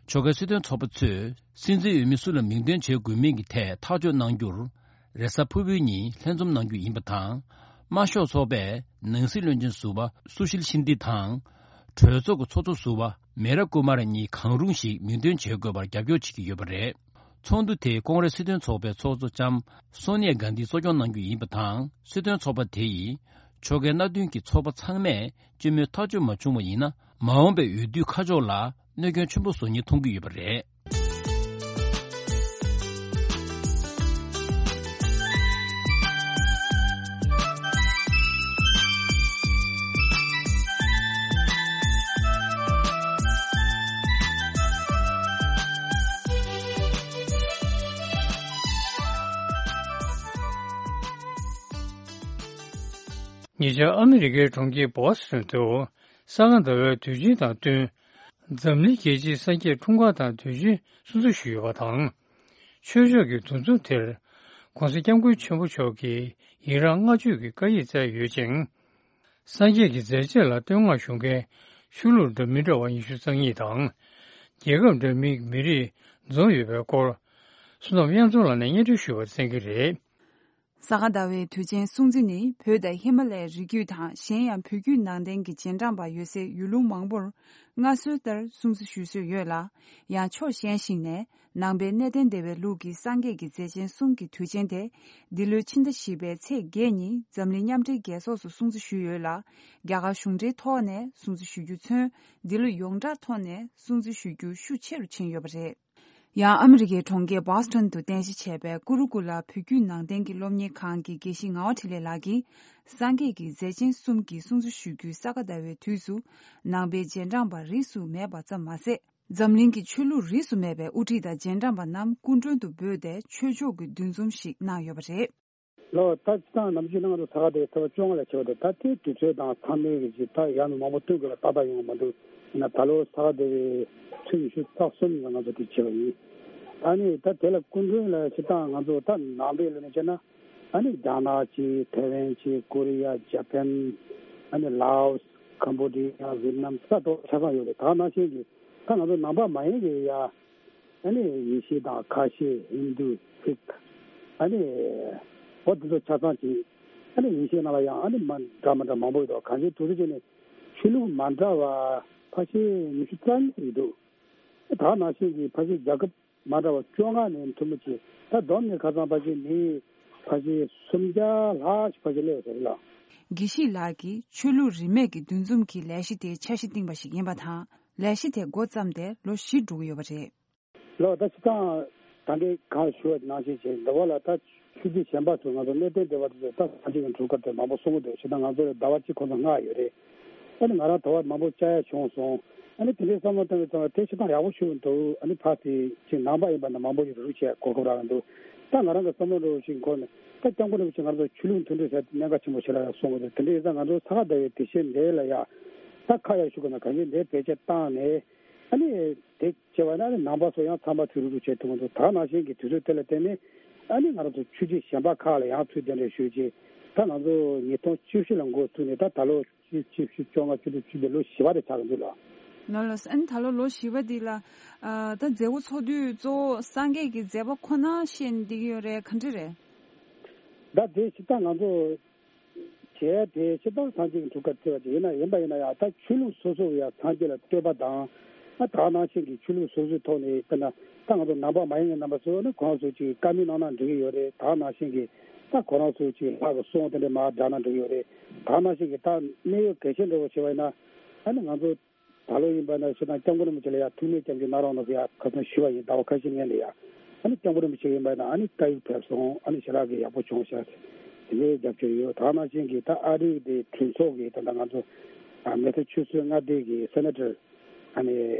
ཕྱོགས་འགལ་སྲིད་དོན་ཚོགས་པ་ཚོས་སྲིད་འཛིན་འོས་མི་སུ་ལ་མིང་འདོན་བྱེད་དགོས་མིན་གྱི་ཐད་ཐག་གཅོད་གནང་རྒྱུར། རེས་གཟའ་ཕུར་བུའི་ཉིན་ལྷན་འཛོམས་གནང་རྒྱུ་ཡིན་པ་དང་། དམར་ཤོག་ཚོགས་པས་ནང་སྲིད་བློན་ཆེན་ཟུར་པ་སུ་ཤིལ་ཤིན་དི་དང་། གྲོས་ཚོགས་ཀྱི་ཚོགས་གཙོ་ཟུར་པ་མེ་ར་ཀུ་མ་ར་གཉིས་གང་རུང་ཞིག་མིང་འདོན་བྱེད་དགོས་པར་རྒྱབ་སྐྱོར་བྱེད་ཀྱི་ཡོད་པ་རེད། ཚོགས་འདུ་དེས་ཀོང་རེས་སྲིད་དོན་ཚོགས་པའི་ཚོགས་གཙོ་ལྕམ་སོ་ནི་ཡ་གྷན་དྷིས་གཙོ་སྐྱོང་གནང་རྒྱུ་ཡིན་པ་དང་། སྲིད་དོན་ཚོགས་པ་དེ་ཡིས་ཕྱོགས་འགལ་མནའ་མཐུན་གྱི་ཚོགས་པ་ཚང་མས་སྤྱི་མོས་ཐག་གཅོད་མ་བྱུང་བ་ཡིན་ན། མ་འོངས་པའི་འོས་བསྡུའི་ཁ་ཕྱོགས་ལ་གནོད་སྐྱོན་ཆེན་པོ་བཟོ་ཉེན་མཐོང་གི་ཡོད་པ་རེད། ཉེ་ཆར་ཨ་མི་རི་ཀའི་གྲོང་ཁྱེར་བྷོ་སི་ཊོན་དུ་ས་ག་ཟླ་བའི་དུས་ཆེན་དང་བསྟུན། འཛམ་གླིང་རྒྱལ་སྤྱིའི་སངས་རྒྱས་འཁྲུངས་སྐར་དང་དུས་ཆེན་སྲུང་བརྩི་ཞུས་ཡོད་པ་དང་། ཆོས་ཕྱོགས་ཀྱི་འདུ་འཛོམས་དེར་༸གོང་ས་༸སྐྱབས་མགོན་ཆེན་པོ་མཆོག་གིས་ཡི་རངས་བསྔགས་བརྗོད་ཀྱི་བཀའ་ཡིག་བསྩལ་ཡོད་ཅིང་། སངས་རྒྱས་ཀྱི་མཛད་རྗེས་ལ་བསྟོད་བསྔགས་ཞུ་མཁན་ཆོས་ལུགས་འདྲ་མི་འདྲ་བ་ཉི་ཤུ་རྩ་གཉིས་དང་། རྒྱལ་ཁབ་འདྲ་མིན་གྱི་མི་རིགས་འཛོམས་ཡོད་པའི་སྐོར། བསོད་ནམས་དབྱངས་འཛོམས་ལགས་ནས་སྙན་སྒྲོན་ཞུ་བར་གསན་གྱི་རེད། ས་ག་ཟླ་བའི་དུས་ཆེན་སྲུང་བརྩི་ནི་བོད་དང་ཧི་མ་ལ་ཡའི་རི་རྒྱུད་དང་གཞན་ཡང་བོད་བརྒྱུད་ནང་བསྟན་གྱི་རྗེས་འབྲང་པ་ཡོད་སའི་ཡུལ་ལུང་མང་པོར་སྔར་སྲོལ་ལྟར་སྲུང་བརྩི་ཞུ་སྲོལ་ཡོད་ལ། ཡང་ཕྱོགས་གཞན་ཞིག་ནས་ནང་པའི་གནས་བརྟན་སྡེ་བའི་ལུགས་ཀྱི་སངས་རྒྱས་ཀྱི་མཛད་ཆེན་གསུམ་གྱི་དུས་ཆེན་དེ་འདི་ལོའི་ཕྱི་ཟླ་བཞི་པའི་ཚེས་བརྒྱད་ཉིན་འཛམ་གླིང་མཉམ་འབྲེལ་རྒྱལ་ཚོགས་སུ་སྲུང་བརྩི་ཞུས་ཡོད་ལ། རྒྱ་གར་གཞུང་འབྲེལ་ཐོག་ནས་སྲུང་བརྩི་ཞུ་རྒྱུ་མཚོན། འདི་ལོ་ཡོངས་གྲགས་ཐོག་ནས་སྲུང་བརྩི་ཞུ་རྒྱུ་ཤུགས་ཆེ་རུ་ཕྱིན་ཡོད་པ་རེད། ཡང་ཨ་མི་རི་ཀའི་གྲོང་ཁྱེར་བྷོ་སི་ཊོན་དུ་རྟེན་གཞི་བྱས་པའི་ཀུ་རུ་ཀུ་ལ་བོད་བརྒྱུད་ནང་བསྟན་གྱི་སློབ་གཉེར་ཁང་གི་དགེ་བཤེས་ངག་དབང་འཕྲིན་ལས་ལགས་ཀྱིས། སངས་རྒྱས་ཀྱི་མཛད་ཆེན་གསུམ་གྱི་སྲུང་བརྩི་ཞུ་རྒྱུའི་ས་ག་ཟླ་བའི་དུས་སུ་ནང་པའི་རྗེས་འབྲང་པ་རིས་སུ་མེད་པ་ཙམ་མ་ཟད། འཛམ་གླིང་གི་ཆོས་ལུགས་རིས་སུ་མེད་པའི་དབུ་ཁྲིད་དང་རྗེས་འབྲང་པ་རྣམས་སྐུ་མགྲོན་དུ་འབོད་དེ་ཆོས་ཕྱོགས་ཀྱི་འདུ་འཛོམས་ཤིག་གནང་ཡོད་པ་རེད། ལོ། ད་སྤྱིར་བཏང་ནམ་རྒྱུན་ང་ཚོ་ས་ག་ཟླ་བའི་ཚེས་པ་བཅོ་ལྔ་ལ་བྱེད་པ་དེ་ད་ལྟའི་དུས་ཚོད་དང་མཚམས་མེད་ཀྱི་ཅིག་ད་ཡང་མི་མང་པོ་བསྟུན་དགོས་ལ་ཏག་ཏག་ཡོང་གི་མ་འདུག་ཡིན་ན་ད་ལོ་ས་ག་ཟླ་བའི་ཚེས་ཉི་ཤུ་རྩ་གསུམ་ལ་ང་ཚོ་དེ་བྱེད་པ་ཡིན། ཨ་ནི་ད་དེ་ལ་སྐུ་མགྲོན་ལ་སྤྱིར་བཏང་ང་ཚོ་ད་ནང་པའི་ལ་ནས་བྱས་ན་ཨ་ནི་རྒྱ་ནག་ཅིག་ཐའེ་ཝན་ཅིག་ཀོ་རི་ཡ་ཇ་པན་ཨ་ནི་ལའོ་སི་ཁམ་བོ་ཌི་ཡ་ཝི་ཏི་ནམ་ས་ཐོག་ཆ་ཚང་ཡོད་རེད། ད་ནང་བཞིན་གྱི་ད་ང་ཚོ་ནང་པ་མ་ཡིན་གྱི་ཡ། ཨ་ནི་ཡེ་ཤུ་དང་ཁ་ཤས་ཧིན་དུ་སིག་ཨ་ནི་བོད་དེ་ཚོ་ཆ་ཚང་གཅིག་ཨ་ནི་ཡེ་ཤུ་ནང་ལ་ཡང་ཨ་ནི་མ་འདྲ་མི་འདྲ་མང་པོ་ཡོད་དོ། གང་ཅིའི་དུས་ཚོད་ཅིག་ནས་ཆོས་ལུགས་མ་འདྲ་བ་ཕལ་ཆེར་ཉི་ཤུ་རྩ་གཉིས་ཡོད་འདུག་ད་ནང་བཞིན་གྱི་ཕལ་ཆེར་རྒྱལ་ཁབ་མ་འདྲ་བ་བཅོ་ལྔ་ནས་ཐུན་མོང་ཅིག་ད་བསྡོམས་ནས་ཁ་སང་ཕལ་ཆེར་མི་ཕལ་ཆེར་སུམ་བརྒྱ་ལྷག་ཞིག་ཕལ་ཆེར་སླེབས་ཡོད་ས་རེད་ལ། དགེ་བཤེས་ལགས་ཀྱིས་ཆོས་ལུགས་རིས་མེད་ཀྱི་འདུ་འཛོམས་ཀྱི་ལས་གཞི་དེའི་འཆར་གཞི་བཏིང་པ་ཞིག་ཡིན་པ་དང་། ལས་གཞི་དེ་འགོ་བརྩམས་ཏེ་ལོ་བཞི་འགྲོ་གི་ཡོད་པ་རེད། ལོ། ད་སྤྱིར་བཏང་ད་གིན་གང་ཞུ་བ་ནང་བཞིན་བྱས་འདི་བ་ལ་ད་ཆོས་བརྒྱུད་གཞན་པ་ཚོ་ང་ཚོ་གནས་བརྟན་སྡེ་བ་དེ་ཚོ་ད་ས་གཅིག་གི་འཁྲུག་སྐར་དེ་མང་པོ་གསུང་གི་འདུག་བྱས་ཙང་ང་ཚོ་ལ་ཟླ་བ་གཅིག་ཁོ་ཚོ་མངགས་ཡོད་རེད། ཨ་ནི་ང་རང་ད་བར་མང་པོ་བཅར་ཡ་བྱུང་སོང་། ཨ་ནི་དེ་འདྲའི་བསམ་བློ་བཏང་བའི་ཙང་དེ་སྤྱིར་བཏང་ཡག་པོ་ཞུ་གི་འདུག་ཨ་ནི་ཕར་དེ་ཅིག་ནང་པ་ཡིན་པ་ན་མང་པོ་ཞིག་རུ་བྱས་གོ་སྐབས་རག་གི་འདུག་ད་ང་རང་གི་བསམ་བློ་འདྲ་བོ་ཞིག་འཁོར་ནས་ད་སྐྱབས་མགོན་རིན་པོ་ཆེ་ང་ཚོ་ཆོས་ལུགས་མཐུན་སྒྲིལ་ཟེར་གནད་འགག་ཆེན་པོ་ཞིག་ལ་ཡང་གསུང་གི་འདུག་དེ་འདྲ་ཡིན་ཙང་ང་ཚོ་ས་ག་ཟླ་བའི་དུས་ཆེན་འདི་ལ་ཡང་ད་ཁ་ཡག་ཞུ་དགོས་ན་གང་ཡིན་འདི་བེད་སྤྱོད་བཏང་ནས། ཨ་ནི་དེ་བྱས་པ་ན་ཨ་ནི་ནང་པ་ཚོ་ཡང་ཚང་མ་ཚུར་རུབ་རུབ་བྱེད་ཐུབ་ཀྱི་འདུག་ད་ནང་བཞིན་གྱི་དུས་ཚོད་དེ་ལ་བརྟེན་ནས་ཨ་ནི་ང་རང་ཚོ་ཆོས་བརྒྱུད་གཞན་པ་ཁག་ལ་ཡང་ཚུར་གདན་འདྲེན་ཞུས་རྗེས་ད་ང་ཚོ་ཉིས་སྟོང་བཅུ་བཞི་ལ་འགོ་བཙུགས་ནས་ད་ད་ལོ་བཅུ་བཅུ་བཅོ་ལྔ་བཅུ་དྲུག་བཅུ་བདུན་ལོ་བཞི་པ་དེ་ཆགས་ཀྱི་འདུག་ལ། ནོ་ལོ། ཨ་ནི་ད་ལོ་ལོ་བཞི་པ་འདི་ལ་ད་མཛད་སྒོ་ཚོགས་དུས་གཙོ་བོ་སངས་རྒྱས་ཀྱི་མཛད་པ་ཁོ་ན་བཤད་ནས་བསྡད་ཀྱི་ཡོད་རེད། ག་འདྲ་རེད། ད་དེ་ཞིག་ད་ང་ཚོ། བྱས་ཏེ་སྤྱིར་བཏང་སངས་རྒྱས་ཀྱི་འཁྲུངས་སྐར་བརྩི་བ་དེ་ཡིན་ན་ཡིན་པ་ཡིན་ན་ཡང་ད་ཆོས་ལུགས་སོ་སོ་ཡང་སངས་རྒྱས་ལ་བསྟོད་པ་དང་ཨ་ད་ནང་བཞིན་གྱི་ཆོས་ལུགས་སོ་སོའི་ཐོག་ནས་དཔེར་ན་ད་ང་ཚོ་ནང་པ་མ་ཡིན་པའི་རྣམ་པ་ཚོ་ནི་ཁོ་རང་ཚོ་ཅིག་བཀའ་མོལ་གནང་ན་འགྲིག་གི་ཡོད་རེད། ད་ནང་བཞིན་གྱི་ད་ཁོ་རང་ཚོ་ཅིག་ལྷག་གི་གསུང་དེ་འདྲ་མར་བསྒྲགས་ན་འགྲིག་གི་ཡོད་རེད། ད་ནང་བཞིན་གྱི་ད་གནད་ཡོད་གལ་ཆེན་འདྲ་བོ་བྱས་པ་ཡིན་ན་ཨ་ནི་ང་ཚོ། ད་ལོ་ཡིན་པ་ན་སྤྱིར་བཏང་སྐྱབས་མགོན་རིན་པོ་ཆེ་ལ་ཡང་ཐུགས་སྨོན་སྐྱབས་འཇུག་གནང་རོགས་གནང་ཟེར་ཡ་ཁ་སང་ཞུས་པ་ཡིན། ཟླ་བ་ཁ་ཤས་སྔོན་ལ་ཡ། ཨ་ནི་སྐྱབས་མགོན་རིན་པོ་ཆེ་ཡིན་པ་ན་ཨ་ནི་བཀའ་ཡིག་ཕེབས་སོང་། ཨ་ནི་ཞེ་དྲག་གི་ཡག་པོ་བྱུང་ཤག་དེ་ནས་རྒྱབ་སྐྱོར་ཡོད། ད་ནང་བཞིན་གྱི་ད་ཨ་རིའི་དེ་གྲོས་ཚོགས་ཀྱི་ད་ལྟ་ང་ཚོ་ཨ་མེ་ས་ཆུ་སི་མངའ་སྡེ་གི་སེ་ནེ་ཊར་ཨ་ནི་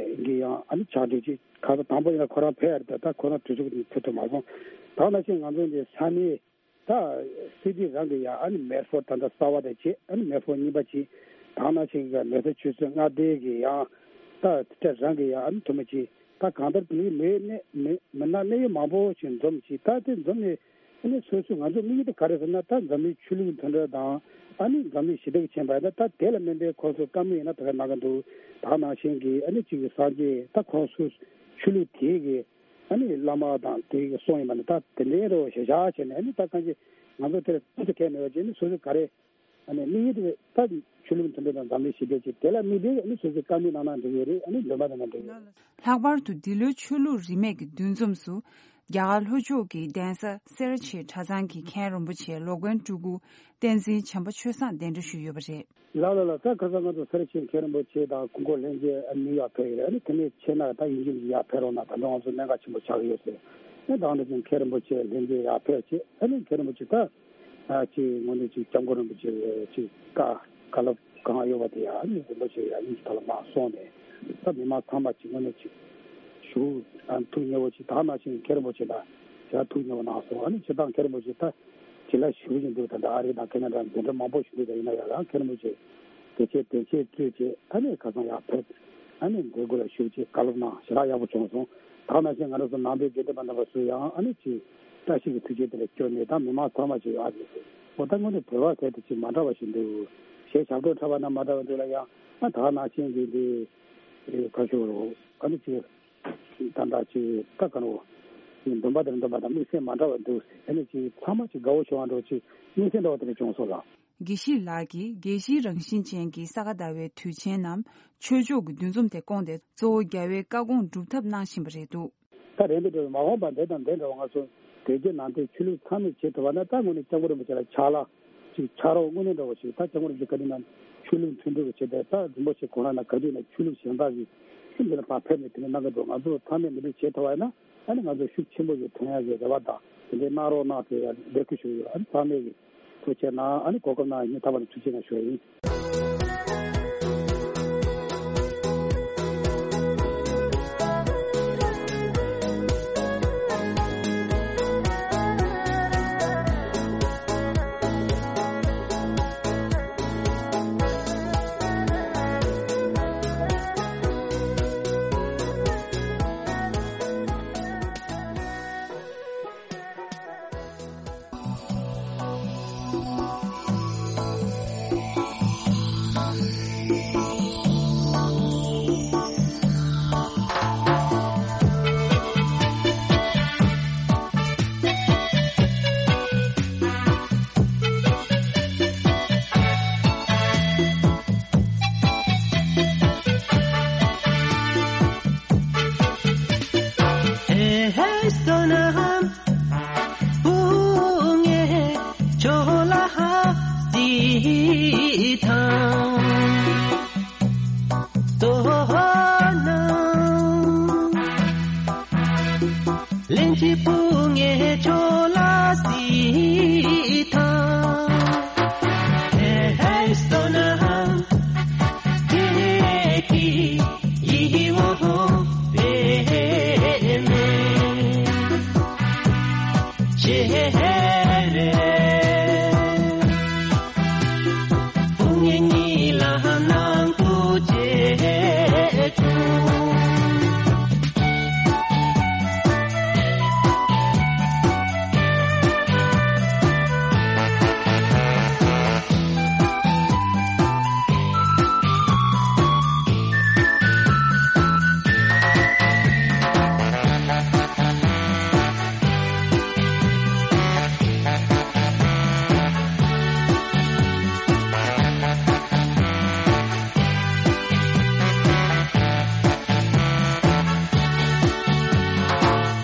གི་ཡང་ཨ་ནི་ཕྱག་སྦྲེལ་ཅིག་ཁ་སང་དང་པོ་ཡིན་ན་ཁོ་རང་ཕེབས་ཡ་རེད། ད་ད་ཁོ་རང་གྲོས་ཚོགས་ཀྱི་ཕེབས་ཐུབ་མ་སོང་། ད་ནང་བཞིན་ང་ཚོ་འདི་ས་གནས། ད་སི་ཊི་རང་གི་ཡ་ཨ་ནི་མེར་ཕོར་ད་ལྟ་གསར་བ་དེ་བྱས། ཨ་ནི་མེར་ཕོར་གཉིས་པ་བྱས། ད་ནང་བཞིན་གྱི་མེ་ས་ཆུ་སི་མངའ་སྡེ་གི་ཡང་ད་དེ་རང་གི་ཡ་ཨ་ནི་ཐུ་མི་བྱས། ད་གང་ལྟར་དེ་མི་མི་མི་མི་སྣ་གནད་ཡོད་མང་པོ་ཞིག་འཛོམས་བྱས། ད་དེ་འཛོམས་ནས་ ཨ་ནི་སོ་སོ་ང་ཚོ་དམིགས་ཡུལ་དེ་ག་རེ་ཟེར་ན། ད་འཛམ་གླིང་ཆོས་ལུགས་མཐུན་སྒྲིལ་དང་ཨ་ནི་འཛམ་གླིང་ཞི་བདེ་གི་ཆེད་པ་ཡིན་ན། ད་དེ་ལ་དམིགས་པའི་ཁོང་ཚོ་བཀའ་མོལ་ཡིན་ན་དེ་ག་གནང་གི་འདུག་ད་ག་ནང་བཞིན་གྱི་ཨ་ནི་གཅིག་གི་སངས་རྒྱས་ད་ཁོང་ཚོ་ཆོས་ལུགས་དེའི་གི་ཨ་ནི་བླ་མ་དང་དེའི་གི་གསུང་ཡིན་པ་ནི། ད་དེ་འདྲའི་རོ་ཞེ་བཞག་བྱས་ནས། ཨ་ནི་ད་གང་ཅི་ང་ཚོ་དེར་ཐུགས་སུ་ཁེལ་མེད་པ་བྱས་ནས། སོ་སོ་ག་རེ་ཨ་ནི་དམིགས་ཡུལ་དེ་ད་ཆོས་ལུགས་མཐུན་སྒྲིལ་དང་འཛམ་གླིང་ཞི་བདེ་ཆེད། དེ་ལ་དམིགས་ཏེ་ཨ་ནི་སོ་སོའི་བཀའ་མོལ་གནང་ན་འགྲིག་གི་རེད། ཨ་ནི་འདོན་པ་གནང་ན་འགྲིག་གི་རེད། ལྷག་པར་དུ་འདི་ལོའི་ཆོས་ལུགས་རིས་མེད་ཀྱི་འདུ་འཛོམས་སུ། རྒྱ་གར་ལྷོ་ཕྱོགས་ཀྱི་གདན་ས་སེ་ར་བྱེས་གྲྭ་ཚང་གི་མཁན་རིན་པོ་ཆེ་ལོ་མགོན་སྤྲུལ་སྐུ་བསྟན་འཛིན་བྱམས་པ་ཆོས་བཟང་གདན་འདྲེན་ཞུས་ཡོད་པ་རེད། ལགས་ལགས་ལགས། ད་ཁ་སང་ང་ཚོ་སེ་ར་བྱེས་མཁན་རིན་པོ་ཆེ་དང་སྐུ་འཁོར་ལྷན་རྒྱས་ཨ་ནི་ཡར་ཕེབས་ཡོད་རེད། ཨ་ནི་དེ་ནས་ཕྱིན་ན་ད་ཡིན་གཅིག་མིན་གཅིག་ཡར་ཕེབས་རོགས་གནང་། ད་ལྟ་ང་ཚོ་གནད་འགག་ཆེན་པོ་ཆགས་ཀྱི་ཡོད་ཟེར། ཨ་ནི་ད་ང་ཚོ་མཁན་རིན་པོ་ཆེ་ལྷན་རྒྱས་ཡར་ཕེབས་བྱས། ཨ་ནི་མཁན་རིན་པོ་ཆེ་ད་ཨ་ཅིག་དངོས་གནས་ཅིག་སྐྱབས་མགོན་རིན་པོ་ཆེ་ཅིག་བཀའ་བཀའ་སློབ་གང་ཡོད་པ་དེ་ཡང་ཨ་ནི་རིན་པོ་ཆེ་ཡང་དབྱིན་ཇི་ཐོག་ལ་མར་གསུངས་ནས། ད་མི་མང་ཚང་མ་ཅིག་དངོས་གནས་ཅིག་ཞུ་ཨ་ཐུགས་མཉེས་པོ་ཅིག་ད་ག་ནང་བཞིན་མཁན་རིན་པོ་ཆེ་ལ་ཞལ་ཐུགས་མཉེས་པོ་གནང་སོང་། ཨ་ནི་སྤྱིར་བཏང་མཁན་རིན་པོ་ཆེ་ད་ཅིག་ལ་ཞུ་བཞིན་འདུག་ད་ལྟ་ཨ་རི་དང་ཁེ་ན་ཌ་འཛིན་གྲྭ་མང་པོ་ཞུ་འདུག་ད་ཡིན་ན་ཡང་ཡང་མཁན་རིན་པོ་ཆེ་དེ་ཆེད་དེ་ཆེད་གཙོས་བྱས། ཨ་ནི་ཁ་སང་ཡར་ཕེབས། ཨ་ནི་འདི་སྐོར་ལ་ཞུ་ཅེས་བཀའ་སློབ་གནང་། ཞེ་དྲག་ཡག་པོ་བྱུང་སོང་། ད་ག་ནང་བཞིན་ང་རང་ཚོ་ནང་པའི་དགེ་འདུན་པ་རྣམ་པ་ཚོ་ཡང་ཨ་ནི་ཅིག་བཀྲ་ཤིས་ཀྱི་ཐུགས་རྗེ་དེ་ལ་སྐྱོར་ནས། ད་མི་མང་ཚང་མ་ཅིག་ཨ་ནི་འོ་ད་དངོས་གནས་བོད་པ་གལ་ཏེ་ཅིག་མ་འདྲ་བ་ཞིག་འདུག་ཞེས་ཞབས་བྲོ་འཁྲབ་པ་ན་མ་འདྲ་བ་འདུག་ལ། ཡང་ཨ་ད་ག་ནང་བཞིན་གྱི་འདི་ཁ་ཤོར་རོ་ཨ་ནི་ཅིག་ད་ལྟ་ཅིག་ད་ག་རོ་འདོན་པ་དེར་འདོན་པ་དང་དམིགས་བསལ་མ་འདྲ་བ་འདུག་ཨ་ནི་ཅིག་ཚང་མ་ཅིག་དགའ་བོ་བྱུང་བ་འདྲ་བོ་ཅིག་དམིགས་བསལ་འདྲ་བ་དེ་འདྲ་བྱུང་སོང་ལགས། དགེ་བཤེས་ལགས་ཀྱིས་དགེ་བཤེས་རང་བཞིན་ཅན་གྱི་ས་ག་ཟླ་བའི་དུས་ཆེན་ནམ་ཆོས་ཕྱོགས་ཀྱི་འདུ་འཛོམས་དེ་བསྐོངས་ཏེ། གཙོ་བོ་རྒྱལ་བའི་བཀའ་དགོངས་སྒྲུབ་ཐབས་གནང་བཞིན་པ་རེད་འདུག་ད་རེད་འདུག་འགྲོ་བའི་མ་འོངས་པ་འདི་དང་འདི་འདྲ་བ་ང་ཚོ་དེ་རྗེས་ནང་བསྟན་ཆོས་ལུགས་ཚང་མས་བྱེད་ཐུབ་པ་ན། ད་དངོས་གནས་སྐྱབས་མགོན་རིན་པོ་ཆེ་ལ་ཕྱག་ལག་ཅིག་ཕྱག་རོགས་དངོས་གནས་འདྲ་བོ་ཞིག་ད་སྐྱབས་མགོན་རིན་པོ་ཆེ་ག་དུས་ན་ཆོས་ལུགས་མཐུན་སྒྲིལ་བྱེད་པའི། ད་རིན་པོ་ཆེ་ཁོ་རང་ན་ག་དུས་ན་ཆོས་ལུགས་གཞན་དག་གི་འདི་ལ་ཕར་ཕེབས་ནས་དེ་ནས་གནང་གི་འདུག་ང་ཚོ་ཚང་མས་འདི་འདྲ་བྱེད་ཐུབ་པ་ཡིན་ན། ཨ་ནི་ང་ཚོ་ཤུགས་ཆེན་པོ་ཞིག་ཐོན་ཡག་གི་རེ་བ་དང་། དེ་འདྲའི་གནང་རོགས་གནང་ཟེར་ཡ་འབོད་སྐུལ་ཞུ་གི་ཡོད། ཨ་ནི་ཚང་མས་ཀྱི་ཐུགས་རྗེ་གནང་། ཨ་ནི་གོ་སྐབས་གནང་བའི་སྙིང་ཐག་པ་ནས་ཐུགས་རྗེ་གནང་ཞུ་ཡ་ཡིན།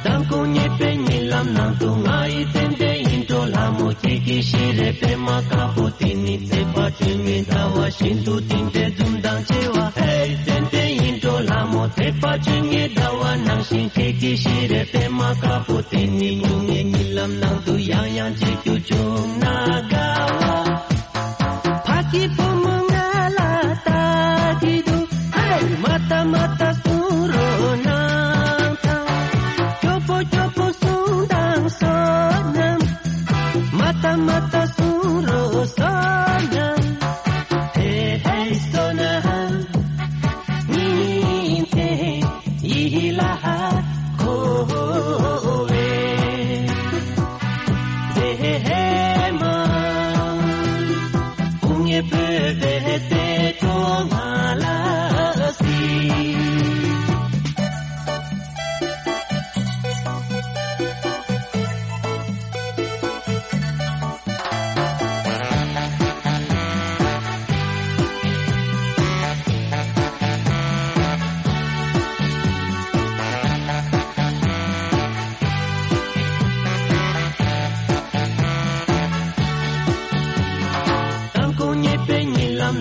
མདང་དགོང་ཉེས་པའི་གཉིད་ལམ་ནང་དུ། ང་ཡི་ཙན་དན་ཡིད་འཕྲོག་ལྷ་མོ་ཁྱེད་ཀྱི་ཞལ་རས་པད་མ་དཀར་པོ་དེ་ནི། ཚེས་པ་བཅོ་ལྔའི་ཟླ་བ་བཞིན་དུ་དེ་འདྲའི་འཛུམ་མདངས་ཆེ་བ། ཧེ་ཙན་དན་ཡིད་འཕྲོག་ལྷ་མོ། ཚེས་པ་བཅོ་ལྔའི་ཟླ་བ་ནང་བཞིན་ཁྱེད་ཀྱི་ཞལ་རས་པད་མ་དཀར་པོ་དེ་ནི། ངུ་ངའི་གཉིད་ལམ་ནང་དུ་ཡང་ཡང་མཇལ་རྒྱུ་བྱུང་ན་དགའ་བ། ཕ་གི་བུ་མོ་ང་ལ་ལྟ་གི་འདུག་ཧེ། མ་ལྟ་མ་ལྟ་གསུང་རོགས་གནང་དང་། སྐྱོ་པོ་སྐྱོ་པོ་གསུང་དང་བསོད་ནམས། མ་ལྟ་མ་ལྟ་གསུང་རོགས་བསོད་ནམས། ཧེ་ཧེ་བསོད་ནམས། ཉིན་མཚན་ཡིད་ལ་འཁོར་བའི།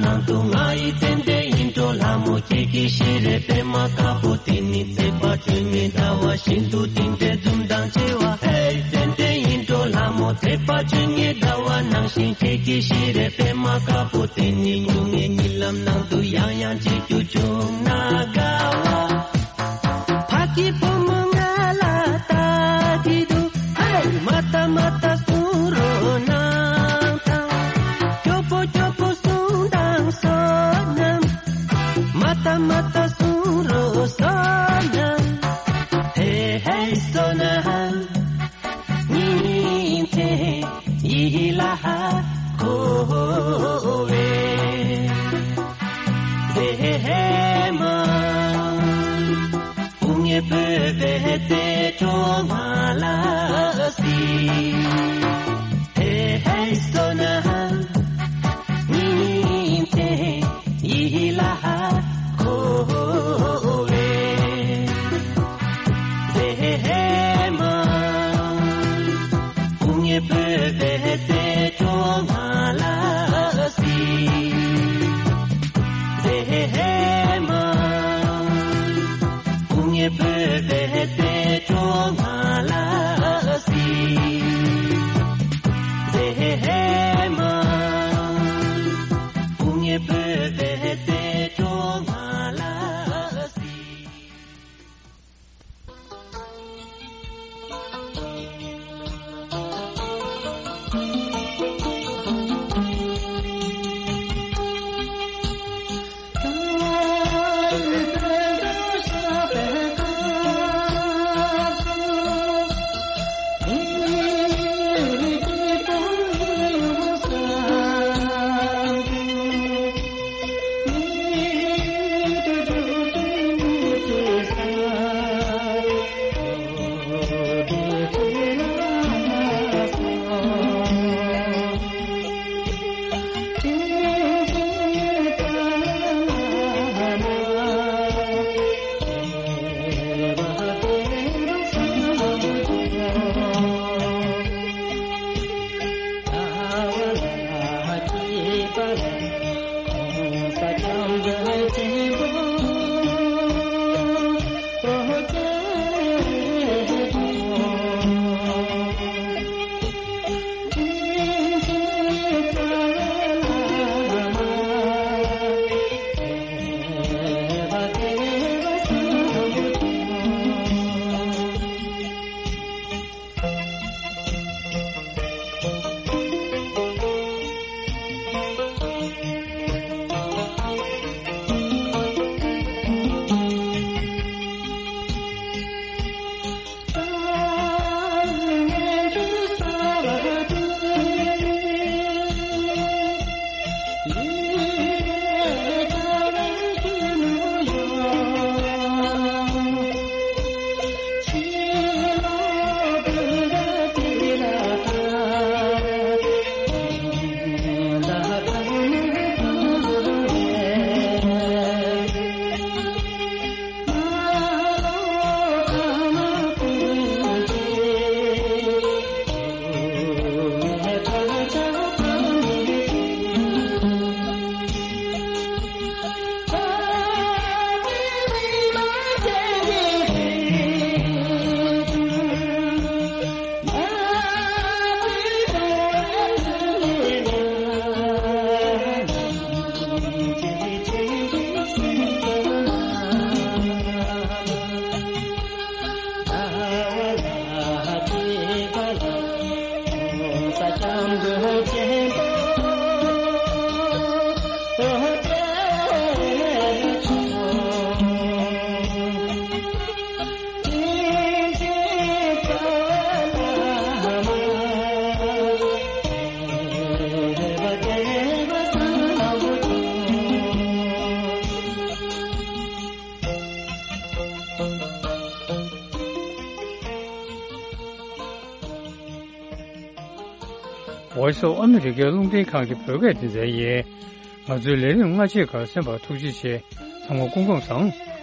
ནང་དུ་ང་ཡི་ཙན་དན་ཡིད་འཕྲོག་ལྷ་མོ་ཁྱེད་ཀྱི་ཞལ་རས་པད་མ་དཀར་པོ་དེ་ནི་མཛེས་པ་ཁྱོད་ཉིད་ཟླ་བ་བཞིན་དུ་བདེན་བྲལ་འཛུམ་མདངས་ཆེ་བ། ཧེ་ཙན་དན་ཡིད་འཕྲོག་ལྷ་མོ་མཛེས་པ་ཁྱོད་ཉིད་ཟླ་བ་ནང་བཞིན་ཁྱེད་ཀྱི་ཞལ་རས་པད་མ་དཀར་པོ་དེ་ནི་སྨྱུང་གནས་གཉིད་ལམ་ནང་དུ་ཡང་ཡང་མཇལ་རྒྱུ་བྱུང་ན་དགའ་བ། ཕ་གི་བུ་མོ་ང་ལ་ལྟ་གི་འདུག་ཧེ། མ་ལྟ་མ་ལྟ་གསུང་རོགས་གནང་དང་། སྐྱོ་པོ་སྐྱོ་པོ་གསུང་དང་བསོད་ནམས། མ་ལྟ་མ་ལྟ་གསུང་རོགས་བསོད་ནམས། ཧེ་ཧེ་བསོད་ནམས། ཉིན་མཚན་ཡིད་ལ་འཁོར་བའི་མཛེས་མ། དཔུང་གཉེན་བོད་པའི་རྩེ་གྲོགས་ང་ལ་གཟིགས། ཧེ་ཧེ་བསོད་ནམས། ཉིན་མཚན་ཡིད་ལ་འཁོར་བའི་མཛེས་མ། དཔུང་གཉེན་བོད་པའི་རྩེ་གྲོགས་ང་ལ་གཟིགས། མཛེས་མ། དཔུང་གཉེན་བོད་པའི་རྩེ་གྲོགས་ང་ལ་གཟིགས། མཛེས་མ། དཔུང་གཉེན་བོད་པའི་རྩེ་གྲོགས་ང་ལ་གཟིགས། Voice of America རླུང་འཕྲིན་ཁང་གི་བོད་སྐད་སྡེ་ཚན་ཡིན། ང་ཚོའི་ལས་རིམ་སྔ་རྗེས་ཁག་གསན་པར་ཐུགས་རྗེ་ཆེ། ཚང་མ་སྐུ་ཁམས་བཟང་།